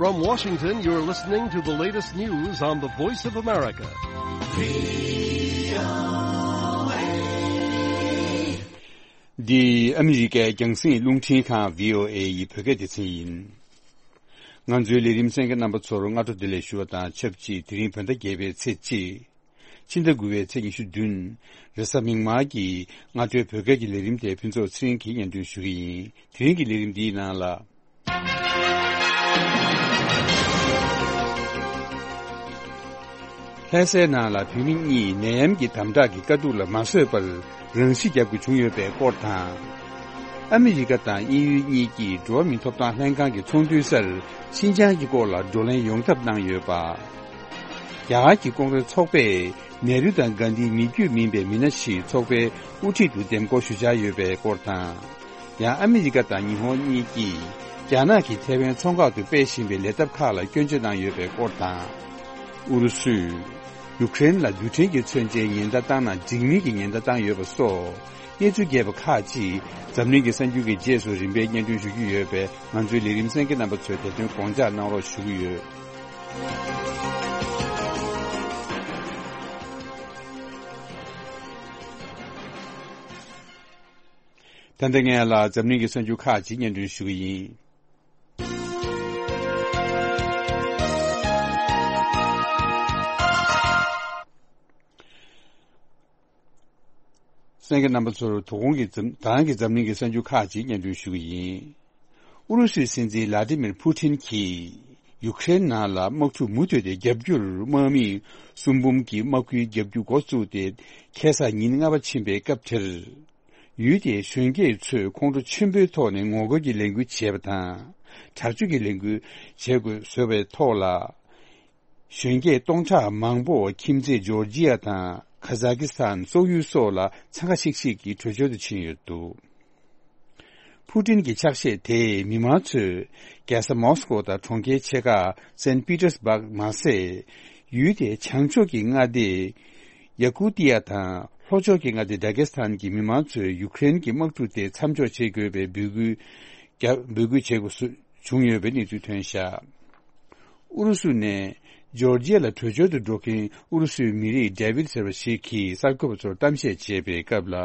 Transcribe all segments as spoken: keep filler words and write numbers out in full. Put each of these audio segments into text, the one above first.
From Washington, you're listening to the latest news on the Voice of America. འདི་ཨ་མི་རི་ཀའི་རྒྱང་སྲིང་རླུང་འཕྲིན་ཁང་བྷི་ཨོ་ཨེ་ཡི་བོད་སྐད་སྡེ་ཚན་ཡིན། ང་ཚོའི་ལས་རིམ་གསན་མཁན་རྣམ་པ་ཚོར་སྔ་དྲོ་བདེ་ལེགས་ཞུ་བ་དང་ཆབས་ཅིག་དེ་རིང་བོད་ཟླ་བརྒྱད་པའི་ཚེས་གཅིག་ཕྱི་ཟླ་དགུ་པའི་ཚེས་ཉི་ཤུ་བདུན། རེས་གཟའ་མིག་དམར་གྱི་སྔ་དྲོའི་བོད་སྐད་ཀྱི་ལས་རིམ་དེ་ཕུན་ཚོགས་ཚེ་རིང་གིས་སྙན་སྒྲོན་ཞུ་གི་ཡིན། དེ་རིང་གི་ལས་རིམ་འདིའི་ནང་ལ། ལྷ་སའི་ནང་ལ་བོད་མི་གཉིས་ནད་ཡམས་ཀྱི་དམ་དྲག་གི་དཀའ་སྡུག་ལ་མ་བཟོད་པར་རང་ཤི་བརྒྱབ་དགོས་བྱུང་ཡོད་པའི་སྐོར་དང་། ཨ་མི་རི་ཀ་དང་དབྱིན་ཡུལ་གཉིས་ཀྱིས་འགྲོ་བ་མིའི་ཐོབ་ཐང་ལྷན་ཁང་གི་ཚོགས་འདུའི་སར་ཤིན་ཅང་གི་སྐོར་ལ་བགྲོ་གླེང་ཡོང་ཐབས་གནང་ཡོད་པ། རྒྱ་གར་གྱི་ཀོང་རེས་ཚོགས་པས་ནེ་རུ་དང་གྷན་དྷིའི་མི་རྒྱུད་མིན་པའི་མི་སྣ་ཞིག་ཚོགས་པའི་དབུ་ཁྲིད་དུ་འདེམས་བསྐོ་ཞུ་འཆར་ཡོད་པའི་སྐོར་དང་། ཡང་ཨ་མི་རི་ཀ་དང་ཉི་ཧོང་གཉིས་ཀྱིས་རྒྱ་ནག་གིས་ཐའེ་ཝན་མཚོ་འགག་ཏུ་སྤེལ་བཞིན་པའི་ལས་ཐབས་ཁག་ལ་སྐྱོན་བརྗོད་གནང་ཡོད་པའི་སྐོར་དང་། ཨུ་རུ་སུས་ཡུཀ་རེན་ལ་རྡུལ་ཕྲན་གྱི་མཚོན་ཆའི་ཉེན་བརྡ་བཏང་ན་འཇིགས་མིན་གྱི་ཉེན་བརྡ་བཏང་ཡོད་པ་སོགས་གནས་ཚུལ་རྒྱས་པ་ཁག་ཅིག་འཛམ་གླིང་གི་གསར་འགྱུར་གྱི་རྗེས་སུ་རིམ་པས་སྙན་སྒྲོན་ཞུ་རྒྱུ་ཡོད་པས། ང་ཚོའི་ལས་རིམ་གསན་མཁན་རྣམ་པ་ཚོས་དེ་དོན་དགོངས་འཇགས་གནང་རོགས་ཞུ་གི་ཡོད། ད་ལྟ་ངས་ལ་འཛམ་གླིང་གི་གསར་འགྱུར་ཁག་ཅིག་སྙན་སྒྲོན་ཞུ་གི་ཡིན། གསན་མཁན་རྣམ་པ་ཚོར་དོ་དགོང་གི་འཛམ་ད་རང་གི་འཛམ་གླིང་གི་གསར་འགྱུར་ཁག་ཅིག་སྙན་སྒྲོན་ཞུ་གི་ཡིན། ཨུ་རུ་སུའི་སྲིད་འཛིན་ལ་ཏི་མིར་ཕུ་ཐིན་གྱིས་ཡུ་ཁྲེན་ནང་ལ་དམག་འཁྲུག་མུ་མཐུད་དེ་བརྒྱབ་རྒྱུར་དམག་མི་གསུམ་འབུམ་གྱི་དམག་ཁུལ་བརྒྱབ་རྒྱུ་འགོ་བཙུགས་ཏེ་ཁ་སང་ཉིན་ལྔ་པ་ཕྱིན་པའི་སྐབས་དེར། ཡུལ་དེའི་གཞོན་སྐྱེས་ཚོས་ཁོང་ཁྲོ་ཆེན་པོའི་ཐོག་ནས་ངོ་རྒོལ་གྱི་ལས་འགུལ་བྱས་པ་དང་། དྲག་སྤྱོད་ཀྱི་ལས་འགུལ་བྱེད་དགོས་བཟོས་པའི་ཐོག་ལ། གཞོན་སྐྱེས་སྟོང་ཕྲག་མང་པོ་ཁྱིམ་མཚེས་ཇོར་ཇི་ཡ་དང་ཁ་ཛ་ཀི་སི་ཐན། སོག་ཡུལ་སོགས་ལ་འཚང་ཁ་ཤིག་ཤིག་གིས་བྲོས་བྱོལ་དུ་ཕྱིན་ཡོད་འདུག་ཕུ་ཏིན་གྱི་ཕྱག་བཞེས་དེས་མི་མང་ཚོས་རྒྱལ་ས་མོ་སི་ཀོ་དང་གྲོང་ཁྱེར་ཆེ་ཁག་སན་པི་ཏེར་སྦག་མ་ཟད། ཡུལ་དེའི་བྱང་ཕྱོགས་ཀྱི་མངའ་སྡེ་ཡ་ཀུ་ཏི་ཡ་དང་ལྷོ་ཕྱོགས་ཀྱི་མངའ་སྡེ་ཌ་གེ་སི་ཐན་གྱི་མི་མང་ཚོས་ཡུ་ཁ་རེན་གྱི་དམག་འཁྲུག་དེ་མཚམས་འཇོག་བྱེད་དགོས་པའི་འབོད་སྐུལ་རྒྱབ་འབོད་སྐུལ་བྱེད་དགོས་སུ་བྱུང་ཡོད་པའི་གནས་ཚུལ་ཐོན་བཞག་ཨུ་རུ་སུ་ནས་ཇོར་ཇི་ཡ་ལ་བྲོས་བྱོལ་དུ་འགྲོ་མཁན་ཨུ་རུ་སུའི་མི་རིགས་ཌེ་ཝིད་ཟེར་བ་ཞིག་གིས་གསར་འགོད་པ་ཚོར་གཏམ་བཤད་བྱས་པའི་སྐབས་ལ།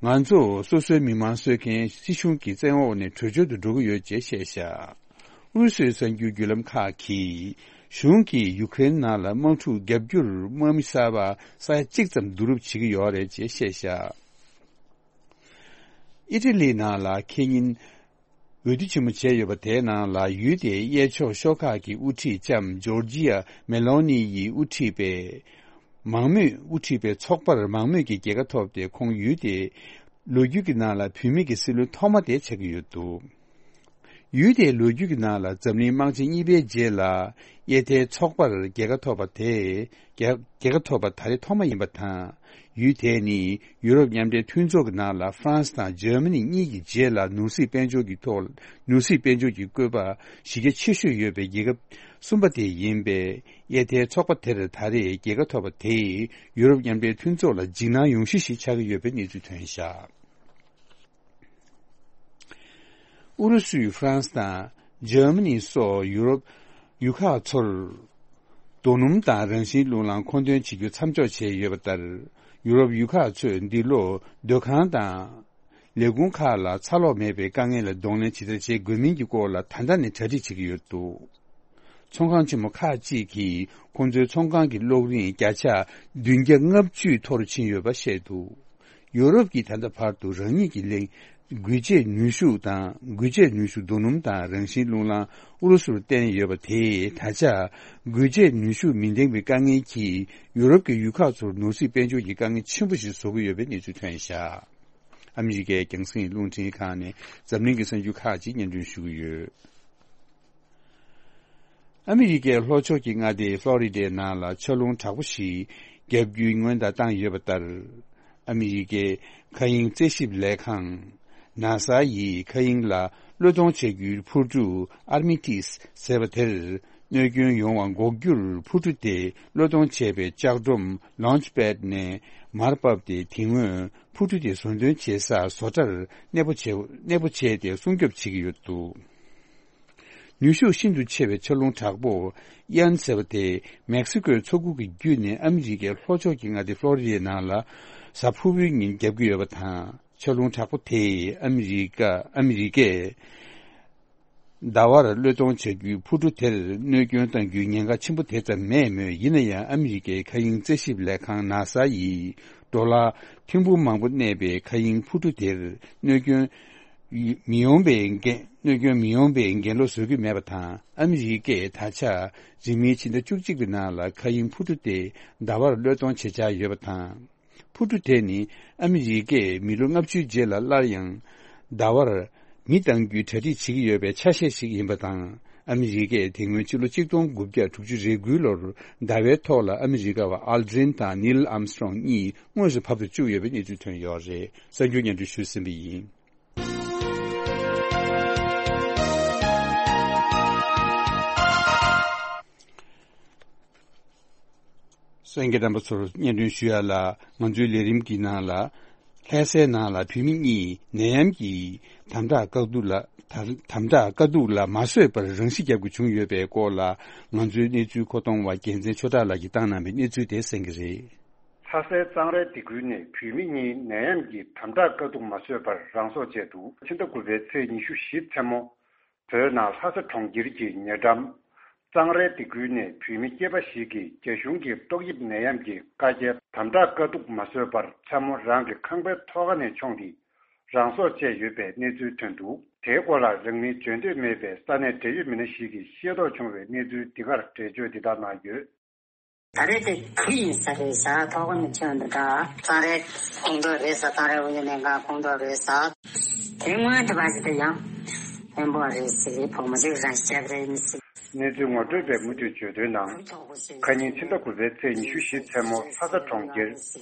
ང་ཚོ་སོ་སོའི་མི་མང་གསོད་མཁན་སྲིད་གཞུང་གི་བཙན་འོག་ནས་བྲོས་བྱོལ་དུ་འགྲོ་གི་ཡོད་ཅེས་བཤད་བཞག་ཨུ་རུ་སུའི་གསར་འགྱུར་བརྒྱུད་ལམ་ཁག་གིས་གཞུང་གིས་ཡུ་ཀེ་རེན་ནང་ལ་དམག་འཁྲུག་བརྒྱབ་རྒྱུར་དམག་མི་གསར་པ་ས་ཡ་གཅིག་ཙམ་བསྡུ་རུབ་བྱེད་ཀྱི་ཡོད་རེད་ཅེས་བཤད་བཞག་ཨི་ཊ་ལི་ནང་ལ་ཁེ་ཉིན་འོས་བསྡུ་ཆེན་མོ་བྱས་ཡོད་པ་དེའི་ནང་ལ་ཡུལ་དེའི་གཡས་ཕྱོགས་ཤོག་ཁག་གི་དབུ་ཁྲིད་ལྕམ་ཇོར་ཇི་ཡ་མེ་ལོ་ནི་ཡིས་དབུ་ཁྲིད་པའི་མང་མོས་དབུ་ཁྲིད་པའི་ཚོགས་པར་མང་མོས་ཀྱི་རྒྱལ་ཁ་ཐོབ་སྟེ། ཁོང་ཡུལ་དེའི་ལོ་རྒྱུས་ཀྱི་ནང་ལ་བུད་མེད་ཀྱི་སྲིད་བློན་ཐོག་མ་དེ་ཆགས་ཀྱི་ཡོད་འདུག་ཡུལ་དེའི་ལོ་རྒྱུས་ཀྱི་ནང་ལ་འཛམ་གླིང་དམག་ཆེན་གཉིས་པའི་རྗེས་ལ་གཡས་མཐའི་ཚོགས་པར་རྒྱལ་ཁ་ཐོབ་པ་དེ། རྒྱལ་རྒྱལ་ཁ་ཐོབ་པ་ད་རེས་ཐོག་མ་ཡིན་པ་དང་། ཡུལ་དེ་ནི་ཡུ་རོབ་མཉམ་འབྲེལ་མཐུན་ཚོགས་ཀྱི་ནང་ལ་ཧྥ་རན་སི་དང་འཇར་མ་ནི་གཉིས་ཀྱི་རྗེས་ལ་ནོར་སྲིད་དཔལ་འབྱོར་གྱི་ཐོག་ནོར་སྲིད་དཔལ་འབྱོར་གྱི་བཀོད་པ་གཞི་རྒྱ་ཆེ་ཤོས་ཡོད་པའི་རྒྱལ་ཁབ་གསུམ་པ་དེ་ཡིན་པས། གཡས་མཐའི་ཚོགས་པ་དེར་ད་རེས་རྒྱལ་ཁ་ཐོབ་པ་དེས་ཡུ་རོབ་མཉམ་འབྲེལ་མཐུན་ཚོགས་ལ་འཇིགས་སྣང་ཡོང་གཞི་ཞིག་ཆགས་ཀྱི་ཡོད་པའི་གནས་ཚུལ་ཐོན་བཞག་ཨུ་རུ་སུས་ཧྥ་རན་སི་དང་འཇར་མ་ནི་སོགས་ཡུ་རོབ་ཡུལ་ཁག་ཚོར་རྡོ་སྣུམ་དང་རང་བཞིན་རླུང་རླངས་མཁོ་འདོན་བྱེད་རྒྱུ་མཚམས་འཇོག་བྱས་ཡོད་པ་ལྟར། ཡུ་རོབ་ཡུལ་ཁག་ཚོས་འདི་ལོ་སྡོད་ཁང་དང་ལས་ཁུངས་ཁག་ལ་ཚ་ལོག་མེད་པའི་དཀའ་ངལ་ལ་གདོང་ལེན་ཇི་ལྟར་བྱེད་དགོས་མིན་གྱི་སྐོར་ལ་ད་ལྟ་ནས་གྲ་སྒྲིག་བྱེད་ཀྱི་ཡོད་འདུག་ཚོང་ཁང་ཆེན་མོ་ཁག་ཅིག་གིས་ཁོང་ཚོའི་ཚོང་ཁང་གི་གློག་རིན་བརྒྱ་ཆ་བདུན་བརྒྱ་ལྔ་བཅུ་མཐོ་རུ་ཕྱིན་ཡོད་པ་བཤད་འདུག་ཡོ་རོབ་ཀྱིས་ད་ལྟ་བར་དུ་རང་ཉིད་ཀྱི་ལས་འགུལ་སྐྱེད་ནུས་ཤུགས་དང་འགུལ་སྐྱེད་ནུས་ཤུགས་རྡོ་སྣུམ་དང་རང་བཞིན་རླུང་རླངས་ཨུ་རུ་སུར་བརྟེན་ཡོད་པ་དེས། ད་ཆ་འགུལ་སྐྱེད་ནུས་ཤུགས་མི་ལྡན་པའི་དཀའ་ངལ་གྱིས་ཡོ་རོབ་ཀྱི་ཡུལ་ཁག་ཚོར་ནོར་སྲིད་དཔལ་འབྱོར་གྱི་དཀའ་ངལ་ཆེན་པོ་ཞིག་བཟོ་གི་ཡོད་པའི་གནས་ཚུལ་ཐོན་བཞག་ཨ་མི་རི་ཀའི་རྒྱང་སྲིང་རླུང་འཕྲིན་ཁང་ནས་འཛམ་གླིང་གི་གསར་འགྱུར་ཁག་ཅིག་སྙན་སྒྲོན་ཞུ་གི་ཡོད། ཨ་མི་རི་ཀའི་ལྷོ་ཕྱོགས་ཀྱི་མངའ་སྡེ་ཧྥ་ལོ་རི་ཌའི་ནང་ལ་ཆར་རླུང་དྲག་པོ་ཞིག་བརྒྱབ་རྒྱུའི་སྔོན་བརྡ་བཏང་ཡོད་པ་ལྟར། ཨ་མི་རི་ཀའི་མཁའ་དབྱིངས་རྩད་ཞིབ་ལས་ཁང་ནཱ་ས་ཡིས་མཁའ་དབྱིངས་ལ་གློད་གཏོང་བྱ་རྒྱུའི་འཕུར་གྲུ་ཨར་མི་ཊིས་ཟེར་བ་དེར་གནོད་སྐྱོན་ཡོང་བ་འགོག་རྒྱུར་འཕུར་གྲུ་དེ་གློད་གཏོང་བྱས་པའི་ལྕགས་སྒྲོམ་ལོན་ཆི་པེད་ནས་མར་བབས་ཏེ། དེ་སྔོན་འཕུར་གྲུ་དེ་བཟོ་འདོན་བྱེད་ས་བཟོ་གྲྭར་གནས་སྤོ་བྱས་གནས་སྤོ་བྱས་ཏེ་སྲུང་སྐྱོབ་བྱེད་ཀྱི་ཡོད་འདུག་ནུས་ཤུགས་ཤིན་ཏུ་ཆེ་བའི་ཆར་རླུང་དྲག་པོ་ཡན་ཟེར་བ་དེ་མེག་སི་ཀོའི་མཚོ་ཁུག་གི་བརྒྱུད་ནས་ཨ་མི་རི་ཀའི་ལྷོ་ཕྱོགས་ཀྱི་མངའ་སྡེ་ཧྥ་ལོ་རི་ཌའི་ནང་ལ་གཟའ་ཕུར་བུའི་ཉིན་བརྒྱབ་ཀྱི་ཡོད་པ་དང་། ཆར་རླུང་དྲག་པོ་དེས་ཨ་མི་རི་ཀ་ཨ་མི་རི་ཀས་ཟླ་བར་གློད་གཏོང་བྱ་རྒྱུའི་འཕུར་གྲུ་དེར་གནོད་སྐྱོན་གཏང་རྒྱུའི་ཉེན་ཁ་ཆེན་པོ་དེ་ཙམ་མེད་མོད། ཡིན་ན་ཡང་ཨ་མི་རི་ཀའི་མཁའ་དབྱིངས་རྩད་ཞིབ་ལས་ཁང་ནཱ་ས་ཡིས་ཌོ་ལར་ཐེར་འབུམ་མང་པོ་གནས་པའི་མཁའ་དབྱིངས་འཕུར་གྲུ་དེར་གནོད་སྐྱོན་མི་ཡོང་བའི་འགན་གནོད་སྐྱོན་མི་ཡོང་བའི་འགན་ལོག་བཟོ་རྒྱུ་མེད་པ་དང་། ཨ་མི་རི་ཀས་ད་ཆ་རིང་མིན་ཕྱི་ཟླ་བཅུ་གཅིག་པའི་ནང་ལ་མཁའ་དབྱིངས་འཕུར་གྲུ་དེ་ཟླ་བར་གློད་གཏོང་བྱེད་འཆར་ཡོད་པ་དང་། འཕུར་གྲུ་དེ་ནི་ཨ་མི་རི་ཀས་མི་ལོ་ལྔ་བཅུའི་རྗེས་ལ་སླར་ཡང་ཟླ་བར་མི་གཏང་རྒྱུའི་གྲ་སྒྲིག་བྱེད་ཀྱི་ཡོད་པའི་ཆ་ཤས་ཤིག་ཡིན་པ་དང་། ཨ་མི་རི་ཀས་དེ་སྔོན་ཕྱི་ལོ་ཆིག་སྟོང་དགུ་བརྒྱ་དྲུག་ཅུ་རེ་དགུའི་ལོར་ཟླ་བའི་ཐོག་ལ་ཨ་མི་རི་ཀ་བ་ཨལ་ཌྲིན་དང་ནིལ་ཨམ་སི་ཊྲོང་གཉིས་དངོས་སུ་བབས་སུ་བཅུག་ཡོད་པའི་གནས་ཚུལ་ཐོན་ཡོད་རེད། གསར་འགྱུར་སྙན་སྒྲོན་ཞུས་ཟིན་པ་ཡིན། གསན་མཁན་རྣམ་པ་ཚོར་སྙན་སྒྲོན་ཞུ་ཡ་ལ། ང་ཚོའི་ལས་རིམ་གྱི་ནང་ལ། ལྷ་སའི་ནང་ལ་བུད་མེད་གཉིས་ནད་ཡམས་ཀྱི་དམ་དྲག་བཀག་སྡུག་ལ། དམ་དམ་དྲག་དཀའ་སྡུག་ལ་མ་བཟོད་པར་རང་ཤི་བརྒྱབ་དགོས་བྱུང་ཡོད་པའི་སྐོར་ལ། ང་ཚོའི་གནས་ཚུལ་མཁོ་གཏོང་བ་རྒྱལ་མཚན་ཆོས་གྲགས་ལགས་ཀྱིས་བཏང་གནང་བའི་གནས་ཚུལ་དེ་གསན་གྱི་རེད། ལྷ་སའི་གཙང་རའི་སྡེ་ཁུལ་ནས་བུད་མེད་གཉིས་ནད་ཡམས་ཀྱི་དམ་དྲག་དཀའ་སྡུག་མ་བཟོད་པར་རང་སྲོག་བཅད་འདུག་ཕྱི་ཟླ་དགུ་པའི་ཚེས་ཉི་ཤུ་བཞི་མཚན་མོ། བོད་ནང་ལྷ་ས་གྲོང་ཁྱེར་གྱི་ཉེ་འགྲམ། གཙང་རའི་སྡེ་ཁུལ་ནས་བུད་མེད་སྐྱེས་པ་ཞིག་གིས་རྒྱ་གཞུང་གི་ཏོག་དབྱིབས་ནད་ཡམས་ཀྱི་བཀའ་རྒྱའི་དམ་དྲག་དཀའ་སྡུག་མ་བཟོད་པར་མཚན་མོ་རང་གི་ཁང་པའི་ཐོག་ཁ་ནས་མཆོངས་ཏེ་རང་སྲོག་བཅད་ཡོད་པའི་གནས་ཚུལ་ཐོན་འདུག་དེའི་སྐོར་ལ་རང་མིང་བརྗོད་འདོད་མེད་པའི་ས་གནས་འབྲེལ་ཡོད་མི་སྣ་ཞིག་གིས་ཤེས་རྟོགས་བྱུང་བའི་གནས་ཚུལ་འདི་གར་འགྲེལ་བརྗོད་འདི་ལྟར་གནང་ཡོད། ད་རེས་དེ་ཁུལ་ཡིན་ས་རེད་ཤག་ཐོག་མ་ཆོད་འདུག་ད་གཙང་རའི་ཁོངས་གཏོགས་རེད་ཟེར། གཙང་རའི་དབུས་ནས་ག་ཁོངས་གཏོགས་རེད་ཟེར། དེ་སྔོན་དུ་བ་ཞིག་དེ་ཡང་ཕན་པོ་རེད་ཟེར་བུ་མོ་ཞིག་རང་ཤི་རེད་ཟེར། གནས་ཚུལ་ངོ་སྤྲོད་པས་མུ་མཐུད་བརྗོད་དོན་ནང་། ཁ་ཉིན་ཕྱི་ཟླ་དགུ་པའི་ཚེས་ཉི་ཤུ་བཞི་མཚན་མོ་ལྷ་ས་གྲོང་ཁྱེར་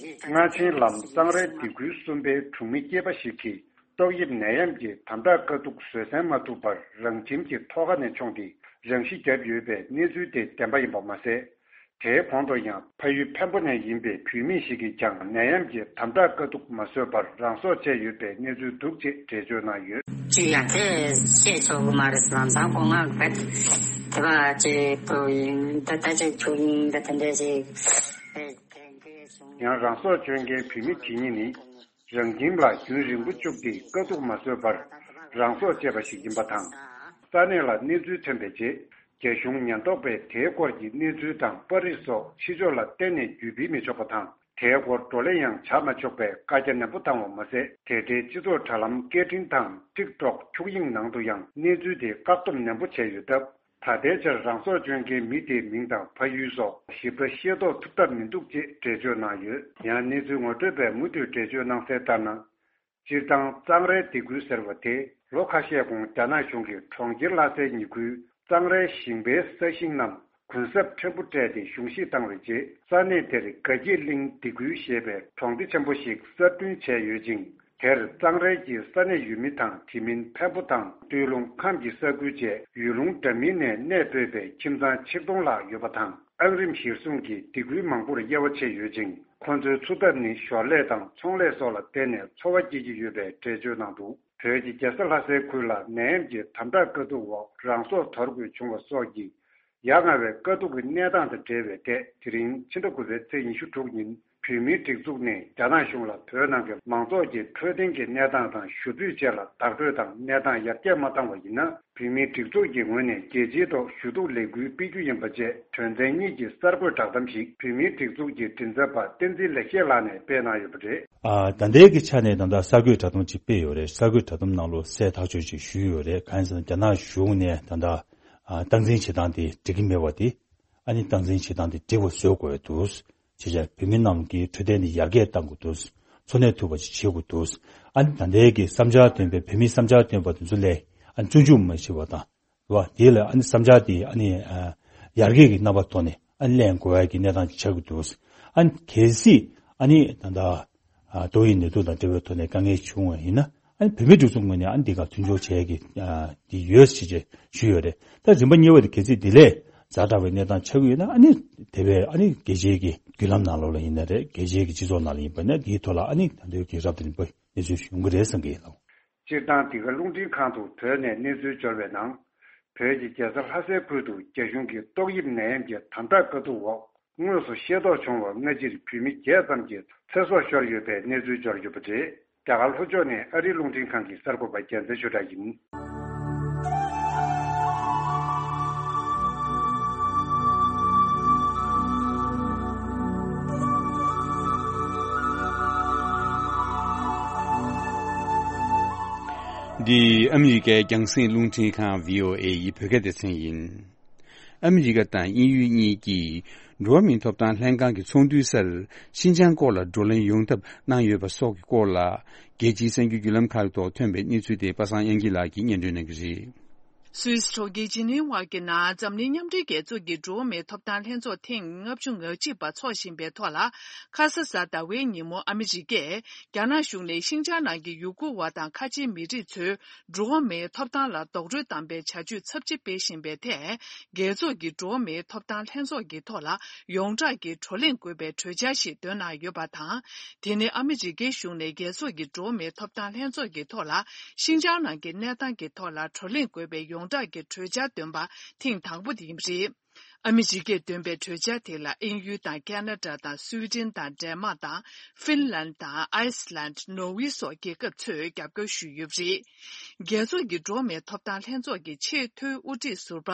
རྔ་ཆེན་ལམ་གཙང་རའི་སྡེ་ཁུལ་གསུམ་པའི་གྲོང་མི་སྐྱེས་པ་ཞིག་གིས། ཏོག་དབྱིབས་ནད་ཡམས་ཀྱི་དམ་དྲག་དཀའ་སྡུག་བཟོད་བསྲན་མ་ཐུབ་པར་རང་ཁྱིམ་གྱི་ཐོག་ཁ་ནས་མཆོངས་ཏེ་རང་ཤི་བརྒྱབ་ཡོད་པའི་གནས་ཚུལ་དེ་བདེན་པ་ཡིན་པ་མ་ཟད། དེའི་གོང་དུ་ཡང་ཕ་ཡུལ་འཕན་པོ་ནས་ཡིན་པའི་བུད་མེད་ཞིག་གིས་ཀྱང་ནད་ཡམས་ཀྱི་དམ་དྲག་དཀའ་སྡུག་མ་བཟོད་པར་རང་སྲོག་བཅད་ཡོད་པའི་གནས་ཚུལ་འདུག་ཅེས་འགྲེལ་བརྗོད་གནང་ཡོད། ཅི་ཡང་དེ་བཤད་ཆོག་གི་མ་རེད། ལམ་སང་ཁོ་ང་ག་དེ་བ་ཅིག་བུ་ཡིན་ད་ད་ཅིག་ཆུ་ཡིན་ད་དེ་འདྲ་ཅིག་དེ་འདྲ་བྱུང་། ཡང་རང་སྲོག་གཅོད་མཁན་བུད་མེད་དེ་གཉིས་ནི། རང་ཁྱིམ་ལ་རྒྱུན་རིང་པོ་བཅུག་སྟེ་དཀའ་སྡུག་མ་བཟོད་པར་རང་སྲོག་བཅད་པ་ཞིག་ཡིན་པ་དང་། ས་གནས་ལ་གནས་ཚུལ་ཐོན་པའི་རྗེས། རྒྱ་གཞུང་ཉེན་རྟོག་པས་དེའི་སྐོར་གྱི་གནས་ཚུལ་དང་པར་རིས་སོགས་ཕྱི་ཕྱོགས་ལ་གཏན་ནས་བརྒྱུད་སྤེལ་མི་ཆོག་པ་དང་། དེའི་སྐོར་བགྲོ་གླེང་ཡང་བྱ་མ་ཆོག་པའི་བཀའ་རྒྱ་ནན་པོ་བཏང་བ་མ་ཟད། དེ་འབྲེལ་སྤྱི་ཚོགས་དྲ་ལམ་སྐད་འཕྲིན་དང་ཊིག་ཊོག་འཁྱུག་དབྱིངས་ནང་དུ་ཡང་གནས་ཚུལ་དེ་བཀག་སྡོམ་ནན་པོ་བྱས་ཡོད་སྟབས། ད་ལྟའི་ཆར་རང་སྲོག་གཅོད་མཁན་མི་དེའི་མིང་དང་ཕ་ཡུལ་སོགས་ཞིབ་ཕྲ་ཤེས་རྟོགས་ཐུབ་ཐབས་མི་འདུག་ཅེས་འགྲེལ་བརྗོད་གནང་ཡོད། ཡང་གནས་ཚུལ་ངོ་སྤྲོད་པས་མུ་མཐུད་འགྲེལ་བརྗོད་གནང་གསལ་ལྟར་ན། སྤྱིར་བཏང་གཙང་རའི་སྡེ་ཁུལ་ཟེར་བ་དེ་ལོ་ཁ་ཤས་གོང་རྒྱ་ནག་གཞུང་གིས་གྲོང་ཁྱེར་ལྷ་སའི་ཉེ་ཁུལ་གཙང་རའི་ཞིང་པའི་ས་ཞིང་རྣམས་གུན་གསབ་ཕྲན་བུ་སྤྲད་དེ་གཞུང་བཞེས་བཏང་བའི་རྗེས། ས་གནས་དེར་དགའ་སྐྱིད་གླིང་སྡེ་ཁུལ་ཞེས་པའི་གྲོང་སྡེ་ཆེན་པོ་ཞིག་གསར་སྐྲུན་བྱས་ཡོད་ཅིང་། དེར་གཙང་རའི་གི་ས་གནས་ཡུལ་མི་དང་དེ་མིན་འཕན་པོ་དང་སྟོད་ལུང་ཁམས་ཀྱི་ས་ཁུལ་བཅས་ཡུལ་ལུང་འདྲ་མིན་ནས་གནས་སྤོས་པའི་ཁྱིམ་ཚང་ཆིག་སྟོང་ལྷག་ཡོད་པ་དང་། ཨང་རིམ་གཞིར་བཟུང་གིས་སྡེ་ཁུལ་མང་པོར་དབྱེ་བ་ཕྱེ་ཡོད་ཅིང་། ཁོ་ཚོའི་འཚོ་ཐབས་ནི་ཞོར་ལས་དང་ཚོང་ལས་སོགས་ལ་བརྟེན་ནས་འཚོ་བ་སྐྱེལ་གྱི་ཡོད་པའི་འགྲེལ་བརྗོད་གནང་འདུག་བོད་ཀྱི་རྒྱལ་ས་ལྷ་སའི་ཁུལ་ལ་ནད་ཡམས་ཀྱི་དམ་དྲག་དཀའ་སྡུག་འོག་རང་སྲོག་དོར་དགོས་བྱུང་བ་སོགས་ཀྱི་ཡ་ང་བའི་དཀའ་སྡུག་གི་གནས་སྟངས་དང་འབྲེལ་བའི་ཐད། དེ་རིང་ཕྱི་ཟླ་དགུ་པའི་ཚེས་ཉི་ཤུ་དྲུག་ཉིན་བོད་མིའི་སྒྲིག་འཛུགས་ནས་རྒྱ་ནག་གཞུང་ལ་བོད་ནང་གི་མང་ཚོགས་ཀྱི་འཕྲོད་བསྟེན་གྱི་གནས་སྟངས་དང་ཞུ་འབོད་བཅས་ལ་བདག་སྤྲོད་དང་གནས་སྟངས་ཡར་རྒྱས་མ་བཏང་བ་ཡིན་ན། བོད་མིའི་སྒྲིག་འཛུགས་ཀྱི་ངོས་ནས་རྒྱལ་སྤྱིའི་ཐོག་ཞུ་གཏུག་ལས་འགུལ་སྤེལ་རྒྱུ་ཡིན་པ་བཅས་དོན་ཚན་གཉིས་ཀྱི་གསར་འགོད་བསྒྲགས་གཏམ་ཞིག་བོད་མིའི་སྒྲིག་འཛུགས་ཀྱི་མགྲིན་ཚབ་པ་བསྟན་འཛིན་ལེགས་བཤད་ལགས་ནས་སྤེལ་གནང་ཡོད་པ་རེད། ཨ། ད་ལྟའི་གི་ཆ་ནས་ད་ལྟ་གསར་འགོད་བསྒྲགས་གཏམ་ཅིག་སྤེལ་ཡོད་རེད། གསར་འགོད་བསྒྲགས་གཏམ་ནང་ལོགས་གསལ་ཐག་ཆོད་ཅིག་ཞུས་ཡོད་རེད། གང་ཡིན་ཟེར་ན་རྒྱ་ནག་གཞུང་ནས་ད་ལྟ། ཨ། སྟངས་འཛིན་བྱེད་སྟངས་དེ་འགྲིག་གི་མེད་པ་དེ། ཨ་ནི་སྟངས་འཛིན་བྱེད་སྟངས་དེ་འགྲིག་པ་བཟོ་དགོས་འདུག་བྱས་བྱས་བོད་མི་རྣམས་ཀྱི་འཕྲོད་བསྟེན་དེ་ཡར་རྒྱས་གཏང་དགོས་འདུག་འཚོ་གནས་ཐུབ་པ་ཞིག་བྱེད་དགོས་འདུག་ཨ་ནི་ད་ལྟའི་གི་བསམ་འཆར་བཏོན་པའི་བོད་མིའི་བསམ་འཆར་བཏོན་པ་དེ་ཚོ་ལས་ཨ་ནི་སྐྱོན་འཇུག་མ་བྱེད་པ་དང་། རེད་བ། དེ་ལ་ཨ་ནི་བསམ་འཆར་དེ་ཨ་ནི་ཨ་ཡར་རྒྱས་ཀྱི་རྣམ་པ་ཐོག་ནས་ཨ་ནི་གླེང་དགོས་ཡ་གི་གནས་སྟངས་ཅིག་ཆགས་ཀྱི་འདུག་ཨ་ནི་གལ་སྲིད་ཨ་ནི་ད་ལྟ་ཨ་ཏོག་དབྱིབས་ནད་དུག་དང་འབྲེལ་བའི་ཐོག་ནས་དཀའ་ངལ་བྱུང་བ་ཡིན་ན། ཨ་ནི་བོད་མིའི་སྒྲིག་འཛུགས་ངོས་ནས་ཨ་ནི་འདི་ག་མཐུན་སྦྱོར་བྱེད་ཀྱི་ཨ་འདི་ཡོད་ཞེས་བཅས་ཞུས་ཡོད་རེད། ད་རིམ་པ་གཉིས་པ་དེ་གལ་སྲིད་འདི་ལས་ཛ་དྲག་པའི་གནས་སྟངས་ཆགས་ཀྱི་ཡོད་ན། ཨ་ནི་དེ་བས་ཨ་ནི་རྒྱལ་སྤྱིའི་གི་བརྒྱུད་ལམ་ནང་ལོགས་ལ་ཡིན་ན་རེད། རྒྱལ་སྤྱིའི་གི་སྤྱི་ཚོགས་ནང་ལ་ཡིན་པ་ན། འདིའི་ཐོག་ལ་ཨ་ནི་ད་དུང་གི་རབ་དང་རིམ་པ་གནས་ཚུལ་ཞིག་ཡོང་གི་རེད་བསམ་གྱི་ཡིན་ལགས། སྤྱིར་བཏང་འདི་ག་རླུང་འཕྲིན་ཁང་དུ་བོད་ནས་གནས་ཚུལ་འབྱོར་བའི་ནང་། བོད་ཀྱི་རྒྱལ་ས་ལྷ་སའི་ཁུལ་དུ་རྒྱ་གཞུང་གི་ཏོག་དབྱིབས་ནད་ཡམས་ཀྱི་དམ་དྲག་དཀའ་སྡུག་འོག་དངོས་སུ་ཤེས་རྟོགས་བྱུང་བར་སྔ་ཕྱིར་བོད་མི་བརྒྱད་ཙམ་གྱི་ཚེ་སྲོག་ཤོར་ཡོད་པའི་གནས་ཚུལ་འབྱོར་ཡོད་པ་རེད། རྒྱ་གར་ལྷོ་ཕྱོགས་ནས་ཨ་རིའི་རླུང་འཕྲིན་ཁང་གི་གསར་འགོད་པ་རྒྱལ་མཚན་ཆོས་གྲགས་ཡིན། འདི་ཨ་མི་རི་ཀའི་རྒྱང་སྲིང་རླུང་འཕྲིན་ཁང་བྷི་ཨོ་ཨེ་ཡི་བོད་སྐད་སྡེ་ཚན་ཡིན། ཨ་མི་རི་ཀ་དང་དབྱིན་ཡུལ་གཉིས་ཀྱིས་འགྲོ་བ་མིའི་ཐོབ་ཐང་ལྷན་ཁང་གི་ཚོགས་འདུའི་སར་ཤིན་ཅང་སྐོར་ལ་བགྲོ་གླེང་ཡོང་ཐབས་གནང་ཡོད་པ་སོགས་ཀྱི་སྐོར་ལ། རྒྱལ་སྤྱིའི་གསར་འགྱུར་བརྒྱུད་ལམ་ཁག་ཐོག་ཐོན་པའི་གནས་ཚུལ་དེ་པ་སངས་དབྱངས་སྐྱིད་ལགས་ཀྱིས་སྙན་སྒྲོན་གནང་གི་རེད། སུད་སི་གྲོང་ཁྱེར་ཇི་ནི་ཝ་གི་ནང་འཛམ་གླིང་མཉམ་འབྲེལ་རྒྱལ་ཚོགས་ཀྱི་འགྲོ་བ་མིའི་ཐོབ་ཐང་ལྷན་ཚོགས་ཐེངས་ལྔ་བཅུ་ང་གཅིག་པ་འཚོགས་བཞིན་པའི་ཐོག་ལ། ཁ་ས་གཟའ་ཟླ་བའི་ཉིན་མོ་ཨ་མི་རི་ཀས་རྒྱ་ནག་གཞུང་ནས་ཤིན་ཅང་ནང་གི་ཡུ་གུར་བ་དང་ཁ་ཆེའི་མི་རིགས་ཚོའི་འགྲོ་བ་མིའི་ཐོབ་ཐང་ལ་རྡོག་རོལ་བཏང་པའི་བྱ་སྤྱོད་ཚབས་ཆེ་སྤེལ་བཞིན་པའི་ཐད། རྒྱལ་ཚོགས་ཀྱི་འགྲོ་བ་མིའི་ཐོབ་ཐང་ལྷན་ཚོགས་ཀྱི་ཐོག་ལ་ཡོངས་གྲགས་ཀྱི་བགྲོ་གླེང་དགོས་པའི་གྲོས་འཆར་ཞིག་བཏོན་གནང་ཡོད་པ་དང་། དེ་ནི་ཨ་མི་རི་ཀའི་གཞུང་ནས་རྒྱལ་ཚོགས་ཀྱི་འགྲོ་བ་མིའི་ཐོབ་ཐང་ལྷན་ཚོགས་ཀྱི་ཐོག་ལ་ཤིན་ཅང་ནང་གི་གནས་སྟངས་ཀྱི་ཐོག་ལ་བགྲོ་གླེང་དགོས་པའི་ཡོངས་གྲགས་ཀྱི་གྲོས་འཆར་བཏོན་པ་ཐེངས་དང་པོ་དེ་ཡིན་པ་རེད། ཨ་མི་རི་ཀས་འདོན་པའི་གྲོས་འཆར་དེ་ལ་དབྱིན་ཡུལ་དང་ཁེ་ན་ཌ་དང་སུའི་ཌེན་དང་ཌེན་མཱག་དང་ཧྥིན་ལན་དང་ཨའི་སི་ལན། ནོར་ཝེ་སོགས་རྒྱལ་ཁབ་ཚོས་རྒྱབ་སྐྱོར་ཞུས་ཡོད་པ་རེད། རྒྱལ་ཚོགས་ཀྱི་འགྲོ་བ་མིའི་ཐོབ་ཐང་ལྷན་ཚོགས་ཀྱི་ཆེས་མཐོའི་དབུ་ཁྲིད་ཟུར་པ་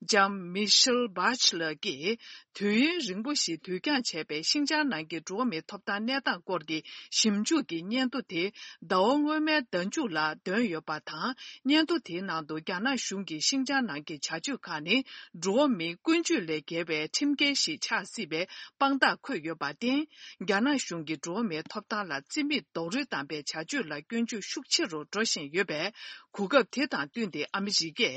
ལྕམ་མི་ཤེལ་བྷ་ཆི་ལར་གྱིས། དུས་ཡུན་རིང་པོ་ཞིག་དུས་འགྱངས་བྱས་པའི་ཤིན་ཅང་ནང་གི་འགྲོ་བ་མིའི་ཐོབ་ཐང་གནས་སྟངས་སྐོར་གྱི་ཞིབ་འཇུག་གི་སྙན་ཐོ་དེ་ཟླ་བ་སྔོན་མའི་ཟླ་མཇུག་ལ་བཏོན་ཡོད་པ་དང་། སྙན་ཐོ་དེའི་ནང་དུ་རྒྱ་ནག་གཞུང་གིས་ཤིན་ཅང་ནང་གི་བྱ་སྤྱོད་ཁག་ནི་འགྲོ་བ་མིའི་ཀུན་སྤྱོད་ལས་བརྒལ་བའི་ཁྲིམས་འགལ་ཞིག་ཆགས་སྲིད་པའི་དཔང་རྟགས་འཁོད་ཡོད་པར་བརྟེན། རྒྱ་ནག་གཞུང་གིས་འགྲོ་བ་མིའི་ཐོབ་ཐང་ལ་རྩིས་མེད་རྡོག་རོལ་བཏང་པའི་བྱ་སྤྱོད་ལ་སྐྱོན་བརྗོད་ཤུགས་ཆེ་རུ་འགྲོ་བཞིན་ཡོད་པས། གོ་སྐབས་དེ་དང་བསྟུན་ཏེ་ཨ་མི་རི་ཀས་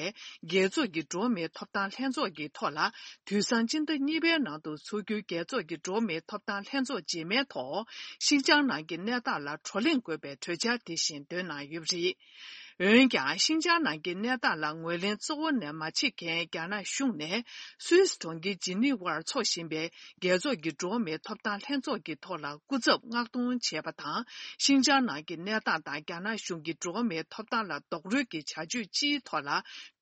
རྒྱལ་ཚོགས་ཀྱི་འགྲོ་བ་མིའི་ཐོབ་ཐང་ལྷན་ཚོགས་ཀྱི་ཐོག་ལ། དུས་སང་སྤྱི་ཟླ་གཉིས་པའི་ནང་དུ་འཚོགས་རྒྱུའི་རྒྱལ་ཚོགས་ཀྱི་འགྲོ་བ་མིའི་ཐོབ་ཐང་ལྷན་ཚོགས་རྗེས་མའི་ཐོག་ཤིན་ཅང་ནང་གི་གནས་སྟངས་ལ་བགྲོ་གླེང་དགོས་པའི་གྲོས་འཆར་དེ་བཞིན་འདོན་གནང་ཡོད་པ་རེད། འོན་ཀྱང་ཤིན་ཅང་ནང་གི་གནས་སྟངས་ལ་ངོས་ལེན་གཙོ་བོ་ནས་མ་བྱེད་མཁན་རྒྱ་ནག་གཞུང་ནས་སུད་སི་གྲོང་ཁྱེར་ཇི་ནི་ཝར་འཚོགས་བཞིན་པའི་རྒྱལ་ཚོགས་ཀྱི་འགྲོ་བ་མིའི་ཐོབ་ཐང་ལྷན་ཚོགས་ཀྱི་ཐོག་ལ་སྐུ་ཚབ་མངགས་གཏོང་བྱས་པ་དང་། ཤིན་ཅང་ནང་གི་གནས་སྟངས་དང་རྒྱ་ནག་གཞུང་གི་འགྲོ་བ་མིའི་ཐོབ་ཐང་ལ་རྡོག་རོལ་གྱི་བྱ་སྤྱོད་སྤྱིའི་ཐོག་ལ་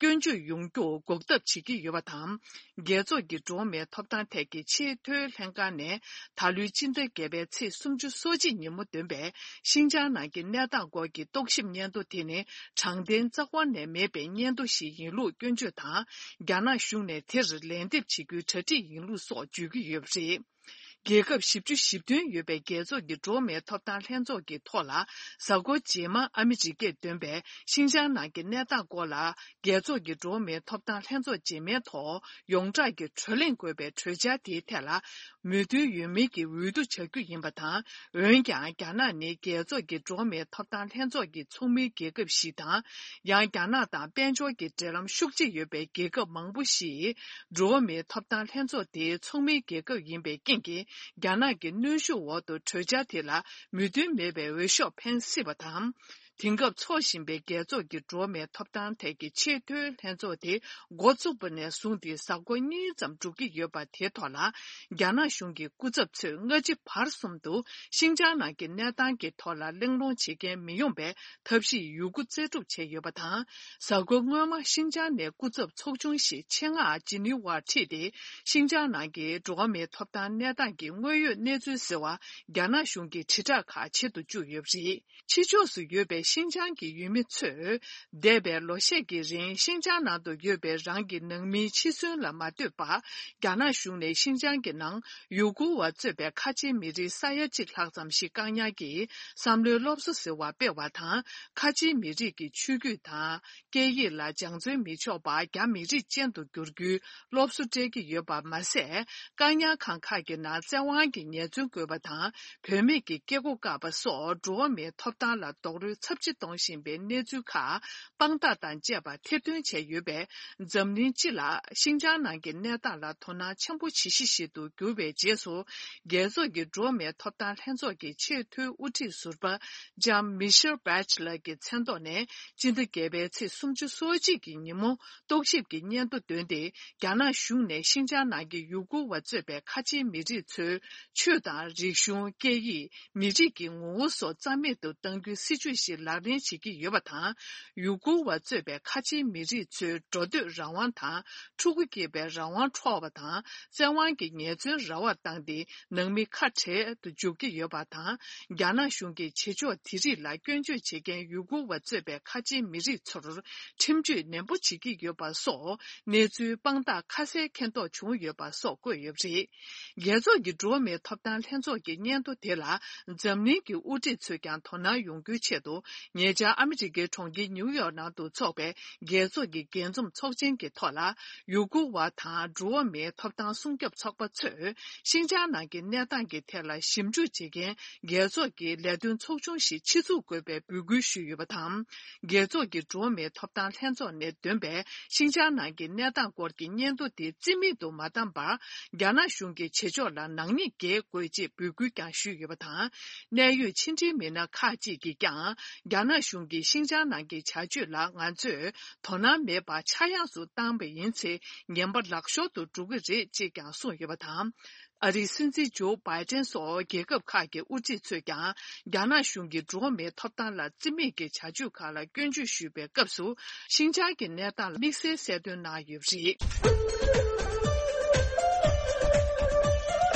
སྐྱོན་བརྗོད་ཡོང་རྒྱུར་འགོག་ཐབས་བྱེད་ཀྱི་ཡོད་པ་དང་། རྒྱལ་ཚོགས་ཀྱི་འགྲོ་བ་མིའི་ཐོབ་ཐང་ཐད་ཀྱི་ཆེས་མཐོའི་ལྷན་ཁང་ནས་ད་ལོའི་སྤྱི་ཟླ་བརྒྱད་པའི་ཚེས་སུམ་ཅུ་སོ་གཅིག་ཉིན་མོ་འདོན་པའི་ཤིན་ཅང་ནང་གི་གནས་སྟངས་སྐོར་གྱི་རྟོག་ཞིབ་སྙན་ཐོ་དེ་ནི་དྲང་བདེན་རྩ་བ་ནས་མེད་པའི་སྙན་ཐོ་ཞིག་ཡིན་ལུགས་སྐྱོན་བརྗོད་དང་། རྒྱ་ནག་གཞུང་ནས་དེར་ལན་འདེབས་བྱེད་རྒྱུའི་གྲ་སྒྲིག་ཡིན་ལུགས་སོགས་བརྗོད་ཀྱི་ཡོད་པ་རེད། རྒྱལ་ཁབ་བཞི་བཅུ་ཞེ་བདུན་ཡོད་པའི་རྒྱལ་ཚོགས་ཀྱི་འགྲོ་བ་མིའི་ཐོབ་ཐང་ལྷན་ཚོགས་ཀྱི་ཐོག་ལ། གཟའ་འཁོར་རྗེས་མ་ཨ་མི་རི་ཀས་འདོན་པའི་ཤིན་ཅང་ནང་གི་གནས་སྟངས་སྐོར་ལ། རྒྱལ་ཚོགས་ཀྱི་འགྲོ་བ་མིའི་ཐོབ་ཐང་ལྷན་ཚོགས་རྗེས་མའི་ཐོག་ཡོངས་གྲགས་ཀྱི་བགྲོ་གླེང་དགོས་པའི་གྲོས་འཆར་དེའི་ཐད་ལ། མོས་མཐུན་ཡོད་མིན་གྱི་འོས་བསྡུ་བྱ་རྒྱུ་ཡིན་པ་དང་། འོན་ཀྱང་། རྒྱ་ནག་ནི་རྒྱལ་ཚོགས་ཀྱི་འགྲོ་བ་མིའི་ཐོབ་ཐང་ལྷན་ཚོགས་ཀྱི་ཚོགས་མིའི་རྒྱལ་ཁབ་ཞིག་དང་། ཡང་། རྒྱ་ནག་དང་དཔལ་འབྱོར་གྱི་འབྲེལ་ལམ་ཤུགས་ཆེ་ཡོད་པའི་རྒྱལ་ཁབ་མང་པོ་ཞིག་འགྲོ་བ་མིའི་ཐོབ་ཐང་ལྷན་ཚོགས་དེའི་ཚོགས་མིའི་རྒྱལ་ཁབ་ཡིན་པའི་རྐྱེན་གྱིས། རྒྱ་ནག་གི་གནོན་ཤུགས་འོག་ཏུ་གྲོས་འཆར་དེ་ལ་མོས་མཐུན་མེད་པའི་འོས་ཤོག་འཕེན་སྲིད་པ་དང་། དེང་སྐབས་འཚོགས་བཞིན་པའི་རྒྱལ་ཚོགས་ཀྱི་འགྲོ་བ་མིའི་ཐོབ་ཐང་ཐད་ཀྱི་ཆེས་མཐོའི་ལྷན་ཚོགས་དེ་འགོ་བཙུགས་པ་ནས་བཟུང་སྟེ་གཟའ་འཁོར་གཉིས་ཙམ་འགྲོ་གི་ཡོད་པ་དེའི་ཐོག་ལ། རྒྱ་ནག་གཞུང་གི་སྐུ་ཚབ་ཚོས་སྔ་ཕྱི་བར་གསུམ་དུ་ཤིན་ཅང་ནང་གི་གནས་སྟངས་ཀྱི་ཐོག་ལ་གླེང་སློང་བྱེད་མཁན་མི་ཡོང་པའི་ཐབས་ཤེས་ཡོད་རྒུ་རྩལ་སྤྲུགས་བྱས་ཡོད་པ་དང་། གཟའ་འཁོར་སྔོན་མ་ཤིན་ཅང་ནས་སྐུ་ཚབ་ཚོགས་ཆུང་ཞིག་ཆེད་མངགས་ཇི་ནི་ཝར་ཁྲིད་དེ། ཤིན་ཅང་ནང་གི་འགྲོ་བ་མིའི་ཐོབ་ཐང་གནས་སྟངས་ཀྱི་དངོས་ཡོད་གནས་ཚུལ་ཟེར་བ། རྒྱ་ནག་གཞུང་གི་དྲིལ་བསྒྲགས་ཁག་བྱེད་དུ་བཅུག་ཡོད་པ་རེད། ཕྱི་ཕྱོགས་སུ་ཡོད་པའི་ཤིན་ཅང་གི་ཡུལ་མི་ཚོས། འདས་པའི་ལོ་ཤས་ཀྱི་རིང་ཤིན་ཅང་ནང་དུ་ཡོད་པའི་རང་གི་ནང་མིའི་འཆི་གསོན་ལ་མ་ལྟོས་པར། རྒྱ་ནག་གཞུང་ནས་ཤིན་ཅང་གི་ནང་ཡུ་གུར་བ་གཙོས་པའི་ཁ་ཆེའི་མི་རིགས་ས་ཡ་གཅིག་ལྷག་ཙམ་ཞིག་བཀག་ཉར་གྱིས་བསམ་བློའི་སློབ་གསོ་ཟེར་བ་སྤེལ་བ་དང་། ཁ་ཆེའི་མི་རིགས་ཀྱི་ཆོས་བརྒྱུད་དང་། སྐད་ཡིག་ལ་སྦྱང་བརྩོན་མི་ཆོག་པར་རྒྱ་མི་རིགས་ཅན་དུ་འགྱུར་རྒྱུའི་སློབ་གསོ་སྤྲད་ཀྱི་ཡོད་པ་མ་ཟད། བཀག་ཉར་ཁང་ཁག་གི་ནང་བཙན་དབང་གིས་ཉེས་བཙུན་བཀོད་པ་དང་། བུད་མེད་ཀྱི་སྐྱེ་སྒོ་བཀག་པ་སོགས་འགྲོ་བ་མིའི་ཐོབ་ཐང་ལ་རྡོག་རོལ་ཚབས་ཆེ་གཏོང་བཞིན་པའི་གནས་ཚུལ་ཁག་དཔང་རྟགས་དང་བཅས་པ་ཐེར་འདོན་བྱས་ཡོད་པས། འཛམ་གླིང་སྤྱི་ལ་ཤིན་ཅང་ནང་གི་གནས་སྟངས་ལ་དོ་སྣང་ཆེན་པོ་བྱེད་གཞི་ཞིག་ཏུ་གྱུར་བའི་རྗེས་སུ། རྒྱལ་ཚོགས་ཀྱི་འགྲོ་བ་མིའི་ཐོབ་ཐང་ལྷན་ཚོགས་ཀྱི་ཆེས་མཐོའི་དབུ་ཁྲིད་ཟུར་པ་ལྕམ་མི་ཤེལ་བྷེ་ཆི་ལར་གྱི་མཚན་ཐོག་ནས། སྤྱི་ཟླ་བརྒྱད་པའི་ཚེས་སུམ་ཅུ་སོ་གཅིག་གི་ཉིན་མོ། རྟོག་ཞིབ་ཀྱི་སྙན་ཐོ་བཏོན་ཏེ། རྒྱ་ནག་གཞུང་ནས་ཤིན་ཅང་ནང་གི་ཡུ་གུར་བ་གཙོས་པའི་ཁ་ཆེའི་མི་རིགས་ཚོའི་ཆོས་དང་རིག་གཞུང་། སྐད་ཡིག་མི་རིགས་ཀྱི་ངོ་བོ་སོགས་རྩ་མེད་དུ་གཏང་རྒྱུའི་སྲིད་ཇུས་ཤིག་ ལག་ལེན་བྱེད་ཀྱི་ཡོད་པ་དང་། ཡུ་གུར་བ་གཙོས་པའི་ཁ་ཆེའི་མི་རིགས་ཚོའི་འགྲོ་སྡོད་རང་དབང་དང་། ཕྲུ་གུ་སྐྱེས་པའི་རང་དབང་འཕྲོག་པ་དང་། བཙན་དབང་གིས་ཉེས་བཙུན་ར་བར་བཏང་སྟེ། ནང་མི་ཁ་བྲལ་དུ་འཇུག་གི་ཡོད་པ་དང་། རྒྱ་ནག་གཞུང་གིས་བྱེད་ཕྱོགས་དེ་རིགས་ལ་སྐྱོན་བརྗོད་བྱེད་མཁན་ཡུ་གུར་བ་གཙོས་པའི་ཁ་ཆེའི་མི་རིགས་ཚོར་ཁྲིམས་གཅོད་ནན་པོ་བྱེད་ཀྱི་ཡོད་པ་སོགས། གནས་ཚུལ་དཔང་རྟགས་ཁ་གསལ་མཁྱེན་རྟོགས་བྱུང་ཡོད་པ་སོགས་བཀོད་ཡོད་པ་རེད། རྒྱལ་ཚོགས་ཀྱི་འགྲོ་བ་མིའི་ཐོབ་ཐང་ལྷན་ཚོགས་ཀྱི་སྙན་ཐོ་དེ་ལ། འཛམ་གླིང་གི་དབུ་ཁྲིད་ཚོས་ཀྱང་དོ་སྣང་ཡོང་རྒྱུའི་ཆེད་དུ། ཉེ་ཆར་ཨ་མི་རི་ཀའི་གྲོང་ཁྱེར་ནིའུ་ཡོག་ནང་དུ་འཚོགས་པའི་རྒྱལ་ཚོགས་ཀྱི་རྒྱས་འཛོམས་ཚོགས་ཆེན་གྱི་ཐོག་ལ། ཡུ་གུར་བ་དང་འགྲོ་བ་མིའི་ཐོབ་ཐང་སྲུང་སྐྱོབ་ཚོགས་པ་ཚོས། ཤིན་ཅང་ནང་གི་གནས་སྟངས་ཀྱི་ཐད་ལ་ཞིབ་འཇུག་བྱེད་མཁན་རྒྱལ་ཚོགས་ཀྱི་ལས་དོན་ཚོགས་ཆུང་ཞིག་ཆེད་འཛུགས་དགོས་པའི་འབོད་སྐུལ་ཞུས་ཡོད་པ་དང་། རྒྱལ་ཚོགས་ཀྱི་འགྲོ་བ་མིའི་ཐོབ་ཐང་ལྷན་ཚོགས་ནས་འདོན་པའི་ཤིན་ཅང་ནང་གི་གནས་སྟངས་སྐོར་གྱི་སྙན་ཐོ་དེ་རྩིས་མེད་དུ་མ་བཏང་བར། རྒྱ་ནག་གཞུང་གི་བྱེད་ཕྱོགས་ལ་ནག་ཉེས་འགེལ་དགོས་ཅེས་འབོད་སྐུལ་ཀྱང་ཞུས་ཡོད་པ་དང་། གནད་ཡོད་ཕྱི་འབྲེལ་མི་སྣ་ཁག་ཅིག་གིས་ཀྱང་། རྒྱ་ནག་གཞུང་གིས་ཤིན་ཅང་ནང་གི་བྱ་སྤྱོད་ལ་ང་ཚོས་དོ་སྣང་མེད་པར་ཆག་ཡང་སུ་བཏང་བ་ཡིན་ཚེ། ངན་པ་ལག་ཤོར་དུ་འགྲོ་གི་རེད་ཅེས་ཀྱང་གསུངས་ཡོད་པ་དང་། ཨ་རིའི་སྲིད་འཛིན་ཇོ་བྷའི་ཏན་སོགས་རྒྱལ་ཁབ་ཁག་གི་དབུ་ཁྲིད་ཚོས་ཀྱང་། རྒྱ་ནག་གཞུང་གིས་འགྲོ་བ་མིའི་ཐོབ་ཐང་ལ་བརྩི་མེད་ཀྱི་བྱ་སྤྱོད་ཁག་ལ་སྐྱོན་བརྗོད་ཞུས་པའི་སྐབས་སུ། ཤིན་ཅང་གི་གནས་སྟངས་ལ་དམིགས་བསལ་གསལ་སྟོན་གནང་ཡོད་པ་རེད།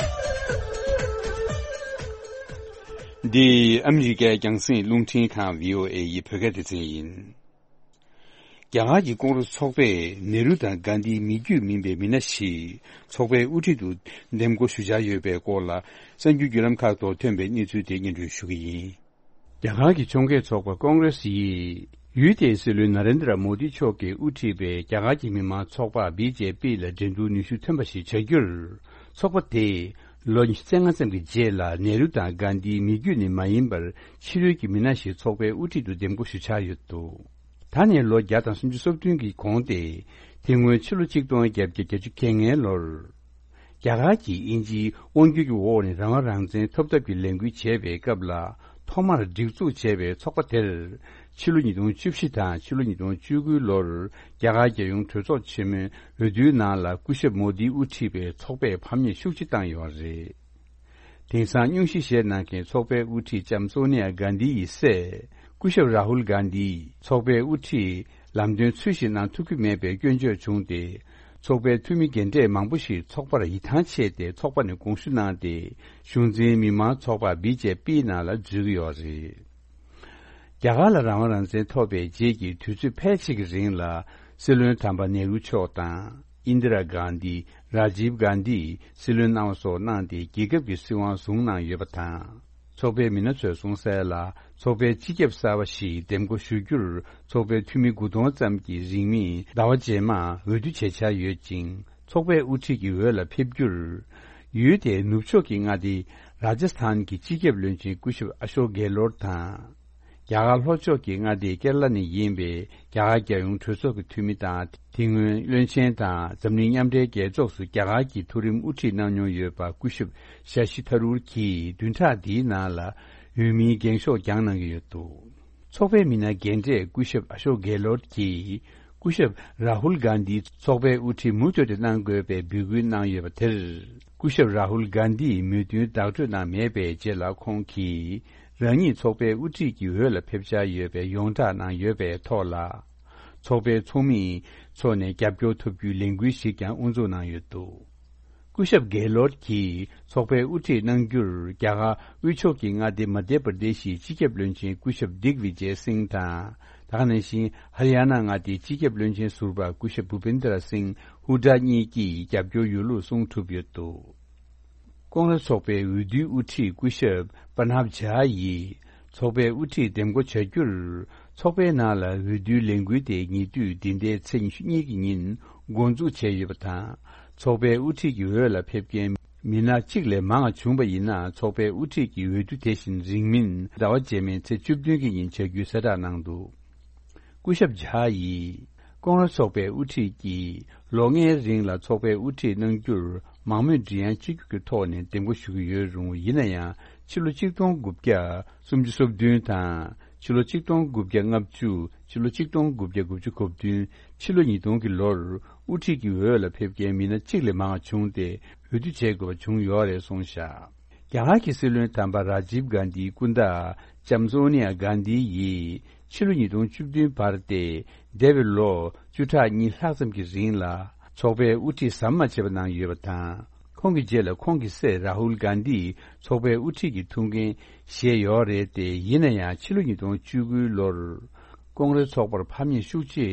འདི་ཨ་མི་རི་ཀའི་རྒྱང་སྲིང་རླུང་འཕྲིན་ཁང་བྷི་ཨོ་ཨེ་ཡི་བོད་སྐད་སྡེ་ཚན་ཡིན། རྒྱ་གར་གྱི་ཀོང་རེ་ཚོགས་པས་ནེ་རུ་དང་གྷན་དྷིའི་མི་རྒྱུད་མིན་པའི་མི་སྣ་ཞིག་ཚོགས་པའི་དབུ་ཁྲིད་དུ་འདེམས་བསྐོ་ཞུ་འཆར་ཡོད་པའི་སྐོར་ལ། གསར་འགྱུར་བརྒྱུད་ལམ་ཁག་ཐོག་ཐོན་པའི་གནས་ཚུལ་དེ་སྙན་སྒྲོན་ཞུ་གི་ཡིན། རྒྱ་གར་གྱི་ཕྱོགས་འགལ་ཚོགས་པ་ཀོང་རེ་སི་ཡིས། ཡུལ་དེའི་སྲིད་བློན་ན་རེན་དྲ་མོ་དི་མཆོག་གིས་དབུ་ཁྲིད་པའི་རྒྱ་གར་གྱི་མི་མང་ཚོགས་པ་བི་ཇེ་པི་ལ་འགྲན་བསྡུར་ནུས་ཤུགས་ཐོན་པ་ཞིག་བྱ་རྒྱུར། ཚོགས་པ་དེས་ལོ་ཉི་ཤུ་རྩ་ལྔ་ཙམ་གྱི་རྗེས་ལ་ནེ་རུ་དང་གྷན་དྷིའི་མི་རྒྱུད་ནས་མ་ཡིན་པར་ཕྱི་རོལ་གྱི་མི་སྣ་ཞིག་ཚོགས་པའི་དབུ་ཁྲིད་དུ་འདེམས་བསྐོ་ཞུ་འཆར་ཡོད་འདུག་ད་ནས་ལོ་བརྒྱ་དང་སུམ་ཅུ་སོ་བདུན་གྱི་གོང་སྟེ། དེ་སྔོན་ཕྱི་ལོ་ཆིག་སྟོང་བརྒྱད་བརྒྱ་གྱ་བརྒྱད་ཅུ་གྱ་ལྔའི་ལོར། རྒྱ་གར་གྱིས་དབྱིན་ཇིའི་དབང་སྒྱུར་གྱི་འོག་ནས་རང་དབང་རང་བཙན་ཐོབ་ཐབས་ཀྱི་ལས་འགུལ་བྱས་པའི་སྐབས་ལ། ཐོག་མར་སྒྲིག་འཛུགས་བྱས་པའི་ཚོགས་པ་དེར། ཕྱི་ལོ་ཉིས་སྟོང་བཅུ་བཞི་དང་ཕྱི་ལོ་ཉིས་སྟོང་བཅུ་དགུའི་ལོར། རྒྱ་གར་རྒྱལ་ཡོངས་གྲོས་ཚོགས་ཆེན་མོའི་འོས་བསྡུའི་ནང་ལ། སྐུ་ཞབས་མོ་དིའི་དབུ་ཁྲིད་པའི་ཚོགས་པས་ཕམ་ཉེས་ཤུགས་ཆེ་བཏང་ཡོད་པ་རེད། དེང་སང་སྙུང་གཞི་བཞེས་གནང་མཁན་ཚོགས་པའི་དབུ་ཁྲིད་ལྕམ་སོ་ནི་ཡ་གྷན་དྷི་ཡི་སྲས། སྐུ་ཞབས་རཱ་ཧུལ་གྷན་དྷི། ཚོགས་པའི་དབུ་ཁྲིད་ལམ་སྟོན་ཚུལ་བཞིན་གནང་ཐུབ་ཀྱི་མེད་པའི་སྐྱོན་བརྗོད་བྱུང་སྟེ། ཚོགས་པའི་འཐུས་མི་རྒན་གྲས་མང་པོ་ཞིག་ཚོགས་པར་ཡིད་ཐང་ཆད་དེ། ཚོགས་པ་ནས་དགོངས་ཞུ་གནང་སྟེ། གཞུང་འཛིན་མི་མང་ཚོགས་པ་བི་ཇེ་པི་ནང་ལ་འཛུལ་གྱི་ཡོད་རེད། རྒྱ་གར་ལ་རང་དབང་རང་བཙན་ཐོབ་པའི་རྗེས་ཀྱི་དུས་ཚོད་ཕལ་ཆེར་གྱི་རིང་ལ། སྲིད་བློན་དམ་པ་ནེ་རུ་མཆོག་དང་། ཨིན་དི་ར་གྷན་དྷི། རཱ་ཇིབ་གྷན་དྷི་སྲིད་བློན་གནང་བ་སོགས་གནང་སྟེ། རྒྱལ་ཁབ་ཀྱི་སྲིད་དབང་བཟུང་གནང་ཡོད་པ་དང་། ཚོགས་པའི་མི་སྣ་ཚོས་གསུངས་གསལ་ལ། ཚོགས་པའི་སྤྱི་ཁྱབ་གསར་པ་ཞིག་འདེམས་བསྐོ་ཞུ་རྒྱུར། ཚོགས་པའི་འཐུས་མི་དགུ་སྟོང་ཙམ་གྱིས་རིང་མིན་ཟླ་བ་རྗེས་མར་འོས་བསྡུ་བྱེད་འཆར་ཡོད་ཅིང་། ཚོགས་པའི་དབུ་ཁྲིད་ཀྱི་འོས་ལ་ཕེབས་རྒྱུར། ཡུལ་དེའི་ནུབ་ཕྱོགས་ཀྱི་མངའ་སྡེ་རཱ་ཇ་སི་ཐན་གྱི་སྤྱི་ཁྱབ་བློན་ཆེན་སྐུ་ཞབས་ཨ་ཤོག་གྷེ་ལོར་དང་། རྒྱ་གར་ལྷོ་ཕྱོགས་ཀྱི་མངའ་སྡེ་ཀེ་ར་ལ་ནས་ཡིན་པའི་རྒྱ་གར་རྒྱལ་ཡོངས་གྲོས་ཚོགས་ཀྱི་འཐུས་མི་དང་། དེ་སྔོན་བློན་ཆེན་དང་འཛམ་གླིང་མཉམ་འབྲེལ་རྒྱལ་ཚོགས་སུ་རྒྱ་གར་གྱི་མཐོ་རིམ་དབུ་ཁྲིད་གནང་མྱོང་ཡོད་པ་སྐུ་ཞབས་ཤ་ཤི་ཐ་རུར་གྱིས་བདུན་ཕྲག་འདིའི་ནང་ལ་འོས་མིའི་འགེངས་ཤོག་བརྒྱངས་གནང་གི་ཡོད་འདུག་ཚོགས་པའི་མི་སྣ་རྒན་གྲས་སྐུ་ཞབས་ཨ་ཤོག་གྷེ་ལོར་གྱིས། སྐུ་ཞབས་རཱ་ཧུལ་གྷན་དྷི་ཚོགས་པའི་དབུ་ཁྲིད་མུ་མཐུད་དུ་གནང་དགོས་པའི་འབོད་སྐུལ་གནང་ཡོད་པ་དེར། སྐུ་ཞབས་རཱ་ཧུལ་གྷན་དྷིས་མོས་མཐུན་བདག་སྤྲོད་གནང་མེད་པའི་རྗེས་ལ། ཁོང་གིས་རང་ཉིད་ཚོགས་པའི་དབུ་ཁྲིད་ཀྱི་འོས་ལ་ཕེབས་འཆར་ཡོད་པའི་ཡོངས་བསྒྲགས་གནང་ཡོད་པའི་ཐོག་ལ། ཚོགས་པའི་ཚོགས་མིའི་ཕྱོགས་ནས་རྒྱབ་སྐྱོར་ཐོབ་རྒྱུའི་ལས་འགུལ་ཞིག་ཀྱང་དབུ་འཛུགས་གནང་ཡོད་འདུག་སྐུ་ཞབས་གྷེ་ལོར་གྱིས་ཚོགས་པའི་དབུ་ཁྲིད་གནང་རྒྱུར། རྒྱ་གར་དབུས་ཕྱོགས་ཀྱི་མངའ་སྡེ་མ་དྷྱ་པར་དེ་ཤིའི་སྤྱི་ཁྱབ་བློན་ཆེན་སྐུ་ཞབས་དིག་བི་ཇེ་སིང་དང་། དེ་ག་ནང་བཞིན་ཧ་རི་ཡ་ན་མངའ་སྡེའི་སྤྱི་ཁྱབ་བློན་ཆེན་ཟུར་པ་སྐུ་ཞབས་བྷུ་པིན་དར་སིང་ཧུ་ཌ་གཉིས་ཀྱིས་རྒྱབ་སྐྱོར་ཡོད་ལུགས་གསུངས་གྲུབ་ཡོད་འདུག་ཀོང་རེས་ཚོགས་པའི་འོས་བསྡུའི་དབུ་ཁྲིད་སྐུ་ཞབས་པ་ནབ་ཇཱ་ཡིས་ཚོགས་པའི་དབུ་ཁྲིད་འདེམས་བསྐོ་བྱ་རྒྱུར། ཚོགས་པའི་ནང་ལ་འོས་བསྡུའི་ལས་འགུལ་དེ་ཉེ་དུས་འདི་ཟླའི་ཚེས་ཉི་ཤུ་གཉིས་ཀྱི་ཉིན་འགོ་འཛུགས་བྱས་ཡོད་པ་དང་། ཚོགས་པའི་དབུ་ཁྲིད་ཀྱི་འོས་ལ་ཕེབས་མཁན་མི་སྣ་གཅིག་ལས་མང་བ་བྱུང་བ་ཡིན་ན། ཚོགས་པའི་དབུ་ཁྲིད་ཀྱི་འོས་བསྡུ་དེ་བཞིན་རིང་མིན་ཟླ་བ་རྗེས་མའི་ཚེས་བཅུ་བདུན་གྱི་ཉིན་བྱ་རྒྱུའི་གསལ་བསྒྲགས་གནང་འདུག་སྐུ་ཞབས་ཇཱ་ཡིས། ཀོང་རེས་ཚོགས་པའི་དབུ་ཁྲིད་ཀྱིས་ལོ་ལྔའི་རིང་ལ་ཚོགས་པའི་དབུ་ཁྲིད་གནང་རྒྱུར་མང་མོས་མགྲིན་དབྱངས་གཅིག་གྱུར་གྱི་ཐོག་ནས་འདེམས་བསྐོ་ཞུ་གི་ཡོད་རུང་། ཡིན་ན་ཡང་ཕྱི་ལོ་ཆིག་སྟོང་དགུ་བརྒྱ་སུམ་ཅུ་སོ་བདུན་དང་། ཕྱི་ལོ་ཆིག་སྟོང་དགུ་བརྒྱ་ལྔ་བཅུ། ཕྱི་ལོ་ཆིག་སྟོང་དགུ་བརྒྱ་དགུ་བཅུ་གོ་བདུན། ཕྱི་ལོ་ཉིས་སྟོང་གི་ལོར་དབུ་ཁྲིད་ཀྱི་འོས་ལ་ཕེབས་མཁན་མི་སྣ་གཅིག་ལས་མང་བ་བྱུང་སྟེ། འོས་བསྡུ་བྱེད་དགོས་པ་བྱུང་ཡོད་རེད་གསུངས་བཞག་རྒྱ་གར་གྱི་སྲིད་བློན་དམ་པ་རཱ་ཇིབ་གྷན་དྷིའི་སྐུ་ཟླ་ལྕམ་སོ་ནི་ཡ་གྷན་དྷི་ཡིས་ཕྱི་ལོ་ཉིས་སྟོང་བཅུ་བདུན་བར་ཏེ་འདས་པའི་ལོ་བཅུ་ཕྲག་གཉིས་ལྷག་ཙམ་གྱི་རིང་ལ་ཚོགས་པའི་དབུ་ཁྲིད་ཟམ་མ་ཆད་པ་གནང་ཡོད་པ་དང་། ཁོང་གི་རྗེས་ལ་ཁོང་གི་སྲས་རཱ་ཧུལ་གྷན་དྷི་ཚོགས་པའི་དབུ་ཁྲིད་ཀྱི་ཐུགས་འགན་བཞེས་ཡོད་རེད་དེ། ཡིན་ན་ཡང་ཕྱི་ལོ་ཉིས་སྟོང་བཅུ་དགུའི་ལོར་ཀོང་རེ་ཚོགས་པར་ཕམ་ཉེས་ཤུགས་ཆེ་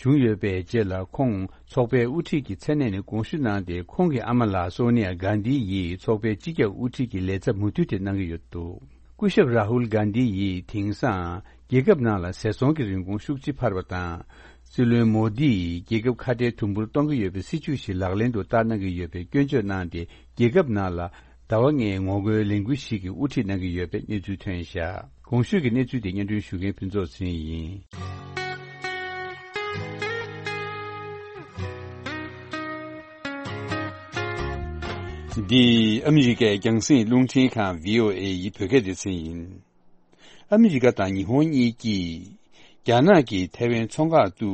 བྱུང་ཡོད་པའི་རྗེས་ལ། ཁོང་ཚོགས་པའི་དབུ་ཁྲིད་ཀྱི་མཚན་གནས་ནས་དགོངས་ཞུ་གནང་སྟེ། ཁོང་གི་ཨ་མ་ལགས་སོ་ནི་ཡ་གྷན་དྷི་ཡིས་ཚོགས་པའི་སྤྱི་ཁྱབ་དབུ་ཁྲིད་ཀྱི་ལས་ཚབ་མུ་མཐུད་དེ་གནང་གི་ཡོད་འདུག་སྐུ་ཞབས་རཱ་ཧུལ་གྷན་དྷི་ཡིས་དེང་སང་རྒྱལ་ཁབ་ནང་ལ་ཟས་ཚོང་གི་རིན་གོང་ཤུགས་ཆེ་འཕར་བ་དང་། སྲིད་བློན་མོ་དི་ཡིས་རྒྱལ་ཁབ་ཁ་བྲལ་དུམ་བུར་གཏོང་གི་ཡོད་པའི་སྲིད་བྱུས་ཤིག་ལག་ལེན་དུ་བསྟར་གནང་གི་ཡོད་པའི་སྐྱོན་བརྗོད་གནང་སྟེ། རྒྱལ་ཁབ་ནང་ལ་ཟླ་བ་ལྔའི་ངོ་རྒོལ་ལས་འགུལ་ཞིག་གི་དབུ་ཁྲིད་གནང་གི་ཡོད་པའི་གནས་ཚུལ་ཐོན་བཞག་གོང་ཞུས་ཀྱི་གནས་ཚུལ་དེ་སྙན་སྒྲོན་ཞུ་མཁན་ཕུན་ཚོགས་ཚེ་རིང་ཡིན། འདི་ཨ་མི་རི་ཀའི་རྒྱང་སྲིང་རླུང་འཕྲིན་ཁང་བྷི་ཨོ་ཨེ་ཡི་བོད་སྐད་སྡེ་ཚན་ཡིན། ཨ་མི་རི་ཀ་དང་ཉི་ཧོང་གཉིས་ཀྱིས་རྒྱ་ནག་གིས་ཐའེ་ཝན་མཚོ་འགག་ཏུ་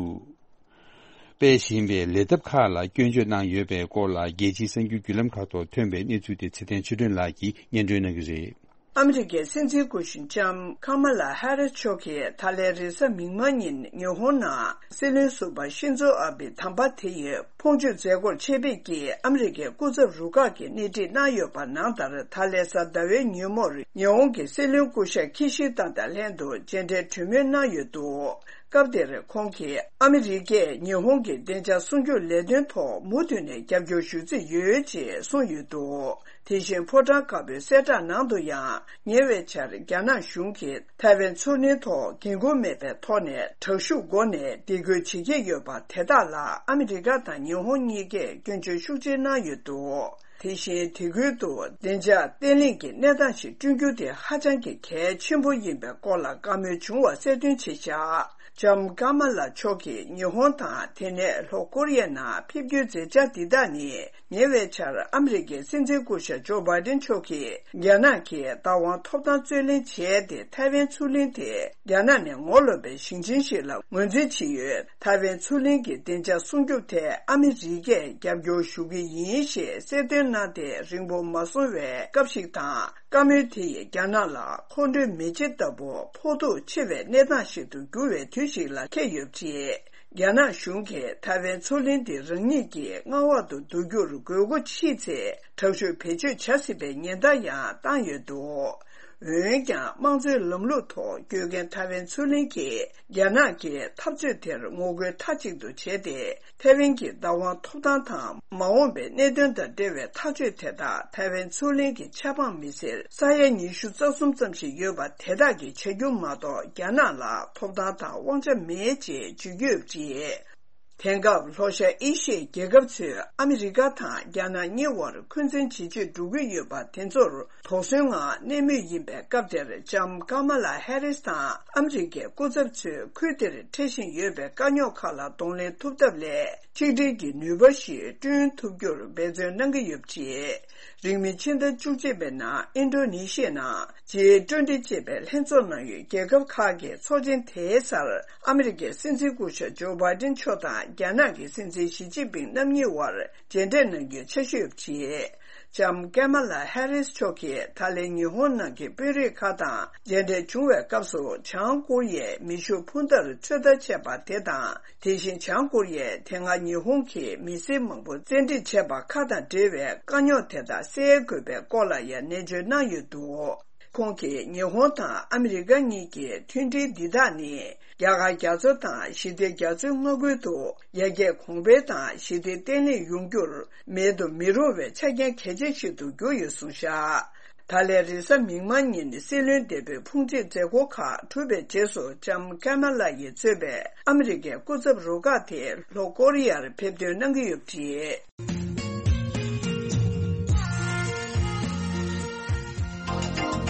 སྤེལ་བཞིན་པའི་ལས་ཐབས་ཁག་ལ་སྐྱོན་བརྗོད་གནང་ཡོད་པའི་སྐོར་ལ། རྒྱལ་སྤྱིའི་གསར་འགྱུར་བརྒྱུད་ལམ་ཁག་ཐོག་ཐོན་པའི་གནས་ཚུལ་དེ་ཚེ་བརྟན་ཆོས་སྒྲོན་ལགས་ཀྱིས་སྙན་སྒྲོན་གནང་གི་རེད། ཨ་མི་རི་ཀའི་སྲིད་འཛིན་སྐུ་ཞབས་ལྕམ་ཀ་མ་ལ་ཧ་རིས་མཆོག་གིས་ད་ལན་རེས་གཟའ་མིག་དམར་ཉིན་ཉི་ཧོང་ནང་སྲིད་བློན་ཟུར་པ་ཤིན་ཛོ་ཨ་བྷེ་དམ་པ་དེ་ཡི་ཕོངས་སྤྱོད་མཛད་སྒོར་ཆེད་ཕེབས་ཀྱིས་ཨ་མི་རི་ཀའི་སྐུ་ཚབ་རུ་ཁག་གིས་སྣེ་ཁྲིད་གནང་ཡོད་པ་ནང་ལྟར། ད་ལན་གཟའ་ཟླ་བའི་ཉིན་མོར་ཉི་ཧོང་གི་སྲིད་བློན་སྐུ་ཞབས་ཁི་ཤི་ད་དང་ལྷན་དུ་མཇལ་འཕྲད་གྲོས་མོལ་གནང་ཡོད་འདུག་སྐབས་དེར་ཁོང་གིས་ཨ་མི་རི་ཀས་ཉི་ཧོང་གི་བདེ་འཇགས་སྲུང་སྐྱོབ་ལས་དོན་ཐོག་མུ་མཐུད་ནས་རྒྱབ་སྐྱོར་ཞུ་རྩིས་ཡོད་ཅེས་གསུངས་ཡོད་འདུག་དེ་བཞིན་ཕོ་བྲང་དཀར་པོའི་གསལ་བསྒྲགས་ནང་དུ་ཡང་། ཉེ་བའི་ཆར་རྒྱ་ནག་གཞུང་གིས་ཐའེ་ཝན་མཚོ་གླིང་ཐོག་འགན་འཁུར་མེད་པའི་ཐོག་ནས་དྲག་ཤུགས་སྒོ་ནས་སྡིགས་སྐུལ་བྱེད་ཀྱི་ཡོད་པ་དེ་དག་ལ་ཨ་མི་རི་ཀ་དང་ཉི་ཧོང་གཉིས་ཀས་སྐྱོན་བརྗོད་ཤུགས་ཆེ་གནང་ཡོད་འདུག་དེ་བཞིན་དེ་ཁུལ་དུ་བདེ་འཇགས་བརྟན་ལྷིང་གི་གནས་སྟངས་ཤིག་བསྐྲུན་རྒྱུ་དེ་ཧ་ཅང་གི་གལ་ཆེན་པོ་ཡིན་པའི་སྐོར་ལ་བཀའ་མོལ་བྱུང་བ་གསལ་སྟོན་བྱས་བཞག་ལྕམ་ཀ་མ་ལ་མཆོག་གིས་ཉི་ཧོང་དང་དེ་ནས་ལྷོ་ཀོ་རི་ཡའི་ནང་ཕེབས་རྒྱུའི་མཛད་འཆར་འདི་དག་ནི། ཉེ་བའི་ཆར་ཨ་མི་རི་ཀའི་སྲིད་འཛིན་སྐུ་ཞབས་ཇོ་བྷའི་ཏིན་མཆོག་གིས་རྒྱ་ནག་གིས་བདག་དབང་ཐོབ་ཐང་རྩོད་ལེན་བྱས་ཏེ། ཐའེ་ཝན་མཚོ་གླིང་དེ་རྒྱ་ནག་ནས་ངོ་ལོག་པའི་ཞིང་ཆེན་ཞིག་ལ་ངོས་འཛིན་བྱེད་ཡོད། ཐའེ་ཝན་མཚོ་གླིང་གི་བདེ་འཇགས་སྲུང་སྐྱོབ་ཐད་ཨ་མི་རི་ཀས་རྒྱབ་སྐྱོར་ཞུ་གི་ཡིན་ཞེས་གསལ་སྟོན་གནང་སྟེ། རིང་པོ་མ་སོང་བའི་སྐབས་ཤིག་དང་། བཀའ་མོལ་དེ་ཡིས་རྒྱ་ནག་ལ་ཁོང་ཁྲོའི་མེ་ལྕེ་ལྟ་བུ་ཕོག་ཐུག་ཆེ་བའི་གནས་སྟངས་ཤིག་ཏུ་གྱུར་བའི་དུས་ཤིག་ལ་འཁེལ་ཡོད་པ་རེད། རྒྱ་ནག་གཞུང་གིས་ཐའེ་ཝན་མཚོ་གླིང་འདི་རང་ཉིད་ཀྱི་མངའ་འོག་ཏུ་བསྡུ་རྒྱུར་དགོས་མཁོ་མཆིས་ཚེ། དྲག་ཤུགས་བེད་སྤྱོད་བྱ་སྲིད་པའི་ཉེན་བརྡ་ཡང་བཏང་ཡོད་འདུག་འོན་ཀྱང་། དམངས་གཙོའི་ལམ་ལུགས་ཐོག་བསྐྱོད་མཁན་ཐའེ་ཝན་མཚོ་གླིང་གིས་རྒྱ་ནག་གི་འཐབ་རྩོད་དེར་ངོ་རྒོལ་མཐའ་གཅིག་ཏུ་བྱས་ཏེ། ཐའེ་ཝན་གྱི་བདག་དབང་ཐོབ་ཐང་དང་མ་འོངས་པའི་གནད་དོན་དང་འབྲེལ་བའི་ཐག་གཅོད་དེ་དག་ཐའེ་ཝན་མཚོ་གླིང་གི་ཆབ་འབངས་མི་སེར་ས་ཡ་ཉི་ཤུ་རྩ་གསུམ་ཙམ་ཞིག་ཡོད་པ་དེ་དག་གིས་བྱ་རྒྱུ་མ་གཏོགས། རྒྱ་ནག་ལ་ཐོབ་ཐང་དང་དབང་ཆ་མེད་ཅེས་བརྗོད་ཀྱི་ཡོད་པ་རེད། དེང་སྐབས་ལྷོ་ཤར་ཨེ་ཤི་ཡའི་རྒྱལ་ཁབ་ཚོས་ཨ་མི་རི་ཀ་དང་རྒྱ་ནག་གཉིས་བར་འཁོན་འཛིན་ཇེ་ཆེར་འགྲོ་གི་ཡོད་པ་དེ་ཚོར་དོགས་ཟོན་ངང་གནས་མུས་ཡིན་པའི་སྐབས་དེར། ལྕམ་ཀ་མ་ལ་ཧེ་རིས་དང་ཨ་མི་རི་ཀའི་སྐུ་ཚབ་ཚོས་ཁུལ་དེར་འཕྲད་བཞིན་ཡོད་པའི་དཀའ་རྙོག་ཁག་ལ་གདོང་ལེན་ཐུབ་ཐབས་སླད། ཆིག་སྒྲིལ་གྱི་ནུས་པ་ཞིག་བསྐྲུན་ཐུབ་རྒྱུར་འབད་བརྩོན་གནང་གི་ཡོད་པ་རེད། རིང་མིན་ཕྱི་ཟླ་བཅུ་གཅིག་པའི་ནང་ཨིན་ཌོ་ནེ་ཤི་ཡའི་ནང་ཇི་ཊུ་ཝེན་ཊི་ཅེས་པའི་ལྷན་ཚོགས་གནང་ཡུལ་རྒྱལ་ཁབ་ཁག་གི་ཚོགས་ཆེན་དེའི་སར། ཨ་མི་རི་ཀའི་སྲིད་འཛིན་སྐུ་ཞབས་ཇོ་བྷའི་ཏིན་མཆོག་དང་རྒྱ་ནག་གི་སྲིད་འཛིན་ཞི་ཅིན་ཕིང་རྣམ་གཉིས་དབར་མཇལ་འཕྲད་གནང་རྒྱུའི་འཆར་གཞི་ཡོད་པ་རེད། ལྕམ་ཀ་མ་ལ་ཧེ་རིས་མཆོག་གིས་ད་ལན་ཉི་ཧོང་ནང་གི་དཔོན་རིགས་ཁག་དང་མཇལ་འཕྲད་བྱུང་བའི་སྐབས་སུ། བྱང་ཀོ་རི་ཡའི་མེ་ཤུགས་འཕུར་མདའ་ཚོད་ལྟ་བྱས་པ་དེ་དང་། དེ་བཞིན་བྱང་ཀོ་རི་ཡས་དེ་སྔ་ཉི་ཧོང་གིས་མི་སེར་མང་པོ་བཙན་ཁྲིད་བྱས་པ་ཁག་དང་འབྲེལ་བའི་དཀའ་རྙོག་དེ་དག་སེལ་དགོས་པའི་སྐོར་ལ་ཡང་ནན་བརྗོད་གནང་ཡོད་འདུག་ཁོང་གིས་ཉི་ཧོང་དང་ཨ་མི་རི་ཀ་གཉིས་ཀྱི་མཐུན་སྒྲིལ་འདི་དག་ནི། རྒྱ་གར་རྒྱ་མཚོ་དང་ཞི་བདེ་རྒྱ་མཚོའི་མངའ་ཁུལ་དུ་ཡར་རྒྱས་གོང་འཕེལ་དང་ཞི་བདེ་བརྟན་ལྷིང་ཡོང་རྒྱུར་མེད་དུ་མི་རུང་བའི་ཆ་རྐྱེན་གལ་ཆེ་ཞིག་ཏུ་གྱུར་ཡོད་གསུངས་བཞག་ད་ལན་རེས་གཟའ་མིག་དམར་ཉིན་སྲིད་བློན་འདས་པོའི་ཕུང་མཆིལ་མཛད་སྒོ་ཁག་གྲུབ་པའི་རྗེས་སུ། ལྕམ་ཀ་མ་ལ་ཡིས་གཙོས་པའི་ཨ་མི་རི་ཀའི་སྐུ་ཚབ་རུ་ཁག་དེ་ལྷོ་ཀོ་རི་ཡར་ཕེབས་ཐོན་གནང་གི་ཡོད་པ་རེད།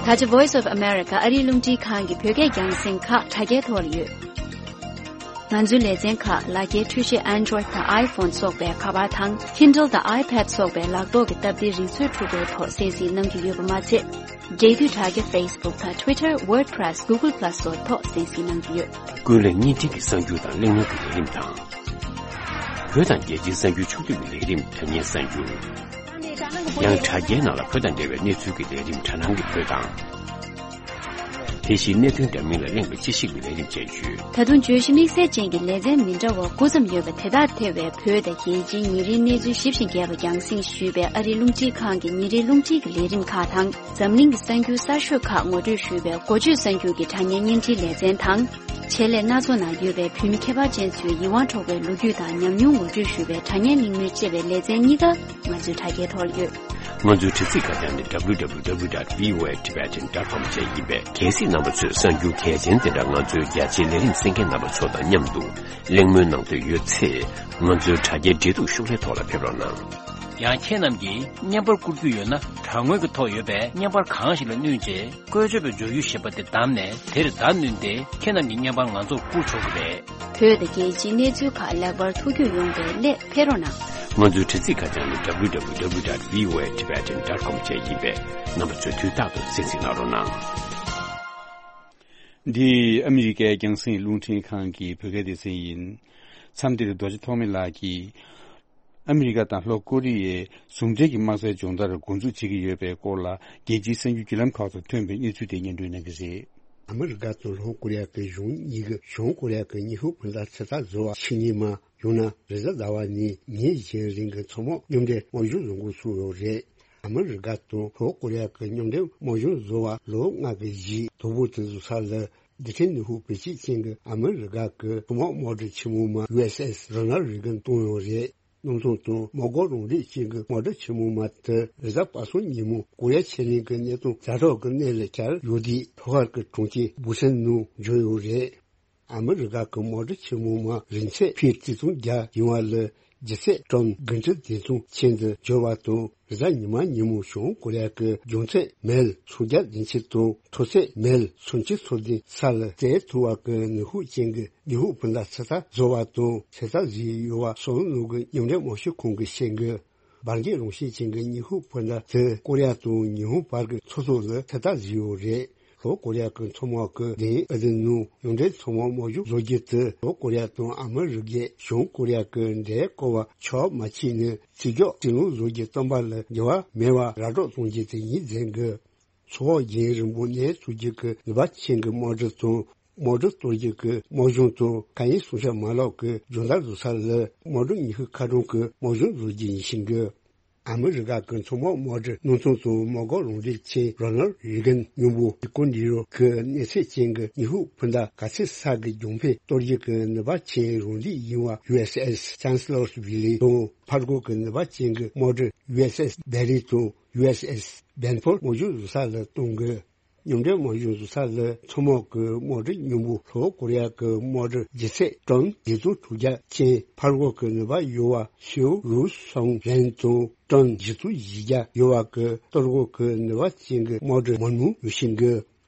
ད་ཆ་Voice of America ཨ་རིའི་རླུང་འཕྲིན་ཁང་གི་བོད་སྐད་རྒྱང་སྲིང་ཁག་དྲ་རྒྱའི་ཐོག་ལ་ཡོད། ང་ཚོའི་ལེ་ཚན་ཁག་ལག་འཁྱེར་འཕྲུལ་ཆས་Android དང་iPhone སོགས་པའི་ཁ་པར་དང་Kindle དང་iPad སོགས་པའི་ལག་ཐོག་གི་སྟབས་བདེའི་རིག་མཛོད་འཕྲུལ་འཁོར་ཐོག་གསན་གཟིགས་གནང་གི་ཡོད་པ་མ་ཚད། འབྲེལ་མཐུད་དྲ་རྒྱ་Facebook དང་Twitter, WordPress, Google Plus སོགས་ཐོག་གསན་གཟིགས་གནང་གི་ཡོད། ཀུན་གླེང་བརྙན་འཕྲིན་གྱི་གསར་འགྱུར་དང་གླེང་སློང་གི་ལས་རིམ་དང་། བོད་དང་རྒྱལ་སྤྱིའི་གསར་འགྱུར་ཕྱོགས་བསྡུས་ཀྱི་ལས་རིམ་དྲ་བརྙན་གསར་འགྱུར། ཡང་དྲ་རྒྱའི་ནང་ལ་བོད་དང་འབྲེལ་བའི་གནས་ཚུལ་གྱི་ལས་རིམ་དྲ་སྣང་གི་བོད་དང་། དེ་བཞིན་གནད་དོན་འདྲ་མིན་ལ་གླེང་བའི་དཔྱད་ཞིབ་ཀྱི་ལས་རིམ་བཅས་ཡོད། ད་དུང་བརྗོད་གཞི་དམིགས་བསལ་ཅན་གྱི་ལེ་ཚན་མི་འདྲ་བ་དགུ་ཙམ་ཡོད་པ་དེ་དག་ཐེ་བའི་བོད་དང་རྒྱལ་སྤྱིའི་ཉིན་རེའི་གནས་ཚུལ་ཞིབ་ཅིང་རྒྱས་པ་རྒྱང་སྲིང་ཞུས་པའི་ཨ་རིའི་རླུང་འཕྲིན་ཁང་གི་ཉིན་རེའི་རླུང་འཕྲིན་གྱི་ལས་རིམ་ཁག་དང་། འཛམ་གླིང་གི་གསར་འགྱུར་གསར་ཤོས་ཁག་ངོ་སྤྲོད་ཞུས་པའི་འགོ་བརྗོད་གསར་འགྱུར་གྱི་དྲ་བརྙན་བརྙན་འཕྲིན་ལེ་ཚན་དང་། ཆེད་ལས་སྣ་ཚོགས་ནང་ཡོད་པའི་བོད་མི་ཁྱད་པར་ཅན་ཚོའི་ཡིད་དབང་འཕྲོག་པའི་ལོ་རྒྱུས་དང་ཉམས་མྱོང་ངོ་སྤྲོད་ཞུས་པའི་དྲ་བརྙན་གླེང་མོལ་བཅས་པའི་ལེ་ཚན་གཉིས་ཀ་ང་ཚོའི་དྲ་རྒྱའི་ཐོག་ལ་ཡོད། ང་ཚོའི་དྲ་ཚིགས་ཁ་བྱང་ནི་W W W dot V O A Tibetan dot com བཅས་ཡིན་པས། གལ་སྲིད་རྣམ་པ་ཚོས་གསར་འགྱུར་གལ་ཆེན་དེ་འདྲ་ང་ཚོའི་རྒྱ་ཆེའི་ལས་རིམ་གསན་མཁན་རྣམ་པ་ཚོ་དང་མཉམ་དུ་གླེང་མོལ་གནང་འདོད་ཡོད་ཚེ། ང་ཚོའི་དྲ་རྒྱའི་འབྲེལ་གཏུག་ཤོག་ལྷེ་ཐོག་ལ་ཕེབས་རོགས་གནང་། ཡང་ཁྱེད་རྣམས་ཀྱིས་བརྙན་པར་བསྐུར་རྒྱུ་ཡོད་ན། དྲ་ངོས་ཀྱི་ཐོག་ཡོད་པའི་བརྙན་པར་གང་ཞིག་ལ་བསྣུན་རྗེས། བཀོལ་སྤྱོད་པའི་སྦྱོར་ཡུལ་ཞེས་པ་དེ་བདམས་ནས། དེར་བརྡ་བསྣུན་ཏེ། ཁྱེད་རྣམས་ཀྱི་བརྙན་པར་ང་ཚོར་བསྐུར་ཆོག་གི་རེད། བོད་དང་རྒྱལ་སྤྱིའི་གནས་ཚུལ་ཁག་ལེགས་པར་ཐུགས་ཁུར་ཡོང་བའི་སླད་ཕེབས་རོགས་གནང་། ང་ཚོའི་དྲ་ཚིགས་ཁ་བྱང་ནི་W W W dot V O A Tibetan dot com བཅས་ཡིན་པས། རྣམ་པ་ཚོས་དུས་རྟག་ཏུ་གསན་གཟིགས་གནང་རོགས་གནང་། འདི་ཨ་མི་རི་ཀའི་རྒྱང་སྲིང་རླུང་འཕྲིན་ཁང་གི་བོད་སྐད་སྡེ་ཚན་ཡིན། མཚམས་འདིར་རྡོ་རྗེ་ཐོགས་མེད་ལགས་ཀྱིས། ཨ་མི་རི་ཀ་དང་ལྷོ་ཀོ་རི་ཡས་ཟུང་འབྲེལ་གྱི་དམག་སའི་སྦྱོང་བརྡར་འགོ་འཛུགས་བྱེད་ཀྱི་ཡོད་པའི་སྐོར་ལ། རྒྱལ་སྤྱིའི་གསར་འགྱུར་བརྒྱུད་ལམ་ཁག་ཏུ་ཐོན་པའི་གནས་ཚུལ་དེ་སྙན་སྒྲོན་གནང་གི་རེད། ཨ་མི་རི་ཀ་དང་ལྷོ་ཀོ་རི་ཡ་གི་གཞུང་གཉིས་ཀྱིས་བྱང་ཀོ་རི་ཡ་གི་ཉི་ཧོང་སྤུན་ཟླ་ཚོད་ལྟ་བཟོ་བ་ཕྱི་ཉིན་མ། ཡང་ན་རེས་གཟའ་ཟླ་བ་ནས་ཉིན་གཞན་རིང་གི་མཚོ་དམག་མཉམ་འབྲེལ་དམག་སྦྱོང་བཟོ་འགོ་ཚུགས་ཡོད་རེད། ཨ་མི་རི་ཀ་དང་ལྷོ་ཀོ་རི་ཡ་གི་མཉམ་འབྲེལ་དམག་སྦྱོང་བཟོ་བ་ལོ་ལྔ་གི་རྗེས་དོ་པོ་དེ་བཟོ་ས་ལ། རྡུལ་ཕྲན་ནུས་ཤུགས་བེད་སྤྱོད་ཅན་གྱི་ཨ་མི་རི་ཀ་གི་མཚོ་དམག་དམག་གྲུ་ཆེན་མོ་མ་U S S Ronald Reagan བཏང་ཡོད་རེད། གནམ་ཐང་དང་མ་འགག་རང་འགྲེལ་ཅན་གྱི་དམག་གྲུ་ཆེན་མོ་མ་དེ་རེས་གཟའ་པ་སངས་ཉིན་མོ་ཀོ་རི་ཡ་ཕྱེད་གླིང་གི་གནས་སྟངས་ཛ་དྲག་གི་གནས་ལ་གྱར་ཡོད་དུས། ལྷོ་ཤར་གྱི་གྲོང་ཁྱེར་སྦུག་སན་ནང་འབྱོར་ཡོད་རེད། ཨ་མི་རི་ཀ་གི་དམག་གྲུ་ཆེན་མོ་མ་རིང་ཚད་ཕིཊ་ཆིག་སྟོང་བརྒྱ་ཡིན་པ་ལ། ལྗིད་ཚད་ཊོན་དགུ་ཁྲི་བདུན་སྟོང་ཅན་དུ་འགྱུར་བ་དང་། རེས་གཟའ་ཉི་མ་ཉིན་མོ་བྱང་ཀོ་རི་ཡ་གི་འབྱུང་ཚད་མལ་སུམ་བརྒྱ་བདུན་ཅུ་དང་མཐོ་ཚད་མལ་སུམ་ཅུ་སོ་བདུན་ས་ལ་བཙལ་ཐུབ་པ་གི་ནུས་ཤུགས་ཅན་གྱི་ཉི་ཧོང་སྤུན་ཟླ་ཚོད་ལྟ་བཟོ་བ་དང་ཚོད་ལྟ་བཟོས་ཡོད་པ་སོ་ནུབ་ཀྱི་མཉམ་འབྲེལ་དམག་སྤྱི་ཁང་གིས་བཤད་འདུག། འབར་འགྱེད་རང་བཞིན་ཅན་གྱི་ཉི་ཧོང་སྤུན་ཟླ་དེ་ཀོ་རི་ཡ་དང་ཉི་ཧོང་བར་གྱི་མཚོ་ཐོག་ལ་ཚོད་ལྟ་བཟོས་ཡོད་རེད། ལྷོ་ཀོ་རི་ཡ་གི་མཚོ་དམག་གི་གདན་ཨ་དི་ནང་མཉམ་འབྲེལ་མཚོ་དམག་དམག་སྦྱོང་བཟོ་རྒྱུ་དེ། ལྷོ་ཀོ་རི་ཡ་དང་ཨ་མི་རི་ཀས་བྱང་ཀོ་རི་ཡ་གི་འདྲེ་བཀོལ་བ་ཆོག་མ་བྱས་ནས་རྩིས་རྒྱག་རྩིས་ལོན་བཟོ་རྒྱུ་བཏོན་པ་ལ་འགྱུར་བ་མེད་པ་ར་སྤྲོད་གཏོང་རྒྱུ་དེ་ཡིན་ཟེར་གི། མཚོ་འོག་རྒྱང་རིང་པོ་གནས་ཚུད་རྒྱུ་གི་ནུས་པ་ཅན་གྱི་དམག་གྲུ་དང་། དམག་གྲུ་གཏོར་རྒྱུ་གི་དམག་གཞུང་དང་། མཁའ་དབྱིངས་སྲུང་བྱ་མ་ལག་གི་སྦྱོང་བརྡར་བཟོ་ས་ལ་དམག་གྲུ་ཉི་ཤུ་ཁ་གྲངས་ཀྱི་དམག་གཞུང་བཟོ་རྒྱུ་ཡིན་ཞིང་གི། ཨ་མི་རི་ཀ་གི་མཚོ་དམག་དམག་གྲུ་གནམ་ཐང་དང་མ་འགག་རང་འགྲེལ་ཅན་རོ་ནལ་རེ་གན་མཉམ་པོ་ཡི་གོ་འདི་རོ་གི་གནས་ཚད་ཅན་གྱི་ཉི་ཧོང་སྤུན་ཟླ་ག་ཚོད་ས་གི་རྒྱང་འཕེན་གཏོར་རྒྱུ་གི་ནུས་པ་ཅན་རང་འགྲེལ་ཡིན་པ་U S S Chancellorsville དང་། ཕར་རྒོལ་གྱི་ནུས་པ་ཅན་གྱི་དམག་གྲུ་U S S Barry དང་U S S Benford དམག་སྦྱོང་བཟོ་ས་ལ་གཏོང་དགོས། མཉམ་འབྲེལ་དམག་སྦྱོང་བཟོ་ས་ལ་མཚོ་དམག་གི་དམག་གྲུ་མཉམ་པོ་ལྷོ་ཀོ་རི་ཡ་གི་དམག་གྲུ་ལྗིད་ཚད་ཊོན་བརྒྱད་སྟོང་དྲུག་བརྒྱ་ཅན་ཕར་རྒོལ་གྱི་ནུས་པ་ཡོད་པ་ཤིའུ་རུའུ་སུང་རེན་དང་ཊོན་བཞི་སྟོང་བཞི་བརྒྱ་ཡོད་པ་གི་གཏོར་རྒོལ་གྱི་ནུས་པ་ཅན་གྱི་དམག་གྲུ་མང་པོ་ཡོད་བཞིན་གི།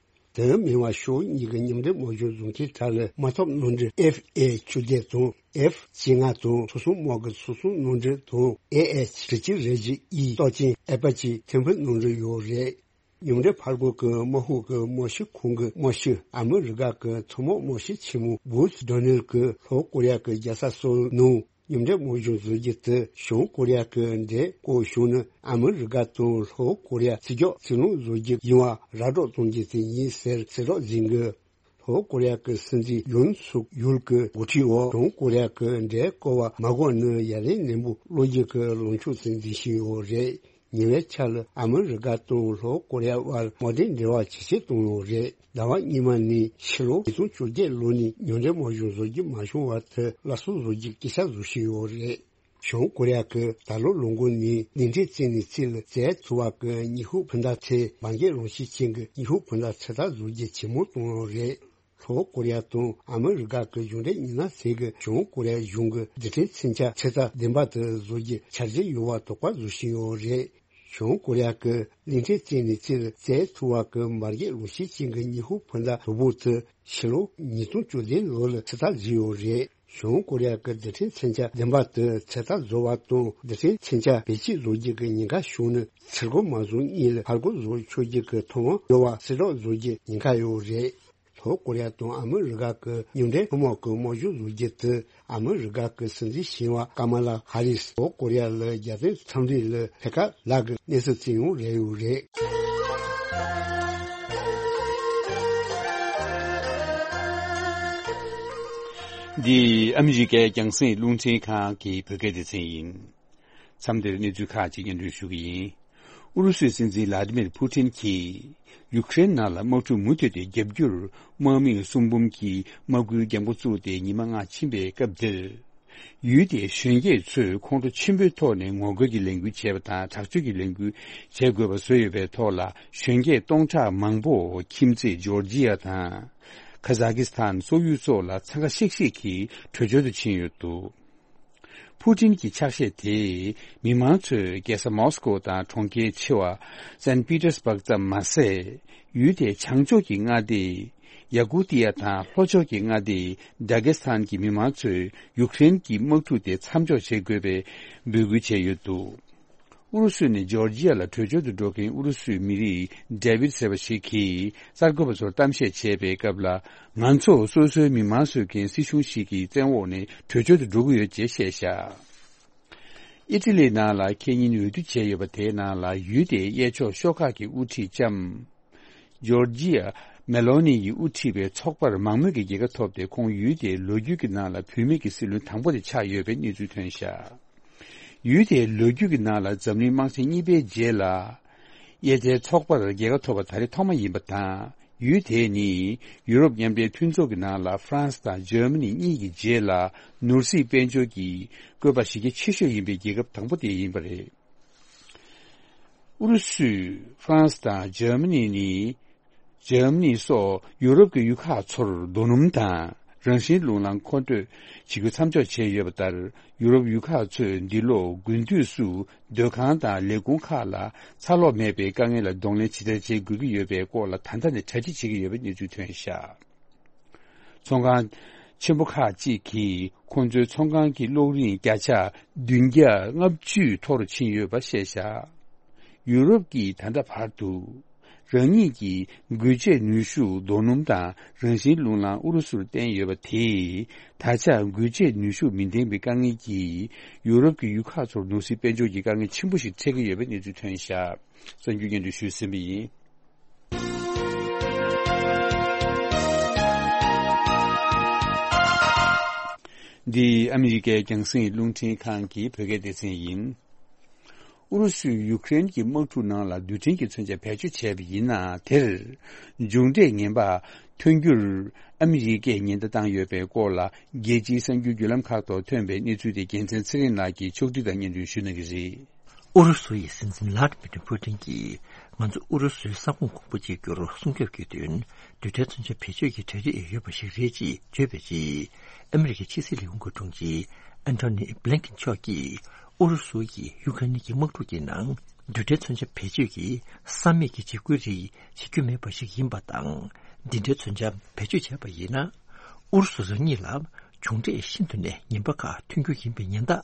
དེ་མིན་པ་ཕྱོགས་གཉིས་ཀྱི་མཉམ་འབྲེལ་དམག་སྦྱོང་བཟོ་མཁན་དག་ལ་དམག་འཐབ་གནམ་གྲུ་F A བཅོ་བརྒྱད་དང་F བཅོ་ལྔ་དང་མཚོ་སྲུང་དམག་གི་མཚོ་སྲུང་གནམ་གྲུ་དང་A H དྲུག་ཅུ་རེ་བཞི་E གཏོར་སྐྱོད་ཨེ་པ་ཅི་ཐེམ་ཕུ་གནམ་གྲུ་ཡོད་རེད། མཉམ་འབྲེལ་ཕར་རྒོལ་གྱི་དམག་ཤུགས་ཀྱི་དམག་སྤྱི་ཁང་གི་དམག་སྤྱི་ཨ་མི་རི་ཀ་གི་མཚོ་དམག་དམག་སྤྱི་ཆེན་མོ་བུ་སི་ཌོ་ནེལ་གྱིས་ལྷོ་ཀོ་རི་ཡ་གི་རྒྱལ་ས་སོལ་ནང་མཉམ་འབྲེལ་དམག་སྦྱོང་བཟོ་རྒྱུ་དེ་བྱང་ཀོ་རི་ཡ་གི་འདྲེ་བཀོལ་བྱུང་ན་ཨ་མི་རི་ཀ་དང་ལྷོ་ཀོ་རི་ཡ་རྩིས་རྒྱག་རྩིས་ལོན་བཟོ་རྒྱུ་ཡིན་པ་ར་སྤྲོད་གཏོང་རྒྱུ་དེ་ཡིན་ཟེར་གསལ་བསྒྲགས་མཛད་འདུག། ལྷོ་ཀོ་རི་ཡ་གི་སྲིད་འཛིན་ཡུན་སུག་ཡུལ་གྱི་འགོ་ཁྲིད་འོག་བྱང་ཀོ་རི་ཡ་གི་འདྲེ་བཀོལ་བ་མ་འགོག་ནས་ཡ་ལན་ནན་པོ་སློག་རྒྱུ་གི་ལངས་ཕྱོགས་དེ་འཛིན་བཞིན་ཡོད་རེད། ཉེ་བའི་ཆར་ལ་ཨ་མི་རི་ཀ་དང་ལྷོ་ཀོ་རི་ཡ་དབར་དམག་འབྲེལ་འབྲེལ་བ་ཇེ་ཆེར་བཏང་ཡོད་རེད། ཟླ་བ་སྔོན་མ་ནས་ཕྱི་ལོ་ཉིས་སྟོང་བཅོ་བརྒྱད་ལོ་ནས་མཉམ་འབྲེལ་དམག་སྦྱོང་བཟོ་རྒྱུ་མ་བྱུང་བ་དེ་སླར་གསོ་བཟོ་རྒྱུའི་སྐད་ཆ་བཟོ་བཞིན་ཡོད་རེད། བྱང་ཀོ་རི་ཡ་གིས་ད་ལོ་ལོ་འགོ་ནས་གླིང་ཕྲན་རྩེ་ནས་རྩེ་ལ་བཙལ་ཐུབ་པ་གི་ཉི་ཧོང་སྤུན་ཟླ་ཚོས་འབར་གས་རང་བཞིན་ཅན་གྱི་ཉི་ཧོང་སྤུན་ཟླ་ཚོད་ལྟ་བཟོ་རྒྱུ་ཇེ་མང་བཏང་ཡོད་རེད། ལྷོ་ཀོ་རི་ཡ་དང་ཨ་མི་རི་ཀ་གི་གཞུང་འབྲེལ་མི་སྣ་ཚོས་ཀྱིས་བྱང་ཀོ་རི་ཡ་གཞུང་གི་རྡུལ་ཕྲན་མཚོན་ཆ་ཚོད་ལྟ་བདེན་པ་དེ་བཟོ་རྒྱུའི་འཆར་གཞི་ཡོད་པ་དོགས་པ་བཟོ་བཞིན་ཡོད་རེད། བྱང་ཀོ་རི་ཡ་གིས་གླིང་ཕྲན་རྩེ་ནས་རྩེ་ལ་བཙལ་ཐུབ་པ་གི་འབར་གས་རང་བཞིན་ཅན་གྱི་ཉི་ཧོང་སྤུན་ཟླ་དོ་པོ་དེ་ཕྱི་ལོ་ཉིས་སྟོང་བཅུ་བདུན་ལོ་ལ་ཚོད་ལྟ་བཟོས་ཡོད་རེད། བྱང་ཀོ་རི་ཡ་གི་རྡུལ་ཕྲན་མཚོན་ཆ་བདེན་པ་དེ་ཚོད་ལྟ་བཟོ་བ་དང་རྡུལ་ཕྲན་མཚོན་ཆ་བེད་སྤྱོད་བཟོ་རྒྱུ་གི་ཉེན་ཁ་བྱུང་ན་ཚུར་རྒོལ་མ་བཟོ་སྔོན་ལ་ཕར་རྒོལ་བཟོ་ཆོག་རྒྱུ་གི་ཐོབ་དབང་ཡོད་པ་གསལ་བསྒྲགས་བཟོ་རྒྱུའི་ཉེན་ཁ་ཡོད་རེད། བོད་ཀོ་རི་ཡ་དང་ཨ་མི་རི་ཀ་གི་མཉམ་འབྲེལ་ཐུན་མོང་གི་དམག་ཞབས་བཟོ་རྒྱུ་དེ། ཨ་མི་རི་ཀ་གི་སྲིད་འཛིན་ཞི་བ་ཀ་མ་ལ་ཧ་རིས་བོད་ཀོ་རི་ཡ་ལ་རྒྱལ་དོན་འཚམས་འདྲི་ལ་ཕེབས་ཁ་ལག་གི་གནས་ཚུལ་བརྩི་ཡོང་རེ་ཡོད་རེད། འདི་ཨ་མི་རི་ཀའི་རྒྱང་སྲིང་རླུང་འཕྲིན་ཁང་གི་བོད་སྐད་སྡེ་ཚན་ཡིན། མཚམས་འདིར་གནས་ཚུལ་ཁག་ཅིག་སྙན་སྒྲོན་ཞུ་གི་ཡིན། ཨུ་རུ་སུའི་སྲིད་འཛིན་ལ་ཏི་མིར་ཕུ་ཏིན་གྱིས་ཡུཀ་རེན་ནང་ལ་དམག་འཁྲུག་མུ་མཐུད་དེ་བརྒྱབ་རྒྱུར་དམག་མི་གསུམ་འབུམ་གྱིས་དམག་སྐུལ་རྒྱག་འགོ་བཙུགས་ཏེ་ཉི་མ་ལྔ་ཕྱིན་པའི་སྐབས་འདིར། ཡུལ་དེའི་གཞོན་སྐྱེས་ཚོས་ཁོང་ཁྲོ་ཆེན་པོའི་ཐོག་ནས་ངོ་རྒོལ་གྱི་ལས་འགུལ་བྱས་པ་དང་། དྲག་སྤྱོད་ཀྱི་ལས་འགུལ་བྱེད་དགོས་པ་བཟོས་ཡོད་པའི་ཐོག་ལ། གཞོན་སྐྱེས་སྟོང་ཕྲག་མང་པོ་ཁྱིམ་མཚེས་ཇོར་ཇི་ཡ་དང་། ཁ་ཟ་ཁི་སི་ཐན། སོག་ཡུལ་སོགས་ལ་འཚང་ཁ་ཤིག་ཤིག་གིས་བྲོས་བྱོལ་དུ་ཕྱིན་ཡོད་འདུག་ཕུ་ཏིན་གྱི་ཕྱག་བཞེས་དེས་མི་མང་ཚོས་རྒྱལ་ས་མོ་སི་ཀོ་དང་གྲོང་ཁྱེར་ཆེ་བ་སན་པི་ཏེར་སྦག་ཙམ་མ་ཟད། ཡུལ་དེའི་བྱང་ཕྱོགས་ཀྱི་མངའ་སྡེ། ཡ་ཀུ་ཏི་ཡ་དང་ལྷོ་ཕྱོགས་ཀྱི་མངའ་སྡེ་ཌ་གེ་སི་ཐན་གྱི་མི་མང་ཚོས་ཡུཀ་རེན་གྱི་དམག་འཁྲུག་དེ་མཚམས་འཇོག་བྱེད་དགོས་པའི་འབོད་སྐུལ་བྱས་ཡོད་འདུག་ཨུ་རུ་སུ་ནས་ཇོར་ཇི་ཡ་ལ་བྲོས་བྱོལ་དུ་འགྲོ་མཁན་ཨུ་རུ་སུའི་མི་རིགས་ཌེ་བིད་ཟེར་བ་ཞིག་གིས་གསར་འགོད་པ་ཚོར་གཏམ་བཤད་བྱས་པའི་སྐབས་ལ། ང་ཚོ་སོ་སོའི་མི་མང་གསོད་མཁན་སྲིད་གཞུང་ཞིག་གི་བཙན་འོག་ནས་བྲོས་བྱོལ་དུ་འགྲོ་གི་ཡོད་ཅེས་བཤད་བཞག་ཨི་ཊ་ལིའི་ནང་ལ་ཁེ་ཉིན་འོས་བསྡུ་བྱས་ཡོད་པ་དེའི་ནང་ལ་ཡུལ་དེའི་གཡས་ཕྱོགས་ཤོག་ཁག་གི་དབུ་ཁྲིད་ལྕམ་ཇོར་ཇི་ཡ་མེ་ལོ་ནི་ཡིས་དབུ་ཁྲིད་པའི་ཚོགས་པར་མང་མོས་ཀྱི་རྒྱལ་ཁ་ཐོབ་སྟེ། ཁོང་ཡུལ་དེའི་ལོ་རྒྱུས་ཀྱི་ནང་ལ་བུད་མེད་ཀྱི་སྲིད་བློན་དང་པོ་དེ་ཆགས་ཡོད་པའི་གནས་ཚུལ་ཐོན་བཞག་ཡུལ་དེའི་ལོ་རྒྱུས་ཀྱི་ནང་ལ་འཛམ་གླིང་དམག་ཆེན་གཉིས་པའི་རྗེས་ལ། དབྱེ་མཚེས་ཚོགས་པར་རྒྱལ་ཁ་ཐོབ་པ་ད་རེས་ཐོག་མ་ཡིན་པ་དང་། ཡུལ་དེ་ནི་ཡུ་རོབ་མཉམ་འབྲེལ་མཐུན་ཚོགས་ཀྱི་ནང་ལ་ཧྥ་རན་སི་དང་འཇར་མ་ནི་གཉིས་ཀྱི་རྗེས་ལ་ནོར་སྲིད་དཔལ་འབྱོར་གྱི་བཀོད་པ་གཞི་རྒྱ་ཆེ་ཤོས་ཡིན་པའི་རྒྱལ་ཁབ་དང་པོ་དེ་ཡིན་པ་རེད། ཨུ་རུ་སུས་ཧྥ་རན་སི་དང་འཇར་མ་ནི་ནི། འཇར་མ་ནི་སོགས་ཡུ་རོབ་ཀྱི་ཡུལ་ཁག་ཚོར་རྡོ་སྣུམ་དང་རང་བཞིན་རླུང་ལམ་མཁོ་སྤྲོད་བྱེད་རྒྱུ་མཚམས་འཇོག་བྱས་ཡོད་པ་ལྟར། ཡུ་རོབ་ཡུལ་ཁག་ཚོས་འདི་ལོ་དགུན་དུས་སུ་སྡོད་ཁང་དང་ལས་ཁུངས་ཁག་ལ་ཚ་གློག་མེད་པའི་དཀའ་ངལ་ལ་གདོང་ལེན་ཇི་ལྟར་བྱེད་དགོས་ཀྱི་ཡོད་པའི་སྐོར་ལ་ད་ལྟ་ནས་གྲ་སྒྲིག་བྱེད་ཀྱི་ཡོད་པའི་གནས་ཚུལ་ཐོན་བཞག་ཚོང་ཁང་ཆེན་པོ་ཁག་ཅིག་གིས་ཁོང་ཚོའི་ཚོང་ཁང་གི་གློག་རིན་བརྒྱ་ཆ་བདུན་བརྒྱ་ལྔ་བཅུ་མཐོ་རུ་ཕྱིན་ཡོད་པ་བཤད་བཞག་ཡུ་རོབ་ཀྱིས་ད་ལྟ་བར་དུ་རང་ཉིད་ཀྱི་འགུལ་སྐྱོད་ནུས་ཤུགས་རྡོ་སྣུམ་དང་རང་བཞིན་རླུང་ལམ་ཨུ་རུ་སུར་བརྟེན་ཡོད་པ་དེས། ད་ཆ་འགུལ་སྐྱོད་ནུས་ཤུགས་མི་ལྡན་པའི་དཀའ་ངལ་གྱིས་ཡུ་རོབ་ཀྱི་ཡུལ་ཁག་ཚོར་ནོར་སྲིད་དཔལ་འབྱོར་གྱི་དཀའ་ངལ་ཆེན་པོ་ཞིག་འཕྲད་ཀྱི་ཡོད་པའི་གནས་ཚུལ་ཐོན་བཞག་གསར་འགྱུར་སྙན་སྒྲོན་ཞུས་ཟིན་པ་ཡིན། འདི་ཨ་མི་རི་ཀའི་རྒྱང་སྲིང་རླུང་འཕྲིན་ཁང་གི་བོད་སྐད་སྡེ་ཚན་ཡིན། ཨུ་རུ་སུས་ཡུཀ་རེན་གྱི་དམག་འཁྲུག་ནང་ལ་རྡུལ་ཕྲན་གྱི་མཚོན་ཆ་བེད་སྤྱོད་བྱས་པ་ཡིན་ན། དེར་མཇུག་འབྲས་ངན་པ་ཐོན་རྒྱུར་ཨ་མི་རི་ཀས་ཉེན་བརྡ་བཏང་ཡོད་པའི་སྐོར་ལ། རྒྱལ་སྤྱིའི་གསར་འགྱུར་བརྒྱུད་ལམ་ཁག་ཐོག་ཐོན་པའི་གནས་ཚུལ་དེ་རྒྱལ་མཚན་ཚེ་རིང་ལགས་ཀྱིས་ཕྱོགས་བསྒྲིགས་དང་སྙན་སྒྲོན་ཞུ་གནང་གི་རེད། ཨུ་རུ་སུ་ཡི་སྲིད་འཛིན་ལྷ་ཌི་མི་ཏྲི་ཕུ་ཏིན་གྱིས། ང་ཚོ་ཨུ་རུ་སུའི་ས་ཁོངས་གོང་བུ་གཅིག་གྱུར་སྲུང་སྐྱོབ་ཀྱི་དོན། རྡུལ་ཕྲན་མཚོན་ཆ་བེད་སྤྱོད་ཀྱི་གྲ་སྒྲིག་ཡོད་པ་ཞིག་རེད་ཅེས་བརྗོད་པའི་རྗེས། ཨ་མི་རི་ཀའི་ཕྱི་སྲིད་ལས་ཁུངས་ཀྱི་དྲུང་ཆེ་ཨན་ཐོ་ནི་བྷི་ལིན་ཀིན་མཆོག་གིས། ཨུ་རུ་སུ་ཡིས་ཡུ་ཀེ་རེན་གྱི་དམག་འཁྲུག་གི་ནང་། རྡུལ་ཕྲན་མཚོན་ཆ་བེད་སྤྱོད་ཀྱི་བསམ་མེད་ཀྱི་འཇིགས་སྐུལ་རིགས་བྱེད་རྒྱུ་མེད་པ་ཞིག་ཡིན་པ་དང་། འདི་འདྲའི་མཚོན་ཆ་བེད་སྤྱོད་བྱས་པ་ཡིན་ན། ཨུ་རུ་སུ་རང་ཉིད་ལ་མཇུག་འབྲས་ཤིན་ཏུ་ནས་ངན་པ་ཁག་ཐོན་རྒྱུ་ཡིན་པའི་ཉེན་བརྡ།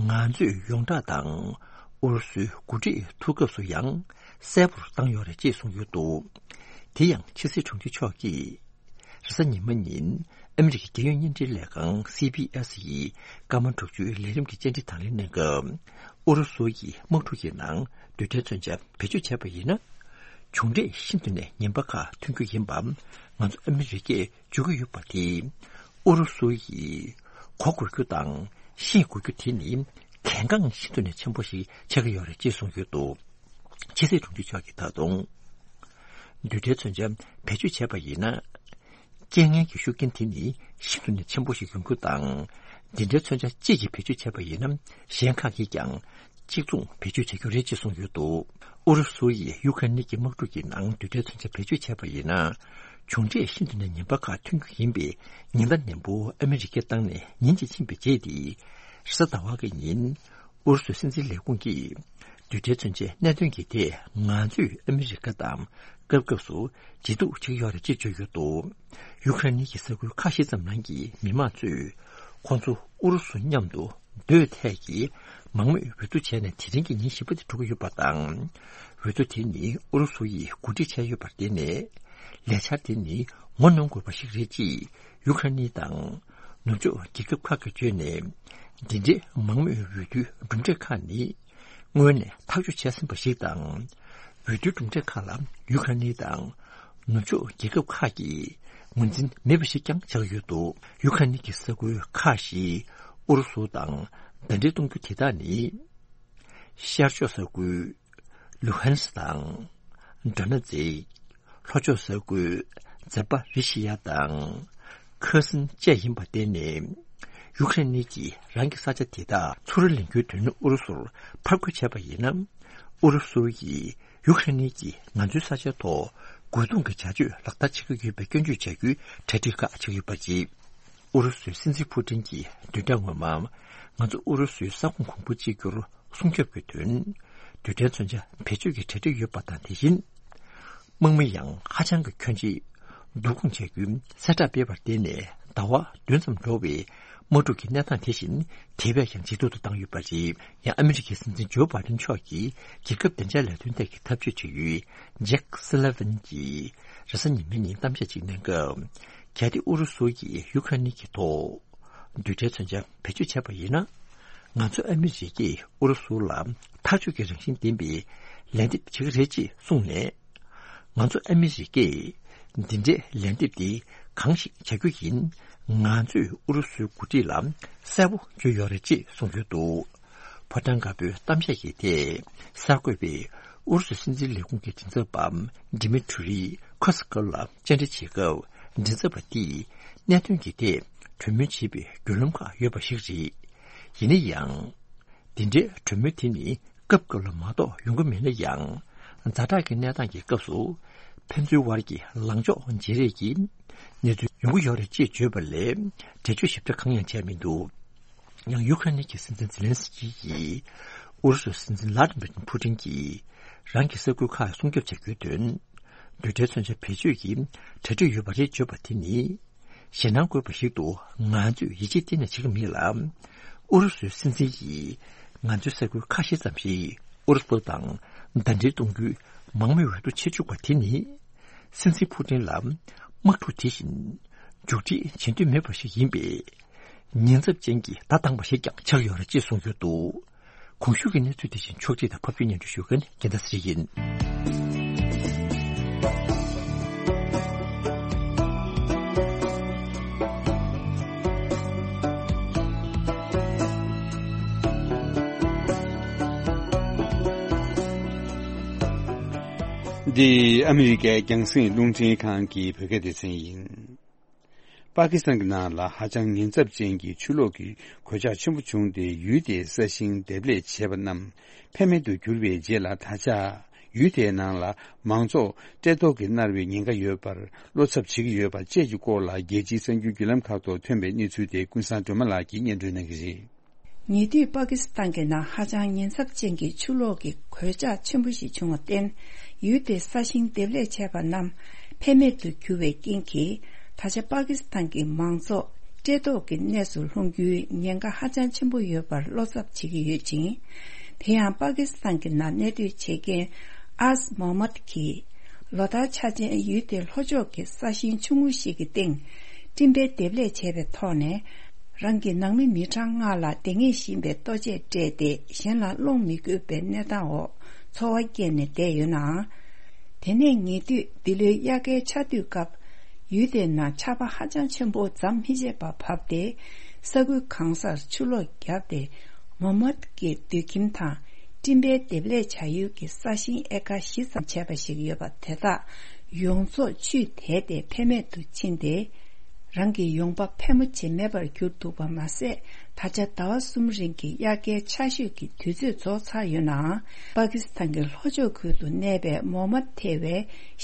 ང་ཚོས་ཡོངས་གྲགས་དང་། ཨུ་རུ་སུའི་འགོ་ཁྲིད་ཐུག་སྐབས་སུ་ཡང་གསལ་པོར་བཏང་ཡོད་རེད་ཅེས་གསུངས་ཡོད་འདུག་དེ་ཡང་ཕྱི་སྲིད་དྲུང་ཆེ་མཆོག་གིས། རེས་གཟའ་ཉི་མ་ཉིན་ཨ་མི་རི་ཀའི་རྒྱལ་ཡོངས་བརྙན་འཕྲིན་ལས་ཁང་སི་བྷི་ཨེས་ཡི་སྐར་མ་དྲུག་ཅུའི་ལས་རིམ་གྱི་བཅར་འདྲི་དང་ལེན་གནང་སྐབས། ཨུ་རུ་སུ་ཡིས་དམག་འཁྲུག་གི་ནང་རྡུལ་ཕྲན་མཚོན་ཆ་བེད་སྤྱོད་བྱས་པ་ཡིན་ན། མཇུག་འབྲས་ཤིན་ཏུ་ནས་ངན་པ་ཁག་ཐོན་རྒྱུ་ཡིན་པ་ང་ཚོ་ཨ་མི་རི་ཀས། འཇུག་གི་ཡོད་པ་དེ། ཨུ་རུ་སུ་ཡིས་གོ་དགོས་རྒྱུ་དང་ཤེས་དགོས་རྒྱུ་དེ་ནི་གལ་འགངས་ཤིན་ཏུ་ནས་ཆེན་པོ་ཞིག་ཆགས་ཀྱི་ཡོད་རེད་ཅེས་གསུངས་ཡོད་འདུག་ཕྱི་སྲིད་དྲུང་ཆེ་མཆོག་གིས་ད་དུང་། རྡུལ་ཕྲན་མཚོན་ཆ་བེད་སྤྱོད་བྱས་པ་ཡིན་ན། རྐྱེན་ངན་གྱི་ཤུགས་རྐྱེན་དེ་ནི་ཤིན་ཏུ་ནས་ཆེན་པོ་ཞིག་ཡོང་རྒྱུ་དང་། འདི་འདྲའི་མཚོན་ཆ་གཅིག་གིས་བེད་སྤྱོད་བྱས་པ་ཡིན་ན། གཞན་ཁག་གིས་ཀྱང་། གཅིག་མཚུངས་བེད་སྤྱོད་བྱ་རྒྱུ་རེད་ཅེས་གསུངས་ཡོད་འདུག་ཨུ་རུ་སུ་ཡིས་ཡུ་ཁ་རེན་གྱི་དམག་འཁྲུག་གི་ནང་རྡུལ་ཕྲན་མཚོན་ཆ་བེད་སྤྱོད་བྱས་པ་ཡིན་ན། མཇུག་འབྲས་ཤིན་ཏུ་ནས་ངན་པ་ཁག་ཐོན་རྒྱུ་ཡིན་པའི་ཉེན་བརྡ་ནན་པོ་ཨ་མི་རི་ཀས་བཏང་ནས་ཉིན་གཅིག་ཕྱིན་པའི་རྗེས་ཏེ། རེས་གཟའ་ཟླ་བ་གི་ཉིན། ཨུ་རུ་སུའི་སྲིད་འཛིན་ལས་ཁུངས་ཀྱིས། རྡུལ་ཕྲན་མཚོན་ཆའི་གནད་དོན་གྱི་ཐད་ང་ཚོས་ཨ་མི་རི་ཀ་དང་སྐབས་སྐབས་སུ་ཇེ་སྡུག་བྱེད་ཀྱི་ཡོད་རེད་ཅེས་བརྗོད་ཡོད་འདུག་ཡུ་ཁ་རེན་གྱི་ས་ཁུལ་ཁ་ཤས་ཙམ་ནང་གི་མི་མང་ཚོས་ཁོང་ཚོ་ཨུ་རུ་སུ་མཉམ་དུ་སྡོད་ཐད་ཀྱི་མང་མོས་འོས་བསྡུ་བྱས་ནས་དེ་རིང་གི་ཉིན་བཞི་པ་དེ་འགྲོ་གི་ཡོད་པ་དང་། འོས་བསྡུ་དེ་ནི་ཨུ་རུ་སུ་ཡིས་གོ་སྒྲིག་བྱས་ཡོད་པར་བརྟེན་ནས། ལས་འཆར་དེ་ནི་ ངོ་གནོང་དགོས་པ་ཞིག་རེད་ཅེས་ཡུ་ཁ་རེན་དང་ནུབ་ཕྱོགས་རྒྱལ་ཁབ་ཁག་གིས་བརྗོད་ནས། འདི་འདྲའི་མང་མོས་འོས་བསྡུའི་གྲུབ་འབྲས་ཁག་ནི་སྔོན་ནས་ཐག་གཅོད་བྱས་ཟིན་པ་ཞིག་དང་། འོས་བསྡུའི་གྲུབ་འབྲས་ཁག་ལ་ཡུ་ཁ་རེན་དང་ནུབ་ཕྱོགས་རྒྱལ་ཁབ་ཁག་གིས་ངོས་འཛིན་མེད་པ་ཞིག་ཀྱང་ཆགས་ཡོད་འདུག་ཡུ་ཁ་རེན་གྱི་ས་ཁུལ་ཁག་བཞི་ཨུ་རུ་སུ་དང་ཟླ་སྒྲིལ་གཏོང་རྒྱུ་དེ་དག་ནི། ཤར་ཕྱོགས་ས་ཁུལ་ལུ་ཧན་སི་དང་། ཌོ་ནེ་ཙིག་ལྷོ་ཕྱོགས་ས་ཁུལ་ཛ་པ་རི་ཤི་ཡ་དང་། ཁེར་སོན་བཅས་ཡིན་པར་བརྟེན་ནས། ཡུ་ཁ་རེན་གྱིས་རང་གི་ས་ཆ་དེ་དག་ཚུར་ལེན་རྒྱུའི་དོན་ཨུ་རུ་སུར་ཕར་རྒོལ་བྱས་པ་ཡིན་ན། ཨུ་རུ་སུ་ཡིས་ཡུ་ཁ་རེན་གྱིས་ང་ཚོའི་ས་ཆའི་ཐོག་རྒོལ་རྡུང་གི་བྱ་སྤྱོད་ལག་བསྟར་བྱེད་ཀྱི་ཡོད་པའི་སྐྱོན་བརྗོད་བྱ་རྒྱུའི་གྲ་སྒྲིག་ཁག་བྱེད་ཀྱི་ཡོད་པ་རེད། ཨུ་རུ་སུའི་སྲིད་འཛིན་ཕུ་ཏིན་གྱིས་བདུན་ཕྲག་སྔོན་མ། ང་ཚོ་ཨུ་རུ་སུའི་ས་ཁོངས་གོང་བུ་གཅིག་གྱུར་སྲུང་སྐྱོབ་ཀྱི་དོན། རྡུལ་ཕྲན་མཚོན་ཆ་བེད་སྤྱོད་ཀྱི་གྲ་སྒྲིག་ཡོད་པ་དང་། དེ་བཞིན། དམག་མི་ཡང་ཧ་ཅང་གི་ཁྱོན་ཆེ། བསྡུ་སྐོང་བྱ་རྒྱུའི་གསལ་བསྒྲགས་སྤེལ་བར་བརྟེན་ནས། ཟླ་བ་བདུན་ཙམ་འགྲོ་བའི་དམག་འཁྲུག་གི་གནས་སྟངས་དེ་བཞིན་དེ་བས་ཀྱང་ཇེ་སྡུག་ཏུ་བཏང་ཡོད་པ་རེད། ཡང་ཨ་མི་རི་ཀའི་སྲིད་འཛིན་ཇོ་བྷའི་ཌེན་མཆོག་གིས་རྒྱལ་ཁབ་བདེ་འཇགས་ལས་དོན་ཐད་ཀྱི་ཐབས་ཇུས་དྲི་ཡུལ་ཇེག་སུ་ལི་ཝན་གྱིས་རེས་གཟའ་ཉི་མའི་ཉིན་གཏམ་བཤད་ཅིག་གནང་སྐབས། གལ་ཏེ་ཨུ་རུ་སུ་ཡིས་ཡུ་ཁ་རེན་གྱི་ཐོག་རྡུལ་ཕྲན་མཚོན་ཆ་བེད་སྤྱོད་བྱས་པ་ཡིན་ན། ང་ཚོ་ཨ་མི་རི་ཀས་ཨུ་རུ་སུ་ལ་མཐའ་མཇུག་གི་རང་བཞིན་ལྡན་པའི་ལན་འདེབས་བྱེད་ཀྱི་རེད་ཅེས་གསུངས་ནས། ང་ཚོ་ཨ་མི་རི་ཀས་འདི་འདྲའི་ལན་འདེབས་དེ་གང་ཞིག་བྱ་རྒྱུ་ཡིན། ང་ཚོས་ཨུ་རུ་སུའི་འགོ་ཁྲིད་ལ་གསལ་པོ་བརྗོད་ཡོད་རེད་ཅེས་གསུངས་ཡོད་འདུག་ཕོ་བྲང་དཀར་པོའི་གཏམ་བཤད་ཀྱི་ཐད་གསར་འགོད་པས་ཨུ་རུ་སུའི་སྲིད་འཛིན་ལས་ཁུངས་ཀྱི་མགྲིན་ཚབ་པ་ཌི་མི་ཊུ་རི་ཁོ་སི་ཀོབ་ལ་བཅར་འདྲི་བྱེད་སྐབས། མགྲིན་ཚབ་པ་དེས་གནད་དོན་གྱི་ཐད་གྲོས་མོལ་བྱེད་པའི་བརྒྱུད་ལམ་ཁག་ཡོད་པ་ཞིག་རེད། ཡིན་ན་ཡང་། དེ་འདྲའི་གྲོས་མོལ་དེ་ནི་སྐབས་སྐབས་ལ་མ་གཏོགས་ཡོང་གི་མེད་ན་ཡང་། ཛ་དྲག་གི་གནས་སྟངས་ཀྱི་སྐབས་སུ་ཕན་ཚུན་དབར་གྱི་ལངས་ཕྱོགས་བརྗེ་རེས་ཀྱི་གནས་ཚུལ་ཡོང་གི་ཡོད་རེད་ཅེས་བརྗོད་པ་ལས་འགྲེལ་བརྗོད་ཞིབ་ཕྲ་གང་ཡང་བྱས་མི་འདུག་ཡང་ཡུ་ཁ་རེན་གྱི་སྲིད་འཛིན་ཛེ་ལན་སི་ཀི་ཡིས་ཨུ་རུ་སུའི་སྲིད་འཛིན་ལ་ཏི་མིར་ཕུ་ཏིན་གྱིས་རང་གི་ས་ཁུལ་ཁག་སྲུང་སྐྱོབ་བྱ་རྒྱུའི་དོན། རྡུལ་ཕྲན་མཚོན་ཆ་བེད་སྤྱོད་ཀྱི་གྲ་སྒྲིག་ཡོད་པ་རེད་བརྗོད་པ་དེ་ནི། ཞེད་སྣང་དགོས་པ་ཞིག་ཏུ་ང་ཚོས་ཡིད་ཆེས་གཏན་ནས་བྱེད་ཀྱི་མེད་ལ། ཨུ་རུ་སུའི་སྲིད་འཛིན་ཡིས་ང་ཚོའི་ས་ཁུལ་ཁ་ཤས་ཙམ་ཞིག་ཨུ་རུ་སུ་དང་ཟླ་སྒྲིལ་གཏོང་རྒྱུའི་མང་མོས་འོས་བསྡུ་བྱེད་བཅུག་པ་དེ་ནི། སྲིད་འཛིན་ཕུ་ཏིན་ལ་དམག་འཁྲུག་དེ་བཞིན་མཇུག་སྒྲིལ་བྱེད་འདོད་མེད་པ་ཞིག་ཡིན་པས། ཉེན་ཚབས་ཅན་གྱི་བརྡ་བཏང་བ་ཞིག་ཀྱང་ཆགས་ཡོད་རེད་ཅེས་གསུངས་ཡོད་འདུག་གོང་ཞུས་ཀྱི་གནས་ཚུལ་དེ་བཞིན་ཕྱོགས་སྒྲིག་དང་ཕབ་སྒྱུར་སྙན་སྒྲོན་ཞུ་མཁན་རྒྱལ་མཚན་ཚེ་རིང་ཡིན། འདི་ཨ་མི་རི་ཀའི་རྒྱང་སྲིང་རླུང་འཕྲིན་ཁང་གི་བོད་སྐད་སྡེ་ཚན་ཡིན། པ་ཀི་སི་ཐན་གྱི་ནང་ལ་ཧ་ཅང་ཉེན་ཚབས་ཅན་གྱི་ཆུ་ལོག་གི་གོད་ཆག་ཆེན་པོ་བྱུང་སྟེ། ཡུལ་དེའི་ས་ཞིང་འདེབས་ལས་བྱས་པ་རྣམས་ཕན་མེད་དུ་གྱུར་བའི་རྗེས་ལ། ད་ཆ་ཡུལ་དེའི་ནང་ལ་མང་ཚོགས་བཀྲེས་ལྟོགས་ཀྱིས་མནར་བའི་ཉེན་ཁ་ཡོད་པར་བློ་འཚབ་བྱེད་ཀྱི་ཡོད་པ་བཅས་ཀྱི་སྐོར་ལ། རྒྱལ་སྤྱིའི་གསར་འགྱུར་བརྒྱུད་ལམ་ཁག་ཐོག་ཐོན་པའི་གནས་ཚུལ་དེ་ཀུན་བཟང་སྒྲོལ་མ་ལགས་ཀྱིས་སྙན་སྒྲོན་གནང་གི་རེད། ཉེ་དུས་པ་ཀི་སི་ཐན་གྱི་ནང་ཧ་ཅང་ཉེན་ཚབས་ཅན་གྱི་ཆུ་ལོག་གི་གོད་ཆག་ཆེན་པོ་ཞིག་བྱུང་བར་བརྟེན། ཡུལ་དེའི་ས་ཞིང་འདེབས་ལས་བྱས་པ་རྣམས་ཕན་མེད་དུ་གྱུར་བའི་རྐྱེན་གྱིས། ད་ཆ་པ་ཀི་སི་ཐན་གྱི་མང་ཚོགས་བཀྲེས་ལྟོགས་ཀྱི་གནས་སུ་ལྷུང་རྒྱུའི་ཉེན་ཁ་ཧ་ཅང་ཆེན་པོ་ཡོད་པར་བློ་འཚབ་བྱེད་ཀྱི་ཡོད་ཅིང་། དེ་ཡང་པ་ཀི་སི་ཐན་གྱི་ནང་གནས་སྡོད་བྱེད་མཁན་ཨས་མོ་མད་ཀྱིས། ལོ་ལྟར་འཆར་ཅན་ཡུལ་དེའི་ལྷོ་ཕྱོགས་ཀྱི་ས་ཞིང་ཆུང་ངུ་ཞིག་གི་སྟེང་སྤྲིན་པའི་འདེབས་ལས་བྱས་པའི་ཐོག་ནས། རང་གི་ནང་མི་མི་གྲངས་ལྔ་ལ་བདེ་ངེས་ཤིང་པའི་ལྟོ་ཆས་སྤྲད་དེ། གཞན་ལ་སློང་མི་དགོས་པའི་གནས་སྟངས་འོག་འཚོ་བ་སྐྱེལ་ནས་བསྡད་ཡོད་ནའང་། དེ་ནས་ཉེ་དུས་འདི་ལོའི་དབྱར་ཁའི་ཆར་དུས་སྐབས། ཡུལ་དེའི་ནང་ཆར་པ་ཧ་ཅང་ཆེན་པོ་ཟམ་མི་ཆད་པར་བབས་ཏེ། ས་ཁུལ་གང་སར་ཆུ་ལོག་བརྒྱབ་སྟེ། མོ་མད་ཀྱི་སྡོད་ཁྱིམ་དང་། སྤྲིན་པའི་འདེབས་ལས་བྱ་ཡུལ་གྱི་ས་ཞིང་ཨེ་ཀར་བཞི་ཙམ་བྱས་པ་ཞིག་ཡོད་པ་དེ་དག་ཡོངས་རྫོགས་ཆུས་དེད་དེ་ཕན་མེད་དུ་ཕྱིན་ཏེ། རང་གི་ཡོང་འབབ་ཕལ་མོ་ཆེ་མེད་པར་གྱུར་འདུག་པ་མ་ཟད། ད་ཆ་ཟླ་བ་གསུམ་རིང་གི་དབྱར་ཁའི་ཆར་ཞོད་ཀྱི་དུས་ཚོད་རྫོགས་ཚར་ཡོད་ནའང་། པ་ཀི་སི་ཐན་གྱི་ལྷོ་ཕྱོགས་ཁུལ་དུ་གནས་པའི་མོ་མད་ཐེ་བའི་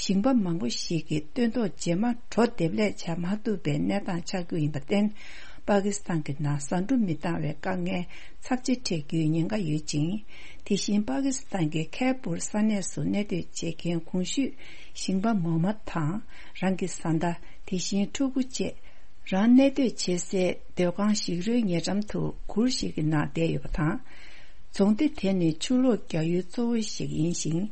ཞིང་པ་མང་པོ་ཞིག་གིས་སྟོན་ཐོག་རྗེས་མ་གྲོ་འདེབས་ལས་བྱ་མ་ཐུབ་པའི་གནས་སྟངས་ཆགས་རྒྱུ་ཡིན་པར་བརྟེན། པ་ཀི་སི་ཐན་གྱི་ནང་ཟ་འབྲུ་མི་འདང་བའི་དཀའ་ངལ་ཚབས་ཆེ་འཕྲད་རྒྱུའི་ཉེན་ཁ་ཡོད་ཅིང་། དེ་བཞིན་པ་ཀི་སི་ཐན་གྱི་ཁེ་པུར་ས་གནས་སུ་གནས་སྡོད་བྱེད་མཁན་གོང་ཞུས་ཞིང་པ་མོ་མད་དང་། རང་གི་བཟའ་ཟླ། དེ་བཞིན་ཕྲུ་གུ་བཅས། རང་གནས་སྡོད་བྱེད་སའི་སྡོད་ཁང་ཞིག་རོའི་ཉེ་འགྲམ་དུ་གུར་ཞིག་གི་ནང་བསྡད་ཡོད་པ་དང་། རྫོང་སྡེ་དེ་ནི་ཆུ་ལོག་རྒྱག་ཡུལ་གཙོ་བོ་ཞིག་ཡིན་ཞིང་།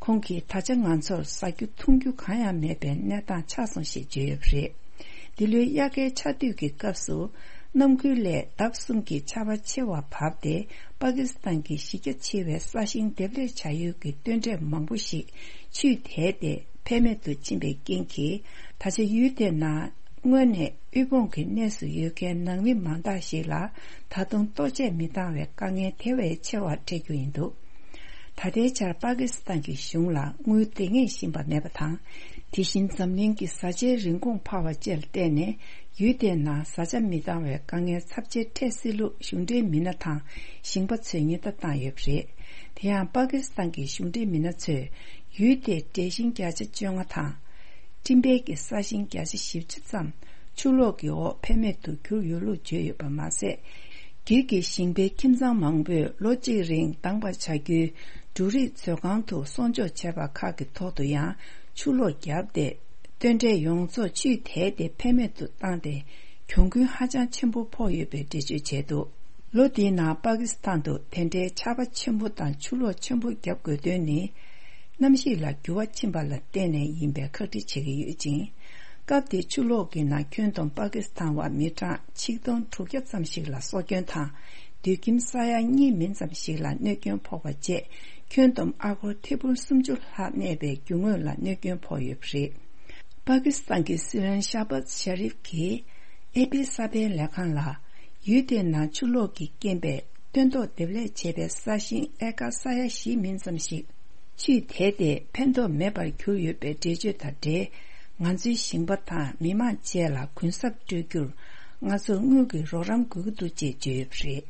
ཁོང་གིས་ད་ཆ་ང་ཚོར་ཟ་རྒྱུ་འཐུང་རྒྱུ་གང་ཡང་མེད་པའི་གནས་སྟངས་ཆགས་སོང་ཞེས་བརྗོད་ཡོད་པ་རེད། འདི་ལོའི་དབྱར་ཁའི་ཆར་དུས་ཀྱི་སྐབས་སུ། གནམ་ཁུལ་ལས་ལྡབ་གསུམ་གྱིས་ཆར་པ་ཆེ་བ་བབས་ཏེ། པ་ཀི་སི་ཐན་གྱི་གཞི་རྒྱ་ཆེ་བའི་ས་ཞིང་འདེབས་ལས་བྱ་ཡུལ་གྱི་སྟོན་འབྲས་མང་པོ་ཞིག་ཆུས་དེད་དེ་ཕན་མེད་དུ་ཕྱིན་པའི་རྐྱེན་གྱིས། ད་ཆ་ཡུལ་དེའི་ནང་སྔོན་ནས་དབུལ་ཕོངས་ཀྱི་གནས་སུ་ཡོད་མཁན་ནང་མི་མང་དག་ཞིག་ལ། ད་དུང་ལྟོ་ཆས་མི་འདང་བའི་དཀའ་ངལ་དེ་བས་ཆེ་བ་འཕྲད་རྒྱུ་ཡིན་འདུག་ད་ལྟའི་ཆར་པ་ཀི་སི་ཐན་གྱི་གཞུང་ལ་དངུལ་འདང་ངེས་བཞིན་པ་མེད་པ་དང་། དེ་བཞིན་འཛམ་གླིང་གི་བཟའ་བཅའི་རིན་གོང་འཕར་བ་བཅས་ལ་བརྟེན་ནས། ཡུལ་དེའི་ནང་བཟའ་བཅའ་མི་འདང་བའི་དཀའ་ངལ་ཚབས་ཆེ་འཕྲད་སྲིད་ལུགས་གཞུང་འབྲེལ་མི་སྣ་དང་ཞིང་པ་ཚོས་ཉེན་བརྡ་བཏང་ཡོད་པ་རེད། དེ་ཡང་པ་ཀི་སི་ཐན་གྱི་གཞུང་འབྲེལ་མི་སྣ་ཚོས། ཡུལ་དེའི་འབྲས་ཞིང་བརྒྱ་ཆ་བཅོ་ལྔ་དང་། སྤྲིན་བལ་གྱི་ས་ཞིང་བརྒྱ་ཆ་བཞི་བཅུ་ཙམ་ཆུ་ལོག་གི་འོག་ཕན་མེད་དུ་གྱུར་ཡོད་ལུགས་བརྗོད་ཡོད་པ་མ་ཟད། སྒེར་གྱི་ཞིང་པའི་ཁྱིམ་ཚང་མང་པོས་ལོ་གཅིག་རིང་འདང་བར་བྱ་རྒྱུའི་འབྲུ་རིགས་མཛོད་ཁང་དུ་གསོག་འཇོག་བྱས་པ་ཁག་གི་ཐོག་ཏུ་ཡང་ཆུ་ལོག་བརྒྱབ་སྟེ། སྟོན་འབྲས་ཡོངས་རྫོགས་ཆུས་དེད་དེ་ཕན་མེད་དུ་བཏང་སྟེ། གྱོང་གུན་ཧ་ཅང་ཆེན་པོ་ཕོག་ཡོད་པའི་འགྲེལ་བརྗོད་བྱས་འདུག་ལོ་འདིའི་ནང་པ་ཀི་སི་ཐན་དུ་དེ་འདྲའི་ཆར་པ་ཆེན་པོ་དང་ཆུ་ལོག་ཆེན་པོ་བརྒྱབ་དགོས་དོན་ནི། གནམ་གཤིས་ལ་འགྱུར་བ་ཕྱིན་པ་ལ་བརྟེན་ནས་ཡིན་པའི་ཁག་དཀྲི་བྱེད་ཀྱི་ཡོད་ཅིང་། སྐབས་དེའི་ཆུ་ལོག་གི་ནང་ཁྱོན་བསྡོམས་པ་ཀི་སི་ཐན་བ་མི་གྲངས་ཆིག་སྟོང་དྲུག་བརྒྱ་ཙམ་ཞིག་ལ་སྲོག་སྐྱོན་དང་། སྡོད་ཁྱིམ་ས་ཡ་གཉིས་མིན་ཙམ་ཞིག་ལ་གནོད་སྐྱོན་ཕོག་པ་བཅས། ཁྱོན་བསྡོམས་ཨ་སྒོར་ཐེར་འབུམ་སུམ་ཅུ་ལྷག་གནས་པའི་རྒྱུ་དངོས་ལ་གནོད་སྐྱོན་ཕོག་ཡོད་པ་རེད། པ་ཀི་སི་ཐན་གྱི་སྲིད་བློན་ཤ་བཱཛ་ཤ་རིབ་ཀྱིས་ཨེ་པི་གསར་སྤེལ་ལས་ཁང་ལ། ཡུལ་དེའི་ནང་ཆུ་ལོག་གིས་རྐྱེན་པས་སྟོན་ཐོག་འདེབས་ལས་བྱས་པའི་ས་ཞིང་ཨེ་ཀར་ས་ཡ་བཞི་མིན་ཙམ་ཞིག་ཆུས་དེད་དེ་ཕན་ཐོགས་མེད་པར་གྱུར་ཡོད་པའི་འགྲེལ་བརྗོད་དང་འབྲེལ། ང་ཚོའི་ཞིང་པ་དང་མི་མང་བཅས་ལ་གུན་གསབ་སྤྲོད་རྒྱུར། ང་ཚོར་དངུལ་གྱི་རོགས་རམ་དགོས་ཀྱི་འདུག་ཅེས་བརྗོད་ཡོད་པ་རེད།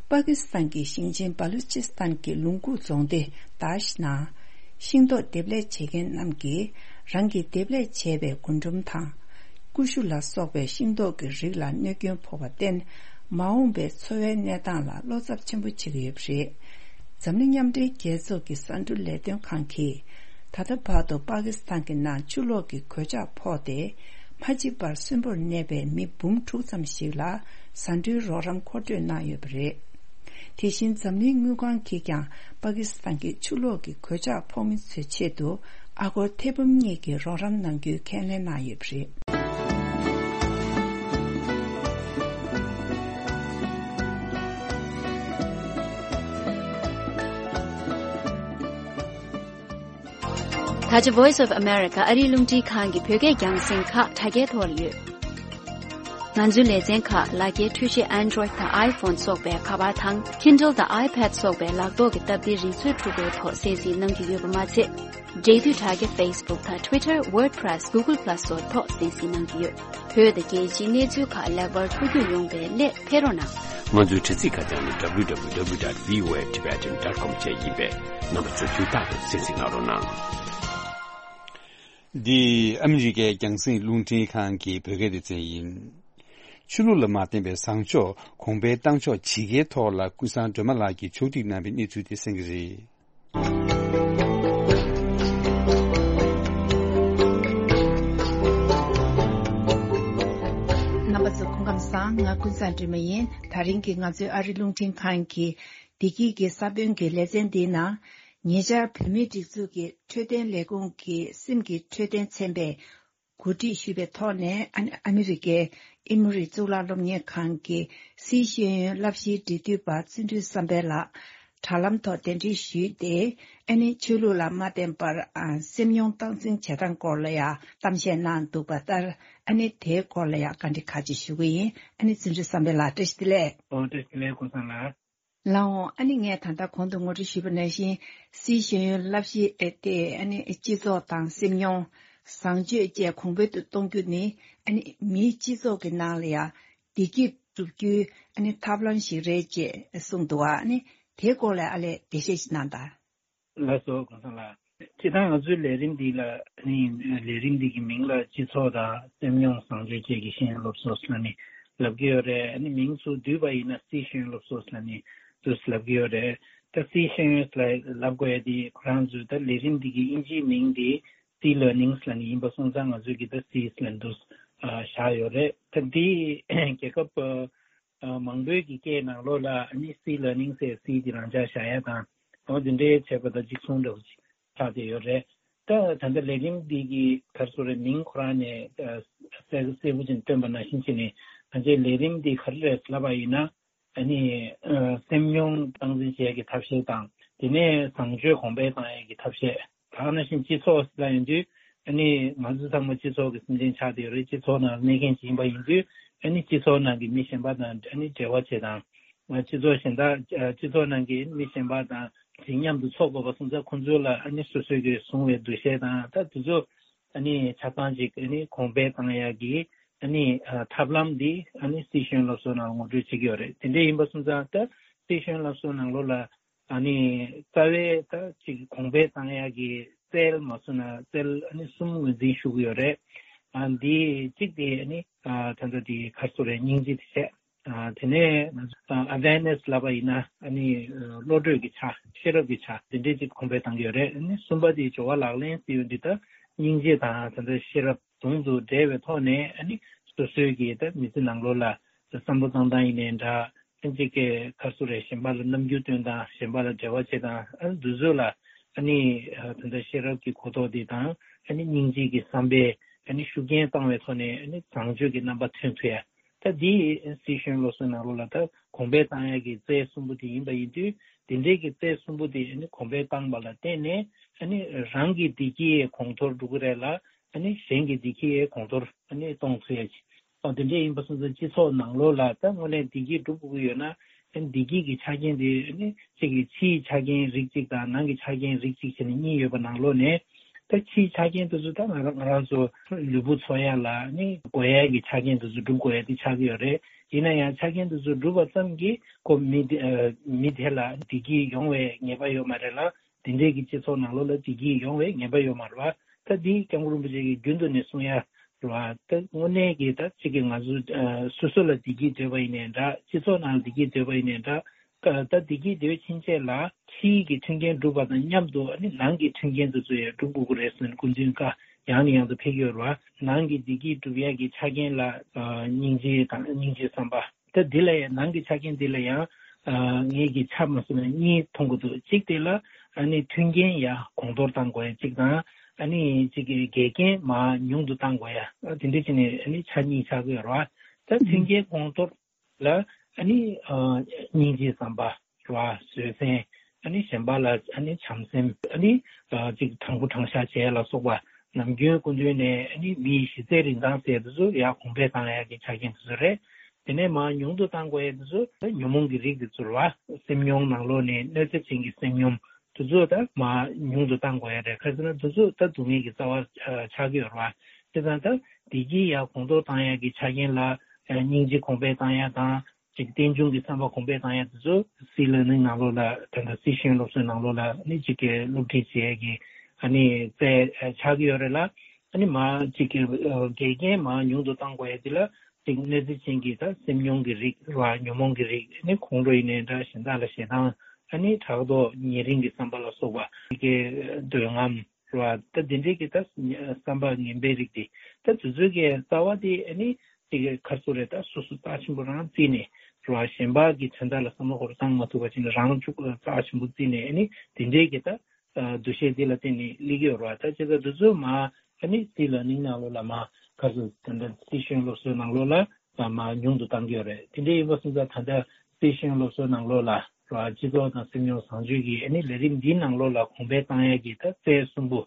པ་ཀི་སི་ཐན་གྱི་ཞིང་ཆེན་བ་ལུ་ཅི་སི་ཐན་གྱི་ལུང་ཁུག་རྫོང་སྡེ་དཱཤ་ནང་། ཤིང་ཏོག་འདེབས་ལས་བྱེད་མཁན་རྣམས་ཀྱིས་རང་གིས་འདེབས་ལས་བྱས་པའི་རྒུན་འབྲུམ་དང་། ཀུ་ཤུ་ལ་སོགས་པའི་ཤིང་ཏོག་གི་རིགས་ལ་གནོད་སྐྱོན་ཕོག་པར་བརྟེན། མ་འོངས་པའི་འཚོ་བའི་གནས་སྟངས་ལ་བློ་འཚབ་ཆེན་པོ་བྱེད་ཀྱི་ཡོད་པ་རེད། འཛམ་གླིང་མཉམ་འབྲེལ་རྒྱལ་ཚོགས་ཀྱི་ས་འགྲོ་ལས་དོན་ཁང་གིས། ད་ལྟ་བར་དུ་པ་ཀི་སི་ཐན་གྱི་ནང་ཆུ་ལོག་གི་གོད་ཆག་ཕོག་སྟེ། མ་འཇིག་པར་གསོན་པོར་གནས་པའི་མི་འབུམ་དྲུག་ཙམ་ཞིག་ལ་ཟ་འབྲུའི་རོགས་རམ་མཁོ་སྤྲོད་གནང་ཡོད་པ་རེད། དེ་བཞིན་འཛམ་གླིང་དངུལ་ཁང་གིས་ཀྱང་པ་ཀི་སི་ཐན་གྱི་ཆུ་ལོག་གི་གོད་ཆག་ཕོག་མི་ཚོའི་ཆེད་དུ་ཨ་སྒོར་ཐེར་འབུམ་གཉིས་ཀྱི་རོགས་རམ་གནང་རྒྱུའི་ཁས་ལེན་གནང་ཡོད་པ་རེད། ད་ཆ་Voice of America ཨ་རིའི་རླུང་འཕྲིན་ཁང་གི་བོད་སྐད་རྒྱང་སྲིང་ཁག་དྲ་རྒྱའི་ཐོག་ལ་ཡོད། ང་ཚོའི་ལེ་ཚན་ཁག་ལག་འཁྱེར་འཕྲུལ་ཆས་Android དང་iPhone སོགས་པའི་ཁ་པར་དང་Kindle དང་iPad སོགས་པའི་ལག་ཐོག་གི་སྟབས་བདེའི་རིག་མཛོད་འཕྲུལ་འཁོར་ཐོག་གསན་གཟིགས་གནང་གི་ཡོད་པ་མ་ཚད། འབྲེལ་མཐུད་དྲ་རྒྱ་Facebook དང་Twitter, WordPress, Google Plus སོགས་ཐོག་གསན་གཟིགས་གནང་གི་ཡོད། བོད་དང་རྒྱལ་སྤྱིའི་གནས་ཚུལ་ཁག་ལེགས་པར་ཐུགས་རྒྱུས་ཡོང་བའི་སླད་ཕེབས་རོགས་གནང་། ང་ཚོའི་དྲ་ཚིགས་ཁ་བྱང་ནི་www dot voatibetan dot com བཅས་ཡིན་པས། རྣམ་པ་ཚོས་དུས་རྟག་ཏུ་གསན་གཟིགས་གནང་རོགས་གནང་། འདི་ཨ་མི་རི་ཀའི་རྒྱང་སྲིང་རླུང་འཕྲིན་ཁང་གི་བོད་སྐད་སྡེ་ཚན་ཡིན། ཆོས་ལུགས་ལ་མ་བརྟེན་པའི་བཟང་ཕྱོགས་གོང་འཕེལ་གཏང་ཕྱོགས་ཇི་དགེའི་ཐོག་ལ་ཀུན་བཟང་སྒྲོལ་མ་ལགས་ཀྱིས་ཕྱོགས་སྒྲིག་གནང་བའི་གནས་ཚུལ་དེ་གསན་གྱི་རེད། རྣམ་པ་ཚོ་སྐུ་ཁམས་བཟང་། ང་ཀུན་བཟང་སྒྲོལ་མ་ཡིན། ད་རིང་གི་ང་ཚོའི་ཨ་རི་རླུང་འཕྲིན་ཁང་གི་བདེ་སྐྱིད་ཀྱི་ས་བོན་གྱི་ལེ་ཚན་འདིའི་ནང་། ཉེ་ཆར་བོད་མིའི་སྒྲིག་འཛུགས་ཀྱི་འཕྲོད་བསྟེན་ལས་ཁུངས་ཀྱི་སེམས་ཀྱི་འཕྲོད་བསྟེན་ཚན་པས་གོ་སྒྲིག་ཞུས་པའི་ཐོག་ནས། ཨ་ནི་ཨ་མི་རི་ཀའི་ཨེ་མོ་རི་གཙུག་ལག་སློབ་གཉེར་ཁང་གི་སིའི་ཤེས་ཡོན་བསླབ་གཞིའི་འབྲེལ་མཐུད་པ་བརྩོན་འགྲུས་བསམ་འཕེལ་ལགས་དྲ་ལམ་ཐོག་གདན་འདྲེན་ཞུས་ཏེ། ཨ་ནི་ཆོས་ལུགས་ལ་མ་བརྟེན་པར་ཨ་སེམས་མྱོང་སྟངས་འཛིན་བྱེད་སྟངས་སྐོར་ལ་ཡང་གཏམ་བཤད་གནང་འདུག་པ་ལྟར། ཨ་ནི་དེའི་སྐོར་ལ་ཡང་བཀའ་འདྲི་ཁག་ཅིག་ཞུ་གི་ཡིན། ཨ་ནི་བརྩོན་འགྲུས་བསམ་འཕེལ་ལགས་བཀྲ་ཤིས་བདེ་ལེགས། ཨོ་བཀྲ་ཤིས་བདེ་ལེགས་ཀུན་བཟང་ལགས། ལགས་འོང་། ཨ་ནི་ངས་ད་ལྟ་གོང་དུ་ངོ་སྤྲོད་ཞུས་པ་ནང་བཞིན། སིའི་ཤེས་ཡོན་བསླབ་གཞི་ཨེ་དེ་ཨ་ནི་སྤྱི་ཚོགས་དང་སེམས་མྱོང་། བཟང་སྤྱོད་བཅས་གོང་འཕེལ་དུ་གཏོང་རྒྱུ་ནི་ཨ་ནི་མིའི་སྤྱི་ཚོགས་ཀྱི་ནང་ལ་ཡང་བདེ་སྐྱིད་སྒྲུབ་རྒྱུའི་ཨ་ནི་ཐབས་ལམ་ཞིག་རེད་ཅེས་གསུངས་འདུག་ཨ་ནི་དེའི་སྐོར་ལ་ཨ་ལས་འགྲེལ་བཤད་ཅིག་གནང་དང་། ལགས་སོ་ཀུན་བཟང་ལགས། སྤྱིར་བཏང་ང་ཚོའི་ལས་རིམ་འདི་ལ་ནི་ལས་རིམ་འདི་གི་མིང་ལ་སྤྱི་ཚོགས་དང་སེམས་མྱོང་བཟང་སྤྱོད་བཅས་ཀྱི་ཤེས་ཡོན་སློབ་གསོ་ཟེར་ནས་ལབ་ཀྱི་ཡོད་རེད། ཨ་ནི་མིང་ཚུར་བསྡུས་པ་ཡིན་ན་སིའི་ཤེས་ཡོན་སློབ་གསོ་ཟེར་ནས་དུ་ལབ་ཀྱི་ཡོད་རེད། ད་སིའི་ཤེས་ཡོན་ལ་ལབ་དགོས་ཡ་འདི་ཁོ་རང་ཚོའི་ད་ལས་རིམ་འདི་གི་དབྱིན་ཇིའི་མིང་འདི་སི་ལར་ནིང་ཟེར་ནས་ཡིན་པ་སོང་ཙང་ང་ཚོས་ཀྱི་ད་སི་ཟེར་ནས་དུ་བཞག་ཡོད་རེད། ད་འདི་རྒྱལ་ཁབ་མང་པོའི་གི་སྐད་ནང་ལོགས་ལ་ཨ་ནི་སི་ལར་ནིང་ཟེར་སི་དེ་རང་འཇགས་བཞག་ཡ་དང་འོ་དེ་འདྲའི་བྱས་པ་དང་གཅིག་མཚུངས་འདྲ་བོ་ཅིག་ ཆགས་བསྡད་ཡོད་རེད། ད་ད་ལྟ་ལས་རིམ་འདི་གི་ག་རེ་ཟེར་རེད། མིང་ཁོ་རང་ནས་ཨ་གསལ་གསལ་པོ་ཅིག་སྟོན་པ་ནང་བཞིན་བྱས་ནས། ང་ཚོའི་ལས་རིམ་འདི་ག་རེ་རེད་ལབ་པ་ཡིན་ན། ཨ་ནི་ཨ་སེམས་མྱོང་སྟངས་འཛིན་བྱེད་ཡག་གི་ཐབས་ཤེས་དང་། དེ་ནས་བཟང་སྤྱོད་གོང་འཕེལ་བཏང་ཡག་གི་ཐབས་ཤེས། ད་ག་ནང་བཞིན་སྤྱི་ཚོགས་ལ་ཡིན་དུས། ཨ་ནི་ང་ཚོ་ཚང་མ་སྤྱི་ཚོགས་ཀྱི་སེམས་ཅན་ཆགས་བསྡད་ཡོད་རེད། སྤྱི་ཚོགས་ནང་གནས་མཁན་ཅིག་ཡིན་པ་ཡིན་དུས། ཨ་ནི་སྤྱི་ཚོགས་ནང་གི་མི་གཞན་པ་དང་ཨ་ནི་འབྲེལ་བ་བྱེད་སྟངས། སྤྱི་ཚོགས་གཞན་དག་སྤྱི་ཚོགས་ནང་གི་མི་གཞན་པ་དང་ཅིག་མཉམ་དུ་འཚོ་དགོས་པ་སོང་ཙང་། ཁོང་ཚོ་ལ་ཨ་ནི་སོ་སོའི་གི་བཟུང་བའི་འདུ་ཤེས་དང་། ད་དེ་ཚོ་ཨ་ནི་ཆ་ཚང་ཅིག་ཨ་ནི་གོང་འཕེལ་བཏང་ཡག་གི་ཨ་ནི་ཨ་ཐབས་ལམ་འདི་ཨ་ནི་སྲིད་གཞུང་སློབ་གསོ་ནང་ངོ་སྤྲོད་བྱེད་ཀྱི་ཡོད་རེད། དེ་འདྲ་ཡིན་པ་སོང་ཙང་། ད་སྲིད་གཞུང་སློབ་གསོ་ནང་ལོགས་ལ་ཨ་ནི་རྩ་བའི་ད་ཅིག་གོང་འཕེལ་བཏང་ཡག་གི་རྩལ་མ་སོང་ན་རྩལ་ཨ་ནི་གསུམ་ངོས་འཛིན་ཞུ་གི་ཡོད་རེད། ཨ་འདི་གཅིག་དེ་ཨ་ནི་ཨ་ད་ལྟ་དེ་ག་རེ་ཟེར་རེད། སྙིང་རྗེ་དེ་བྱས། ཨ་དེ་ནས་ཨ་awareness ལབ་པ་ཡིན་ན། ཨ་ནི་ཨ་བློ་གྲོས་ཀྱི་ཆ། ཤེས་རབ་ཀྱི་ཆ་དེ་འདྲས་ཅིག་གོང་འཕེལ་བཏང་གི་ཡོད་རེད། ཨ་ནི་གསུམ་པ་དེ་སྦྱོར་བ་ལག་ལེན་ཟེར་ཡོང་དུས། ད་སྙིང་རྗེ་དང་ད་ལྟ་ཤེས་རབ་ཟུང་དུ་འབྲེལ་བའི་ཐོག་ནས། ཨ་ནི་སོ་སོའི་གི་ད་མི་ཚེ་ནང་ལོགས་ལ་བསམ་བློ་བཏང་སྟངས་ཡིན་ནའི་འདྲ། ཨ་ཅིག་གི་ག་རེ་ཟེར་རེད། གཞན་པ་ལ་རྣམ་འགྱུར་སྟོན་སྟངས། གཞན་པ་ལ་འབྲེལ་བ་བྱེད་སྟངས། ཨ་འདི་ཚོ་ལ་ཨ་ནི་ཨ་ད་ལྟ་ཤེས་རབ་ཀྱི་གོ་རྟོགས་འདི་དང་། ཨ་ནི་སྙིང་རྗེ་གི་བསམ་པས་ཨ་ནི་ཤུགས་རྐྱེན་བཏང་བའི་ཐོག་ནས། ཨ་ནི་བཟང་སྤྱོད་ཀྱི་རྣམ་པ་ཐོན་ཐུབ་ཡ། ད་འདི་སྲིད་གཞུང་སློབ་གསོའི་ནང་ལོགས་ལ་ད་གོང་འཕེལ་བཏང་ཡ་གི་རྩལ་གསུམ་པོ་དེ་ཡིན་པ་ཡིན་དུས། དེ་འདྲའི་གི་རྩལ་གསུམ་པོ་དེ་ཨ་ནི་གོང་འཕེལ་བཏང་པ་ལ་བརྟེན་ནས། ཨ་ནི་རང་གི་བདེ་སྐྱིད་གོང་མཐོར་འགྲོ་གི་རེད་ལ། ཨ་ནི་གཞན་གྱི་བདེ་སྐྱིད་གོང་མཐོར་ཨ་ནི་གཏོང་ཐུབ་ཡ་ཅིག། ཨོ་དེ་འདྲ་ཡིན་པ་སོང་ཙང་། སྤྱི་ཚོགས་ནང་ལོགས་ལ་ད་དངོས་གནས་བདེ་སྐྱིད་སྒྲུབ་དགོས་ཀྱི་ཡོད་ན། ཨ་ནི་བདེ་སྐྱིད་ཀྱི་ཆ་རྐྱེན་དེ་ཨ་ནི་གཅིག་གི་ཕྱིའི་ཆ་རྐྱེན་རིགས་གཅིག་དང་ནང་གི་ཆ་རྐྱེན་རིགས་གཅིག་བྱས་ནས་གཉིས་ཡོད་པ་ནང་ལོགས་ནས། ད་ཕྱིའི་ཆ་རྐྱེན་དེ་ཚོ་ད་ང་རང་ང་རང་ཚོ་ལུས་པོ་འཚོ་ཡ་ལ་ཨ་ནི་དགོས་ཡ་གི་ཆ་རྐྱེན་དེ་ཚོ་སྒྲུབ་དགོས་ཡ་དེ་ཆགས་ཀྱི་ཡོད་རེད། ཡིན་ན་ཡང་ཆ་རྐྱེན་དེ་ཚོ་སྒྲུབ་པ་ཙམ་གྱིས་ཁོ་མི་དེ་ཨ་མི་དེ་ལ་བདེ་སྐྱིད་ཡོང་བའི་ངེས་པ་ཡོད་མ་རེད་ལ། དེ་འདྲའི་གི་སྤྱི་ཚོགས་ནང་ལོགས་ལ་བདེ་སྐྱིད་ཡོང་བའི་ངེས་པ་ཡོད་མ་རེད་བ། ད་འདི་སྐྱབས་མགོན་རིན་པོ་ཆེ་གིས་རྒྱུན་དུ་ནས་གསུང་ཡ་རེད་བ། ད་དངོས་གནས་ཀྱི་ད་གཅིག་གི་ང་ཚོ་ཨ་སོ་སོ་ལ་བདེ་སྐྱིད་འདོད་པ་ཡིན་ནའི་འདྲ། སྤྱི་ཚོགས་ནང་ལ་བདེ་སྐྱིད་འདོད་པ་ཡིན་ནའི་འདྲ། ད་བདེ་སྐྱིད་འདོད་ཕྱིན་ཆད་ལ་ཕྱིའི་གི་མཐུན་རྐྱེན་སྒྲུབ་པ་དང་མཉམ་དུ། ཨ་ནི་ནང་གི་མཐུན་རྐྱེན་དེ་ཚོ་ཡང་སྒྲུབ་དགོས་ཀྱི་རེད་ཟེར་ནས་སྐུ་མདུན་བཀའ་ཡང་ནས་ཡང་དུ་ཕེབས་ཀྱི་ཡོད་རེད་བ། ནང་གི་བདེ་སྐྱིད་སྒྲུབ་ཡག་གི་ཆ་རྐྱེན་ལ་ཨ་སྙིང་རྗེ་དང་། སྙིང་རྗེ་བསམ་པ། ད་འདི་ལ་ཡང་ནང་གི་ཆ་རྐྱེན་འདི་ལ་ཡང་ཨ་ངེད་ཀྱིས་ཆ་མ་སོང་ན་གཉིས་མཐོང་གི་འདུག། གཅིག་དེ་ལ་ཨ་ནི་མཐུན་རྐྱེན་ཡར་གོང་མཐོར་གཏང་དགོས་ཡ་གཅིག་དང་། ཨ་ནི་གཅིག་གི་འགལ་རྐྱེན་མར་ཉུང་དུ་གཏང་དགོས་ཡ། ཨ་དེ་འདྲ་བྱས་ནས་ཨ་ནི་ཆ་གཉིས་ཆགས་ཀྱི་ཡོད་རེད་བ། ད་མཐུན་རྐྱེན་གོང་མཐོར་ལ་ཨ་ནི་ཨ་སྙིང་རྗེ་བསམ་པ་རེད་བ། བཟོད་བསྲན། ཨ་ནི་གཞན་པ་ལ་ཨ་ནི་བྱམས་སེམས། ཨ་ནི་ཨ་ཅིག་དྲང་པོ་དྲང་བཞག་བྱེད་ཡ་ལ་སོགས་པ། ནམ་རྒྱུན་སྐུ་མདུན་ནས་ཨ་ནི་མིའི་གཞི་རྩའི་རིན་ཐང་ཟེར་ཡ་དེ་ཚོ་ཡར་གོང་འཕེལ་བཏང་ཡ་གི་ཆ་རྐྱེན་དེ་ཚོ་རེད། དེ་ནས་མར་ཉུང་དུ་གཏང་དགོས་ཡ་དེ་ཚོ་ད་ཉོན་མོངས་ཀྱི་རིགས་དེ་ཚོ་རེད་བ། སེམས་མྱོང་ནང་ལོགས་ནས་གནོད་འཚེ་ཅན་གྱི་སེམས་མྱོང་དེ་ཚོ་ད་མར་ཉུང་དུ་གཏང་དགོས་ཡ་རེད། ག་རེ་ཟེར་ན་དེ་ཚོ་ད་སྡུག་བསྔལ་གྱི་རྩ་བ་ཆགས་ཀྱི་ཡོད་རེད་བ། དེ་ཙང་ད་བདེ་སྐྱིད་ཡར་གོང་མཐོར་བཏང་ཡག་གི་ཆ་རྐྱེན་ལ་སྙིང་རྗེ་གོང་འཕེལ་བཏང་ཡག་དང་། ཅིག་རྟེན་འབྱུང་གི་བསམ་པ་གོང་འཕེལ་བཏང་ཡག་དེ་ཚོ་སྲིད་ལ་ནི་ནང་ལོགས་ལ། ད་ལྟ་སྲིད་གཞུང་སློབ་གསོའི་ནང་ལོགས་ལ་ནི་ཅིག་གི་སློབ་ཁྲིད་བྱེད་ཡག་གི་ཨ་ནི་རྩལ་ཆགས་ཀྱི་ཡོད་རེད་ལ། ཨ་ནི་མར་ཅིག་གི་འགལ་རྐྱེན་མར་ཉུང་དུ་གཏང་དགོས་ཡག་དེ་ལ། ཅིག་གནོད་འཚེ་ཅན་གྱི་ད་སེམས་མྱོང་གི་རིགས་རེད་བ། ཉོན་མོངས་ཀྱི་རིགས། ཨ་ནི་ཁོང་ཁྲོ་ཡིན་ནའི་འདྲ། གཞན་དག་ལ་ཞེ་སྡང་། ཨ་ནི་ཕྲག་དོག་ཉེ་རིང་གི་བསམ་པ་ལ་སོགས་པ། ཅིག་གི་འདོད་རྔམ་རེད་བ། ད་འདི་འདྲའི་གི་ད་བསམ་པ་ངན་པའི་རིགས་དེ། ད་དེ་ཚོའི་གི་རྩ་བ་དེ་ཨ་ནི་དེ་གི་ག་རེ་ཟེར་རེད། ད་སོ་སོ་རྩ་ཆེན་པོ་རང་བརྩིས་ནས་རེད་བ། གཞན་པ་གི་དོན་དག་ལ་བསམ་བློ་ཁོ་རང་བཏང་མ་ཐུབ་པ་བྱས་ནས་རང་ལ་ཅུག་རྩ་ཆེན་པོ་བརྩིས་ནས། ཨ་ནི་དེ་འདྲའི་གི་ད་འདུ་ཤེས་དེ་ལ་བརྟེན་ནས་སླེབས་ཀྱི་ཡོད་རེད་བ། ད་བྱས་ཙང་དེ་ཚོ་མར་ཨ་ནི་སྲིད་ལ་ནིང་ནང་ལོགས་ལ་མར་ག་རེ་ཟེར། དེ་འདྲ་སྲིད་གཞུང་སློབ་གསོའི་ནང་ལོགས་ལ། ལ་མར་ཉུང་དུ་བཏང་གི་ཡོད་རེད། དེ་འདྲ་ཡིན་པ་སོང་ཙང་། ད་ལྟ་སྲིད་གཞུང་སློབ་གསོའི་ནང་ལོགས་ལ་ར་སྤྱི་ཚོགས་དང་སེམས་མྱོང་བཟང་སྤྱོད་ཀྱི་ཨ་ནི་ལས་རིམ་འདིའི་ནང་ལོགས་ལ་གོང་འཕེལ་བཏང་ཡག་གི་ད་རྩལ་གསུམ་པོ།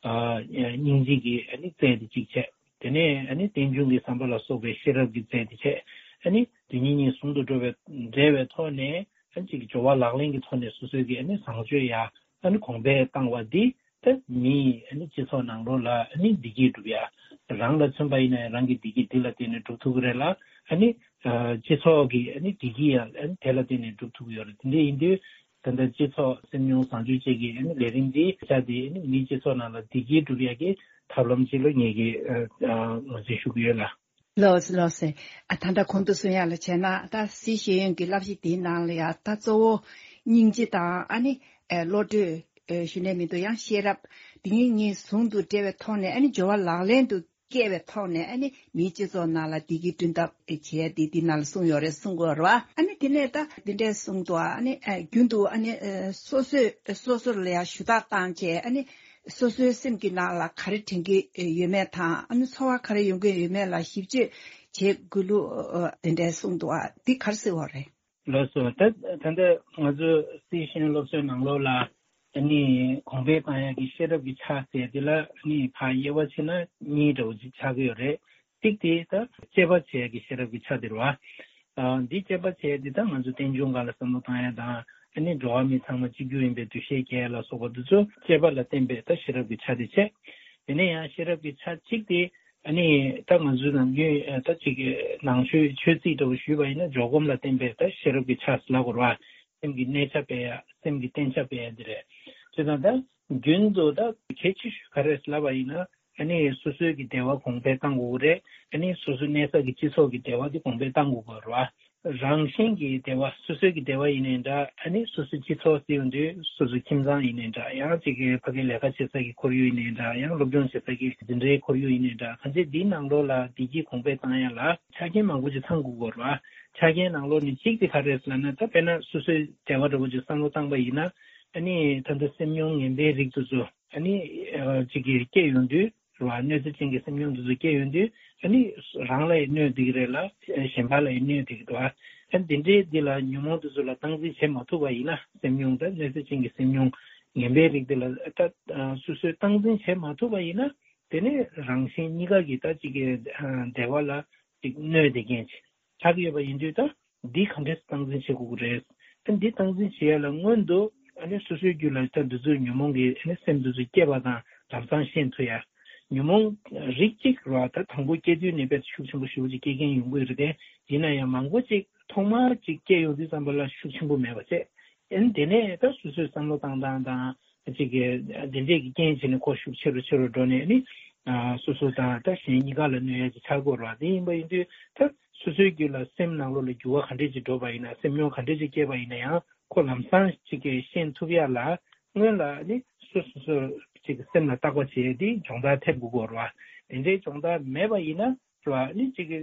ཨ་སྙིང་རྗེ་གི་ཨ་ནི་རྩལ་དེ་གཅིག་བྱས། དེ་ནས་ཨ་ནི་རྟེན་འབྱུང་གི་བསམ་པ་ལ་སོགས་པའི་ཤེས་རབ་ཀྱི་རྩལ་དེ་བྱས། ཨ་ནི་དེ་གཉིས་གཉིས་ཟུང་དུ་འགྲོ་བའི་འབྲེལ་བའི་ཐོག་ནས། ཨ་ནི་གཅིག་གི་སྦྱོར་བ་ལག་ལེན་གྱི་ཐོག་ནས་སོ་སོའི་གི་ཨ་ནི་བཟང་སྤྱོད་ཡར་ཨ་ནི་གོང་འཕེལ་བཏང་བ་འདི། ད་མིའི་ཨ་ནི་སྤྱི་ཚོགས་ནང་ལོགས་ལ་ཨ་ནི་བདེ་སྐྱིད་སྒྲུབ་ཡ། རང་ལ་མཚོན་པ་ཡིན་ན་རང་གི་བདེ་སྐྱིད་འདི་ལ་བརྟེན་ནས་སྒྲུབ་ཐུབ་ཀྱི་རེད་ལ། ཨ་ནི་ཨ་སྤྱི་ཚོགས་ཀྱི་ཨ་ནི་བདེ་སྐྱིད་ཡང་ཨ་ནི་དེ་ལ་བརྟེན་ནས་སྒྲུབ་ཐུབ་ཀྱི་ཡོད་རེད། དེ་འདྲ་ཡིན་དུས་ད་ལྟ་སྤྱི་ཚོགས་སེམས་མྱོང་བཟང་སྤྱོད་བཅས་ཀྱི་ཨ་ནི་ལས་རིམ་འདི་ཆ་དེ་ཨ་ནི་མིའི་སྤྱི་ཚོགས་ནང་ལ་བདེ་སྐྱིད་སྒྲུབ་ཡ་གི་ཐབས་ལམ་ཅིག་ལ་ངེད་ཀྱིས་ཨ་ཨ་ངོས་འཛིན་ཞུ་གི་ཡོད་ལ། ལགས་སོ་ལགས་སོ། ཨ་ད་ལྟ་གོང་དུ་གསུང་ཡག་ལ་བྱས་ན། ད་སྲིད་ཤེས་ཡོན་གྱི་བསླབ་གཞི་དེའི་ནང་ལ་ཡང་ད་གཙོ་བོ་སྙིང་རྗེ་དང་། ཨ་ནི་ཨེ་བློ་གྲོས། ཨེ་ཞུ་ནས་མི་འདུག། ཡང་ཤེས་རབ། དེ་གཉིས་གཉིས་ཟུང་དུ་འབྲེལ་བའི་ཐོག་ནས། ཨ་ནི་སྦྱོར་བ་ལག་ལེན་དུ་ སྐྱེས་པའི་ཐོག་ནས་ཨ་ནི་མིའི་སྤྱི་ཚོགས་ནང་ལ་བདེ་སྐྱིད་བསྐྲུན་ཐབས་བྱས་ཏེ་འདི་ནང་ལ་གསུངས་ཡོད་རེད། གསུང་དགོས་རེད་བ། ཨ་ནི་དེ་ནས་ད་འདི་འདྲས་གསུངས་འདུག་ཨ་ནི་ཨ་རྒྱུན་དུ་ཨ་ནི་ཨ་སོ་སོས་སོ་སོ་ལ་ཡང་ཞུ་དག་བཏང་བྱས། ཨ་ནི་སོ་སོའི་སེམས་ཀྱི་ནང་ལ་ག་རེ་དྲན་གྱི་ཡོད་མེད་དང་། ཨ་ནི་ཚོར་བ་ག་རེ་ཡོང་གི་ཡོད་མེད་ལ་ཞིབ་དཔྱོད་བྱེད་དགོས་ལུགས་ཨ་དེ་འདྲས་གསུངས་འདུག་ཨ་འདི་ག་རེ་ཟེར་བ་རེད། ལགས་སོ། ད་ད་ལྟ་ང་ཚོ་སི་ཤེས་ཡོན་སློབ་གསོའི་ནང་ལོགས་ལ་ཨ་ནི་གོང་འཕེལ་བཏང་ཡག་གི་ཤེས་རབ་ཀྱི་ཆ་ཟེར་དེ་ལ་ཨ་ནི་ཕར་དབྱེ་བ་ཕྱེ་ན་གཉིས་འདྲ་བོ་ཅིག་ཆགས་ཀྱི་ཡོད་རེད། གཅིག་དེ་ད་དཔྱད་པ་བྱེད་ཡག་གི་ཤེས་རབ་ཀྱི་ཆ་དེ་རེད་བ། ཨ་འདི་དཔྱད་པ་བྱས་དེ་ད་ང་ཚོ་རྟེན་འབྱུང་སྒང་ལ་བསམ་བློ་བཏང་ཡག་དང་། ཨ་ནི་འགྲོ་བ་མི་ཚང་མ་གཅིག་གྱུར་ཡིན་པའི་འདུ་ཤེས་སྐྱེ་ཡག་ལ་སོགས་པ་དེ་ཚོ་དཔྱད་པ་ལ་བརྟེན་པའི་ད་ཤེས་རབ་ཀྱི་ཆ་དེ་བྱས། དེ་ནས་ཡང་ཤེས་རབ་ཀྱི་ཆ་གཅིག་དེ་ཨ་ནི་ད་ང་ཚོའི་ནམ་རྒྱུན་ད་ཅིག་ནང་ཆོས་ཆོས་ཚིག་འདྲ་བོ་ཞུས་པ་ཡིན་ན་འཇོག་སྒོམ་ལ་བརྟེན་པའི་ད་ཤེས་རབ་ཀྱི་ཆ་ཟེར་ལབ་དགོས་རེད་བ། སེམས་ཀྱི་གནས་ཆ་སྤེལ་ཡག་སེམས་ཀྱི་བསྟེན་ཆ་སྤེལ་ཡག་འདི་རེད། བྱས་ཙང་ད་རྒྱུན་དུ་ད་གལ་ཆེ་ཤོས་ག་རེ་ལབ་པ་ཡིན་ན། ཨ་ནི་སོ་སོའི་གི་བདེ་བ་གོང་འཕེལ་བཏང་དགོས་ཀྱི་རེད། ཨ་ནི་སོ་སོའི་གནས་ས་གི་སྤྱི་ཚོགས་ཀྱི་བདེ་བ་འདི་གོང་འཕེལ་བཏང་དགོས་ཀྱི་རེད་བ། རང་བཞིན་གྱི་བདེ་བ་སོ་སོའི་གི་བདེ་བ་ཡིན་ནའི་འདྲ། ཨ་ནི་སོ་སོའི་སྤྱི་ཚོགས་ཟེར་ཡོང་དུས་སོ་སོའི་ཁྱིམ་ཚང་ཡིན་ནའི་འདྲ། ཡང་ཅིག་གི་ཕ་གི་ལས་ཀ་བྱེད་ས་གི་ཁོར་ཡུག་ཡིན་ནའི་འདྲ། ཡང་སློབ་སྦྱོང་བྱེད་ས་གི་འཛིན་གྲྭའི་ཁོར་ཡུག་ཡིན་ནའི་འདྲ། གང་ཅི་འདིའི་ནང་ལོགས་ལ་བདེ་སྐྱིད་གོང་འཕེལ་བཏང་ཡག་ལ་ཆ་རྐྱེན་མང་པོ་ཅིག་ཚང་དགོས་ཀྱི་རེད་བ། ཆ་རྐྱེན་ནང་ལོགས་ནས་གཅིག་དེ་ག་རེ་རེད་ལབ་ན། ད་དཔེར་ན་སོ་སོའི་བདེ་བ་འདྲ་བོ་ཅིག་བསམ་བློ་བཏང་པ་ཡིན་ན། ཨ་ནི་ད་ལྟ་སེམས་མྱོང་ངན་པའི་རིགས་དེ་ཚོ་ཨ་ནི་ཨ་ཅིག་གི་སྐྱེ་ཡོང་དུས་རེད་བ། གནོད་འཚེ་ཅན་གྱི་སེམས་མྱོང་དེ་ཚོ་སྐྱེ་ཡོང་དུས་ཨ་ནི་རང་ལ་ཡང་གནོད་བསྡད་ཀྱི་རེད་ལ། གཞན་པ་ལ་ཡང་གནོད་བསྡད་ཀྱི་འདུག་ཨ་འདི་འདྲའི་འདི་ལ་ཉོན་མོངས་དེ་ཚོ་ལ་སྟངས་འཛིན་བྱེད་མ་ཐུབ་པ་ཡིན་ན། སེམས་མྱོང་ད་གནོད་འཚེ་ཅན་གྱི་སེམས་མྱོང་ངན་པའི་རིགས་དེ་ལ་ད་སོ་སོས་སྟངས་འཛིན་བྱེད་མ་ཐུབ་པ་ཡིན་ན། དེ་ནས་རང་གཞན་གཉིས་ཀ་གི་ད་ཅིག་གི་ཨ་བདེ་བ་ལ་ཅིག་གནོད་བསྡད་མཁན་ཅིག་ཆགས་ཀྱི་ཡོད་པ་ཡིན་དུས། ད་འདི་ག་འདྲས་སྟངས་འཛིན་བྱེད་དགོས་ཀྱི་རེད། ད་འདི་སྟངས་འཛིན་བྱེད་ཡ་ལ་སྔོན་དུ་ཨ་ནི་སོ་སོའི་རྒྱུད་ལ་ད་འདི་ཚོའི་ཉོན་མོངས་ཀྱི་ཨ་ནི་སེམས་འདི་ཚོ་སྐྱེས་པ་དང་ལམ་སང་ཤེས་ཐུབ་ཡ། ཉོན་མོངས་རིགས་གཅིག་རེད་བ། ད་དང་པོ་སྐྱེ་དུས་ནས་དཔེ་ཤུགས་ཆེན་པོ་ཞེ་པོ་ཅིག་སྐྱེ་མཁན་ཡོང་གི་རེད་དེ། ཡིན་ན་ཡང་མང་པོ་ཅིག་ཐོག་མར་ཅིག་སྐྱེ་ཡོང་དུས་ཙམ་པ་ལ་ཤུགས་ཆེན་པོ་མེད་པ་བྱས། ཨ་ནི་དེ་ནས་ད་སོ་སོའི་བསམ་བློ་བཏང་སྟངས་དང་། ཅིག་གི་དེ་འདྲས་ཀྱི་རྐྱེན་བྱས་ནས་ཁོ་ཤུགས་ཆེ་རུ་ཆེ་རུ་འགྲོ་ནས་ནི། ཨ་སོ་སོ་དང་ད་གཞན་གཉིས་ཀ་ལ་གནོད་ཡ་ཅིག་ཆགས་ཀྱི་ཡོད་རེད་བ། དེ་ཡིན་པ་ཡིན་དུས་ད་སོ་སོའི་རྒྱུད་ལ་སེམས་ནང་ལོགས་ལ་འགྱུར་བ་ག་འདྲས་ཅིག་འགྲོ་བ་ཡིན་ན། སེམས་མྱོང་ག་འདྲས་ཅིག་སྐྱེས་པ་ཡིན་ན་ཡང་ཁོ་ལམ་སང་ཅིག་གི་ཤེས་ཐུབ་ཡ་ལ་སྔོན་ལ་ནི་སོ་སོ་སོ་ཅིག་གི་སེམས་ལ་བརྟག་པ་བྱས་ཏེ་སྦྱོང་བརྡར་ཐེབས་དགོས་ཀྱི་ཡོད་རེད་བ། དེ་འདྲའི་སྦྱོང་བརྡར་མེད་པ་ཡིན་ན། རེད་བ། ཨ་ནི་གཅིག་གི་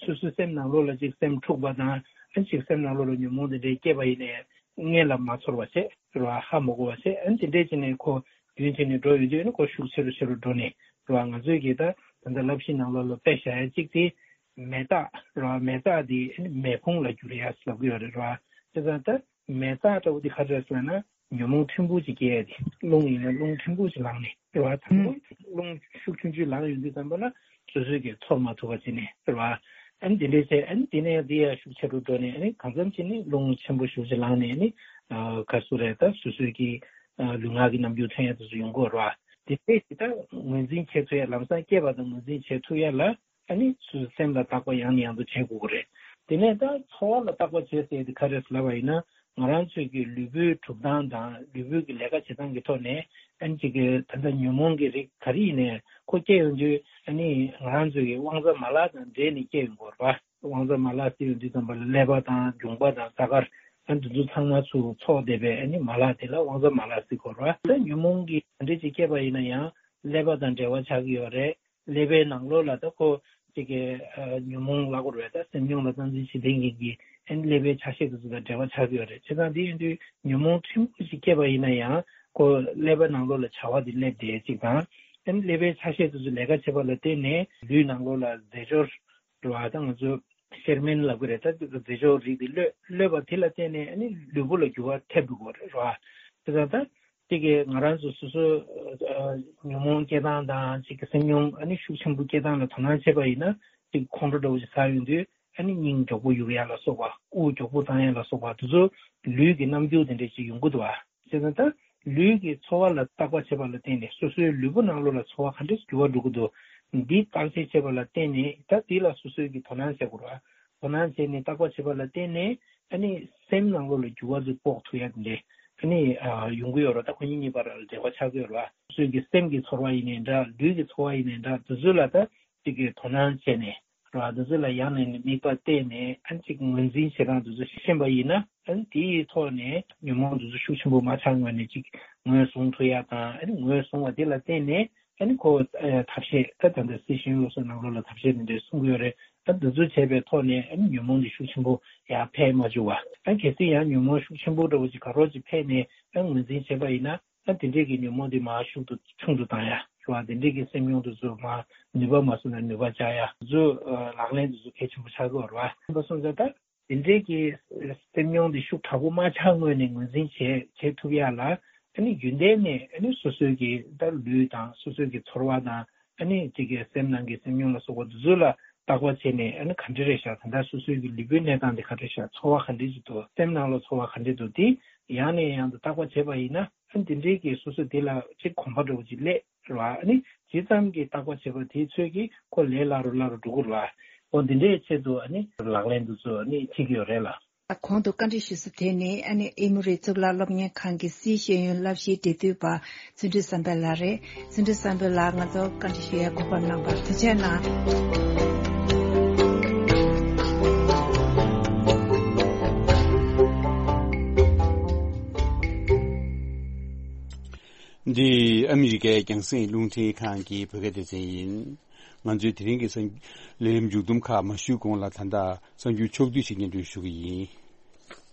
སོ་སོའི་སེམས་ནང་ལོགས་ལ་གཅིག་སེམས་འཁྲུགས་པ་དང་། ཨ་ནི་གཅིག་སེམས་ནང་ལོགས་ལ་ཉོན་མོངས་དེ་འདྲའི་སྐྱེས་པ་ཡིན་ནའི་སྔོན་ལ་མ་ཚོར་བ་བྱས། རེད་བ། ཧ་མ་གོ་བ་བྱས། ཨ་ནི་དེ་འདྲས་བྱས་ནས་ཁོ་རྒྱུན་ཆད་ནས་འགྲོ་ཡོང་དུས་ཨ་ནི་ཁོ་ཤུགས་ཆེ་རུ་ཆེ་རུ་འགྲོ་ནས། རེད་བ། ང་ཚོས་ཀྱི་ད་ད་ལྟ་བསླབ་གཞི་ནང་ལོགས་ལ་དཔེ་བཞག་ཡ་གཅིག་དེ་མེ་སྟག་རེད་བ། མེ་སྟག་དེ་ཨ་ནི་མེ་ཕུང་ལ་འགྱུར་ཡ་ལབ་ཀྱི་ཡོད་རེད། རེད་བ། བྱས་ཙང་ད། མེ་སྟག་ལྟ་བུ་དེ་ག་རེ་རེད་ཟེར་ན། ཉོན་མོངས་ཕྲན་བུ་ཅིག་སྐྱེ་ཡ་དེ། རླུང་ཡིན་ན་རླུང་ཕྲན་བུ་ཅིག་ལངས་ནས། རེད་བ། དང་པོ་རླུང་ཤུགས་ཆུང་ཆུང་ལངས་ཡོང་དུས་ཙམ་པ་ལ་སོ་སོས་ཀྱིས་ཚོར་མ་ཐུབ་པ་བྱས་ནས། རེད་བ། ཨ་ནི་དེ་འདྲས་བྱས། ཨ་ནི་དེ་ནས་དེ་ཡང་ཤུགས་ཆེ་རུ་འགྲོ་ནས། ཨ་ནི་གང་འཚམ་ཅིག་ནི་རླུང་ཆེན་པོ་ཞེ་པོ་ཅིག་ལངས་ནས། ཨ་ནི་ཨ་ག་རེ་ཟེར་དགོས་རེད། ད་སོ་སོའི་གི་ཨ་ལུས་ངག་གི་རྣམ་འགྱུར་ཐོན་ཡ་དེ་ཚོ་ཡོང་གི་ཡོད་རེད་བ། དེ་འདྲས་ཅིག་ད་ངོས་འཛིན་བྱེད་ཐུབ་ཡ། ལམ་སང་སྐྱེས་པ་དང་ངོས་འཛིན་བྱེད་ཐུབ་ཡ་ལ། ཨ་ནི་སོ་སོའི་སེམས་ལ་བརྟག་པ་ཡང་ནས་ཡང་དུ་བྱེད་དགོས་ཀྱི་རེད། དེ་ནས་ད་ཚོར་བ་ལ་བརྟག་པ་བྱེད་ཟེར་དེ་ག་རེ་ལབ་པ་ཡིན་ན། ང་རང་ཚོའི་གི་ལུས་པོའི་གྲུབ་སྟངས་དང་ལུས་པོའི་གི་ལས་ཀ་བྱེད་སྟངས་ཀྱི་ཐོག་ནས། ཨ་ནི་གཅིག་གི་ད་ལྟ་ཉོན་མོངས་ཀྱི་རིགས་ག་རེ་ཡིན་ནའི་ཁོ་སྐྱེ་ཡོང་དུས། ཨ་ནི་ང་རང་ཚོའི་གི་དབང་རྩ་མ་ལག་དང་འབྲེལ་ནས་སྐྱེ་ཡོང་གི་ཡོད་རེད་བ། དབང་རྩ་མ་ལག་ཟེར་ཡོང་དུས་ཙམ་པ་ལ་ཀླད་པ་དང་རྒྱུངས་པ་དང་རྩ་དཀར། ཨ་ནི་འདི་ཚོ་ཚང་མ་ཚུར་ཚོགས་བསྡད་པའི་ཨ་ནི་མ་ལག་དེ་ལ་དབང་རྩ་མ་ལག་ཟེར་གྱི་ཡོད་རེད་བ། ད་ཉོན་མོངས་ཀྱི་ག་འདྲ་ཅིག་སྐྱེས་པ་ཡིན་ན་ཡང་ཀླད་པ་དང་འབྲེལ་བ་ཆགས་ཀྱི་ཡོད་རེད། ཀླད་པའི་ནང་ལོགས་ལ་ད་ཁོ་གཅིག་གི་ཨ་ཉོན་མོངས་ལབ་དགོས་རེད། ད་སེམས་མྱོང་ལ་སྟངས་འཛིན་བྱེད་མཁན་གྱི་ཨ་ནི་ཀླད་པའི་ཆ་ཤས་དེ་ཚོ་དང་འབྲེལ་བ་ཆགས་ཀྱི་ཡོད་རེད། བྱས་ཙང་དེ་ཡིན་དུས་ཉོན་མོངས་ཕྲན་བུ་ཞིག་སྐྱེས་པ་ཡིན་ན་ཡང་ཁོ་ཀླད་པའི་ནང་ལོགས་ལ་བྱ་བ་དེ་སླེབས་བསྡད་ཅིག་དང་། ཨ་ནི་ཀླད་པའི་ཆ་ཤས་དེ་ཚོ་ལས་ཀ་བྱེད་པ་ལ་བརྟེན་ནས་ལུས་ནང་ལོགས་ལ་རྫས་སྦྱོར་རེད་བ། ད་ང་ཚོ་གཤེར་རྨེན་ལབ་ཀྱི་རེད། ད་རྫས་སྦྱོར་རིགས་དེ་གློད་གློད་པ་དེ་ལ་བརྟེན་ནས་ཨ་ནི་ལུས་པོ་ལ་འགྱུར་བ་ཐེབས་འགྲོ་གི་རེད་བ། དེ་ཙང་ད་གཅིག་གི་ང་རང་ཚོ་སོ་སོ་ཨ་ཉོན་མོངས་སྐྱེ་སྟངས་དང་། གཅིག་གི་སེམས་མྱོང་ཨ་ནི་ཤུགས་ཆེན་པོ་སྐྱེ་སྟངས་ལ་དོ་སྣང་བྱས་པ་ཡིན་ན། གཅིག་ཁོང་ཁྲོ་འདྲ་བོ་ཞིག་ཟ་ཡོང་དུས་ཨ་ནི་སྙིང་མགྱོགས་པོ་གཡུག་ཡ་ལ་སོགས་པ། དབུགས་མགྱོགས་པོ་བཏང་ཡ་ལ་སོགས་པ། དེ་ཚོ་ལུས་ཀྱི་རྣམ་འགྱུར་དེ་འདྲ་ཞིག་ཡོང་གི་འདུག་བ། བྱས་ཙང་ད་ལུས་ཀྱི་ཚོར་བ་ལ་བརྟག་པ་བྱེད་པ་ལ་བརྟེན་ནས་སོ་སོའི་ལུས་པོ་ནང་ལོགས་ལ་ཚོར་བ་ག་འདྲས་འགྱུར་བ་འགྲོ་གི་འདུག་འདི་བརྟག་དཔྱད་བྱེད་པ་ལ་བརྟེན་ནས། ད་འདི་ལ་སོ་སོའི་གི་དོ་སྣང་བྱེད་དགོས་རེད་བ། དོ་སྣང་བྱས་ནས་བརྟག་པ་བྱེད་པ་ལ་བརྟེན་ནས་ཨ་ནི་སེམས་ནང་ལོགས་ལ་འགྱུར་བ་ཚོ་དཔོག་ཐུབ་ཡ་དེ་འདྲས་ཨ་ནི་ཨ་ཡོང་གི་ཡོད་རེད། ད་ཁོ་གཉིས་གཉིས་བར་ལ་འབྲེལ་བ་ཆགས་ཀྱི་ཡོད་རེད་བ། སོ་སོའི་གི་སེམས་ཀྱི་ཚོར་བ་ཡིན་ནའི་འདྲ། ལུས་ཀྱི་ཚོར་བ་ཡིན་ནའི་འདྲ། དེ་ཚོ་ལ་ད་གཅིག་གི་དོ་སྣང་བྱས་ནས་རེད་བ། དེ་ཚོ་ལ་ཡང་ནས་ནས་དམིགས་པ་གཏད་ནས་ཨ་ནི་གཅིག་ངོས་འཛིན་བྱེད་སྟངས་དེ་ཚོ་ཤེས་པ་ཡིན་ན། ཨ་ནི་དེའི་ཐོག་ནས་ཉོན་མོངས་དེ་ཚོ་ཤུགས་ཆེན་པོ་མ་ཆགས་སྔོན་ནས་གཅིག་ངོས་བཟུང་ཐུབ་ཡ་དང་། ཨ་ནི་ངོས་བཟུང་བ་དེ་ལ་བརྟེན་ནས་ ཨ་ནི་ཁོ་ཨ་ཐབས་ཤེས་ད་ད་ལྟ་སི་ཤེས་ཡོན་སློབ་གསོ་ནང་ལོགས་ལ་ཐབས་ཤེས་དེ་འདྲས་གསུང་གི་ཡོད་རེད། ཨ་འདི་ཚོ་བྱས་པའི་ཐོག་ནས་ཨ་ནི་ཉོན་མོངས་འདི་ཤུགས་ཆེན་པོ་ཡར་འཕེལ་མ་བཅུག་པ། ཨ་གལ་སྲིད་ཡང་ཉོན་མོངས་ཤུགས་ཆེན་པོ་འདྲ་བོ་ཅིག་ག་རོ་ཅིག་འཕེལ་ནས་ཨ་ངོས་འཛིན་བྱས་པ་ཡིན་ན། ཨ་དེ་འདྲས་ཀྱི་ཉོན་མོངས་དེ་མར་ཤུགས་ཏུ་ཆུང་དུ་བཏང་ཡ་རེད་བ། དེ་འདྲས་ཀྱི་སེམས་མྱོང་དེ་ཚོ་མར་ནུས་པ་མ་སོང་ན་ནུས་པ་བཅག་ཡ་དེ་ཚོ་ལག་ལེན་དེ་ཚོ་གལ་ཆེན་པོ་ཆགས་ཀྱི་ཡོད་རེད་བ། ཡིན་པ་སོང་ཙང་ད་དེ་འདྲས་ཀྱི་སེམས་མྱོང་དེ་ཤུགས་དྲག་པོ་མ་ཆགས་སྔོན་ནས་ངོས་འཛིན་བྱེད་བྱེད་ཐུབ་ཡ་ལ། ཨ་ནི་རྒྱུན་ལྡན་ནས་ཨ་ནི་སོ་སོའི་གི་ད་ལུས་དང་སོ་སོའི་གི་ཚོར་བ་དང་། ཨ་ནི་དེ་གའི་སེམས་ནང་གི་སེམས་མྱོང་ལ་སོགས་པ་དེ་ཚོ་ལ་བརྟག་པ་བྱས་ནས། ཨ་ནི་ག་འདྲ་རེད་ཤག་ད་ལྟ་སོ་སོའི་གི་ལུས་པོའི་གནས་སྟངས་དེ་ག་འདྲ་ཤག་ཚོར་བ་ག་འདྲ་ཞིག་འདུག་སེམས་ནང་ལ་ཚོར་བ་ག་འདྲ་འདུག་དེ་ཡང་ནས་ཡང་དུ་བརྟག་པ་བྱས་པ་ཡིན་ན། ཨ་ནི་དེ་འདྲའི་གི་སོ་སོ་དེ་ལ་ཅིག་གོམས་པ་འདྲ་བོ་ཅིག་སླེབས་རེད་བ། ཨ་ནི་ཇི་ཙམ་གྱི་བརྟག་པ་བྱས་པ་དེའི་ཚོད་ཀྱིས་ཁོ་ལས་སླ་རུ་སླ་རུ་འགྲོ་གི་རེད་བ། འོ་འདི་འདྲའི་ཆེད་དུ་ཨ་ནི་ལག་ལེན་དེ་ཚོ་ཨ་ནི་བྱེད་ཀྱི་ཡོད་རེད་ལ། གོང་དུ་བཀའ་འདྲི་ཞུ་ས་དེ་ནི་ཨ་ནི་ཨེ་མོ་རི་གཙུག་ལག་སློབ་གཉེར་ཁང་གི་སིའི་ཤེས་ཡོན་བསླབ་གཞིའི་འབྲེལ་མཐུད་པ་བརྩོན་འགྲུས་བསམ་འཕེལ་ལགས་རེད། བརྩོན་འགྲུས་བསམ་འཕེལ་ལགས་ང་ཚོ་བཀའ་འདྲི་ཞུ་ཡ་གོ་སྐབས་གནང་བར་ཐུགས་རྗེ་གནང་། འདི་ཨ་མི་རི་ཀའི་རྒྱང་སྲིང་རླུང་འཕྲིན་ཁང་གི་བོད་སྐད་སྡེ་ཚན་ཡིན། ང་ཚོའི་དེ་རིང་གི་གསར་ལས་རིམ་མཇུག་བསྡོམས་ཁག་མ་ཞུས་གོང་ལ། ད་ལྟ་གསར་འགྱུར་ཕྱོགས་བསྡུས་ཤིག་སྙན་སྒྲོན་ཞུ་གི་ཡིན།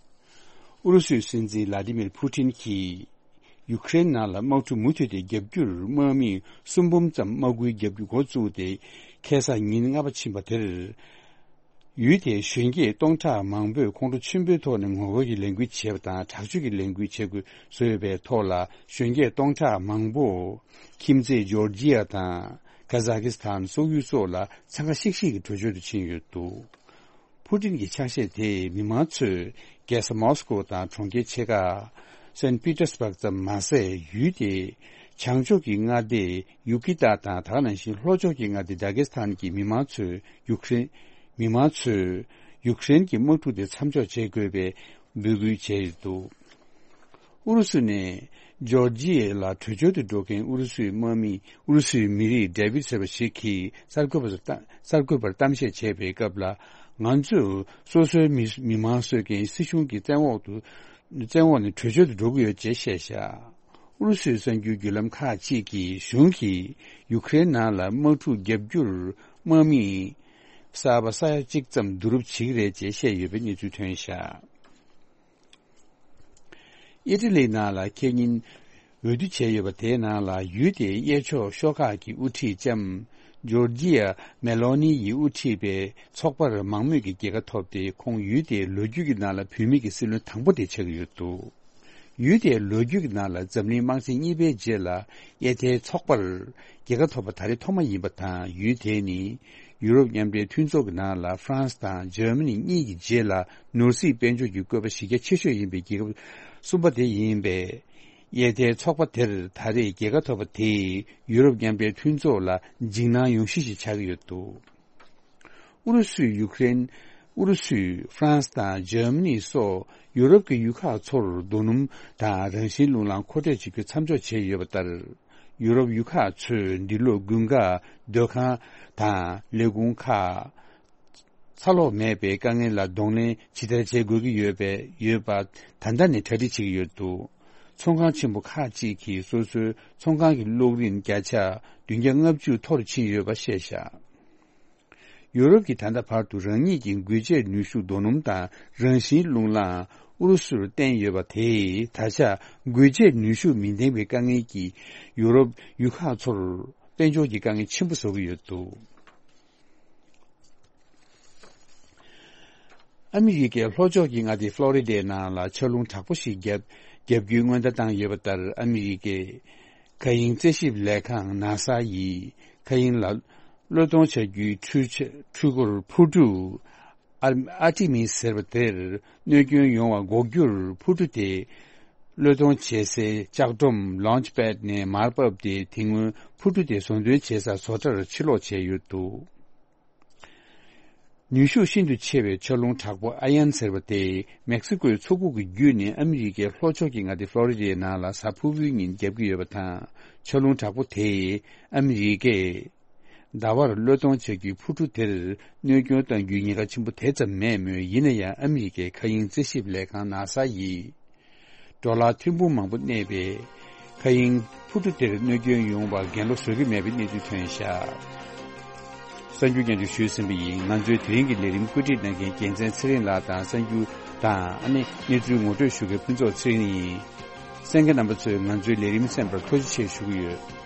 ཨུ་རུ་སུའི་སྲིད་འཛིན་ལ་ཏི་མིར་ཕུ་ཏིན་གྱིས་ཡུ་ཀེ་རེན་ནང་ལ་དམག་འཁྲུག་མུ་མཐུད་དེ་བརྒྱབ་རྒྱུར་དམག་མི་སུམ་འབུམ་ཙམ་དམག་སྐུལ་བརྒྱབ་རྒྱུ་འགོ་བཙུགས་ཏེ། ཁ་སང་ཉིན་ལྔ་པ་ཕྱིན་པ་དེར། ཡུལ་དེའི་གཞོན་སྐྱེས་སྟོང་ཕྲག་མང་པོས་ཁོང་ཁྲོ་ཆེན་པོའི་ཐོག་ནས་ངོ་རྒོལ་གྱི་ལས་འགུལ་བྱས་པ་དང་། དྲག་སྤྱོད་ཀྱི་ལས་འགུལ་བྱེད་དགོས་བཟོས་ཡོད་པའི་ཐོག་ལ། གཞོན་སྐྱེས་སྟོང་ཕྲག་མང་པོ་ཁྱིམ་མཚེས་ཇོར་ཇི་ཡ་དང་ཀ་ཟ་ཁི་སི་ཐན་སོག་ཡུལ་སོགས་ལ་འཚང་ཁ་ཤིག་ཤིག་གིས་བྲོས་བྱོལ་དུ་ཕྱིན་ཡོད་འདུག་ཕུ་ཏིན་གྱི་ཕྱག་བཞེས་དེས་མི་མང་ཚོས་རྒྱལ་ས་མོ་སི་ཀོ་དང་གྲོང་ཁྱེར་ཆེ་ཁག་སན་པི་ཏེར་སྦག་ཙམ་མ་ཟད། ཡུལ་དེའི་བྱང་ཕྱོགས་ཀྱི་མངའ་སྡེ་ཡུ་ཀི་ཏ་དང་། དེ་ག་ནང་བཞིན་ལྷོ་ཕྱོགས་ཀྱི་མངའ་སྡེ་ཌ་གེ་སི་ཐན་གྱི་མི་མང་ཚོས་ཡུཀ་རེན། མི་མང་ཚོས་ཡུཀ་རེན་གྱི་དམག་འཁྲུག་དེ་མཚམས་འཇོག་བྱེད་དགོས་པའི་འབོད་སྐུལ་བྱས་ཡོད་འདུག་ཨུ་རུ་སུ་ནས་ཇོར་ཇི་ཡ་ལ་བྲོས་བྱོལ་དུ་འགྲོ་མཁན་ཨུ་རུ་སུའི་དམག་མི། ཨུ་རུ་སུའི་མི་རིགས་ཌེ་བིད་ཟེར་བ་ཞིག་གིས་གསར་འགོད་པ་ཚོར་གསར་འགོད་པར་གཏམ་བཤད་བྱས་པའི་སྐབས་ལ། ང་ཚོས་སོ་སོའི་མི་མི་མང་གསོད་མཁན་སྲིད་གཞུང་གི་བཙན་འོག་ཏུ་བཙན་འོག་ནས་བྲོས་བྱོལ་དུ་འགྲོ་གི་ཡོད་ཅེས་བཤད་བཞག་ཨུ་རུ་སུའི་གསར་འགྱུར་བརྒྱུད་ལམ་ཁག་ཅིག་གིས་གཞུང་གིས་ཡུ་ཀེ་རེན་ནང་ལ་དམག་འཁྲུག་བརྒྱབ་རྒྱུར་དམག་མི་གསར་པ་ས་ཡ་གཅིག་ཙམ་བསྡུ་རུབ་བྱེད་ཀྱི་རེད་ཅེས་བཤད་ཡོད་པའི་གནས་ཚུལ་ཐོན་བཞག་ཨི་ཊ་ལི་ནང་ལ་ཁེ་ཉིན་འོས་བསྡུ་བྱས་ཡོད་པ་དེའི་ནང་ལ། ཡུལ་དེའི་གཡས་ཕྱོགས་ཤོག་ཁག་གི་དབུ་ཁྲིད་ལྕམ་ཇོར་ཇི་ཡ་མེ་ལོ་ནི་ཡིས་དབུ་ཁྲིད་པའི་ཚོགས་པར་མང་མོས་ཀྱི་རྒྱལ་ཁ་ཐོབ་སྟེ། ཁོང་ཡུལ་དེའི་ལོ་རྒྱུས་ཀྱི་ནང་ལ་བུད་མེད་ཀྱི་སྲིད་བློན་དང་པོ་དེ་ཆགས་ཀྱི་ཡོད་འདུག་ཡུལ་དེའི་ལོ་རྒྱུས་ཀྱི་ནང་ལ་འཛམ་གླིང་དམག་ཆེན་གཉིས་པའི་རྗེས་ལ་གཡས་མཐའི་ཚོགས་པར་རྒྱལ་ཁ་ཐོབ་པ་ད་རེས་ཐོག་མ་ཡིན་པ་དང་། ཡུལ་དེ་ནི་ཡུ་རོབ་མཉམ་འབྲེལ་མཐུན་ཚོགས་ཀྱི་ནང་ལ་ཧྥ་རན་སི་དང་འཇར་མ་ནི་གཉིས་ཀྱི་རྗེས་ལ་ནོར་སྲིད་དཔལ་འབྱོར་གྱི་བཀོད་པ་གཞི་རྒྱ་ཆེ་ཤོས་ཡིན་པའི་རྒྱལ་ཁབ་གསུམ་པ་དེ་ཡིན་པས། གཡས་མཐའི་ཚོགས་པ་དེར་ད་རེས་རྒྱལ་ཁ་ཐོབ་པ་དེས་ཡུ་རོབ་མཉམ་འབྲེལ་མཐུན་ཚོགས་ལ་འཇིགས་སྣང་ཡོང་གཞི་ཞིག་ཆགས་ཀྱི་ཡོད་འདུག་ཨུ་རུ་སུས་ཡུ་ཀེ་རེན། ཨུ་རུ་སུས་ཧྥ་རན་སི་དང་འཇར་མ་ནི་སོགས་ཡུ་རོབ་ཀྱི་ཡུལ་ཁག་ཚོར་རྡོ་སྣུམ་དང་རང་བཞིན་རླུང་ལམ་མཁོ་སྤྲོད་བྱེད་རྒྱུ་མཚམས་འཇོག་བྱས་ཡོད་པ་ལྟར། ཡུ་རོབ་ཡུལ་ཁག་ཚོས་འདི་ལོ་དགུན་ཁ་སྡོད་ཁང་དང་ལས་ཁུངས་ཁག་ཚ་ལོག་མེད་པའི་དཀའ་ངལ་ལ་གདོང་ལེན་ཇི་ལྟར་བྱེད་དགོས་ཀྱི་ཡོད་པའི་ཡོད་པ་ད་ལྟ་ནས་གྲ་སྒྲིག་བྱེད་ཀྱི་ཡོད་འདུག་ཚོང་ཁང་ཆེན་པོ་ཁག་ཅིག་གིས་སོ་སོའི་ཚོང་ཁང་གི་གློག་རིན་བརྒྱ་ཆ་བདུན་བརྒྱ་ལྔ་བཅུ་མཐོ་རུ་ཕྱིན་ཡོད་པ་བཤད་བཞག་ཡུ་རོབ་ཀྱིས་ད་ལྟ་བར་དུ་རང་ཉིད་ཀྱི་འགུལ་སྐྱོད་ནུས་ཤུགས་རྡོ་སྣུམ་དང་རང་བཞིན་རླུང་ལམ་ཨུ་རུ་སུར་བརྟེན་ཡོད་པ་དེས། ད་ཆ་འགུལ་སྐྱོད་ནུས་ཤུགས་མི་ལྡན་པའི་དཀའ་ངལ་གྱིས་ཡུ་རོབ་ཡུལ་ཁག་ཚོར་དཔལ་འབྱོར་གྱི་དཀའ་ངལ་ཆེན་པོ་བཟོ་གི་ཡོད་འདུག་ཨ་མི་རི་ཀའི་ལྷོ་ཕྱོགས་ཀྱི་མངའ་སྡེ་ཧྥ་ལོ་རི་ཌའི་ནང་ལ་ཆར་རླུང་དྲག་པོ་ཞིག་བརྒྱབ་བརྒྱབ་རྒྱུའི་སྔོན་བརྡ་བཏང་ཡོད་པ་ལྟར། ཨ་མི་རི་ཀའི་མཁའ་དབྱིངས་རྩད་ཞིབ་ལས་ཁང་ནཱ་སཱ་ཡིས་མཁའ་དབྱིངས་ལ་གློད་གཏོང་བྱ་རྒྱུའི་འཕྲུལ་ཆས་འཕྲུལ་འཁོར་འཕུར་གྲུ་ཨར་ཨར་ཏི་མིས་ཟེར་བ་དེར་གནོད་སྐྱོན་ཡོང་བ་འགོག་རྒྱུར། འཕུར་གྲུ་དེ་གློད་གཏོང་བྱེད་སའི་ལྕགས་སྒྲོམ་ལོན་ཆི་པེད་ནས་མར་བབས་ཏེ། དེ་སྔོན་འཕུར་གྲུ་དེ་བཟོ་འདྲེན་བྱེད་ས་བཟོ་གྲྭར་ཕྱིར་ལོག་བྱས་ཡོད་འདུག་ནུས་ཤུགས་ཤིན་ཏུ་ཆེ་བའི་ཆར་རླུང་དྲག་པོ་ཨ་ཡན་ཟེར་བ་དེ་མེག་སི་ཀོའི་མཚོ་ཁུག་གི་བརྒྱུད་ནས་ཨ་མི་རི་ཀའི་ལྷོ་ཕྱོགས་ཀྱི་མངའ་སྡེ་ཧྥ་ལོ་རི་ཌའི་ནང་ལ་གཟའ་ཕུར་བུའི་ཉིན་བརྒྱབ་ཀྱི་ཡོད་པ་དང་། ཆར་རླུང་དྲག་པོ་དེས་ཨ་མི་རི་ཀས་ཟླ་བར་གློད་གཏོང་བྱ་རྒྱུའི་འཕུར་གྲུ་དེར་གནོད་སྐྱོན་གཏང་རྒྱུའི་ཉེན་ཁ་ཆེན་པོ་དེ་ཙམ་མེད་མོད། ཡིན་ན་ཡང་ཨ་མི་རི་ཀའི་མཁའ་དབྱིངས་རྩད་ཞིབ་ལས་ཁང་ནཱ་སཱ་ཡིས། ཌོ་ལར་ཐེར་འབུམ་མང་པོ་གནས་པའི་ མཁའ་དབྱིངས་འཕུར་གྲུ་དེར་གནོད་སྐྱོན་ཡོང་བར་གྱེན་ལོག་བཟོ་གི་མེད་པའི་གནས་ཚུལ་ཐོན་བཞག་གསར་འགྱུར་སྙན་སྒྲོན་ཞུས་ཟིན་པ་ཡིན། ང་ཚོའི་དེ་རིང་གི་ལས་རིམ་བཀོད་སྒྲིག་གནང་མཁན་རྒྱལ་མཚན་ཚེ་རིང་ལགས་དང་། གསར་འགྱུར་དང་ཨ་ནི་གནས་ཚུལ་ངོ་སྤྲོད་ཞུ་མཁན་ཕུན་ཚོགས་ཚེ་རིང་ཡིན། གསན་མཁན་རྣམ་པ་ཚོས་ང་ཚོའི་ལས་རིམ་གསན་པར་ཐུགས་རྗེ་ཆེ་ཞུ་གི་ཡོད།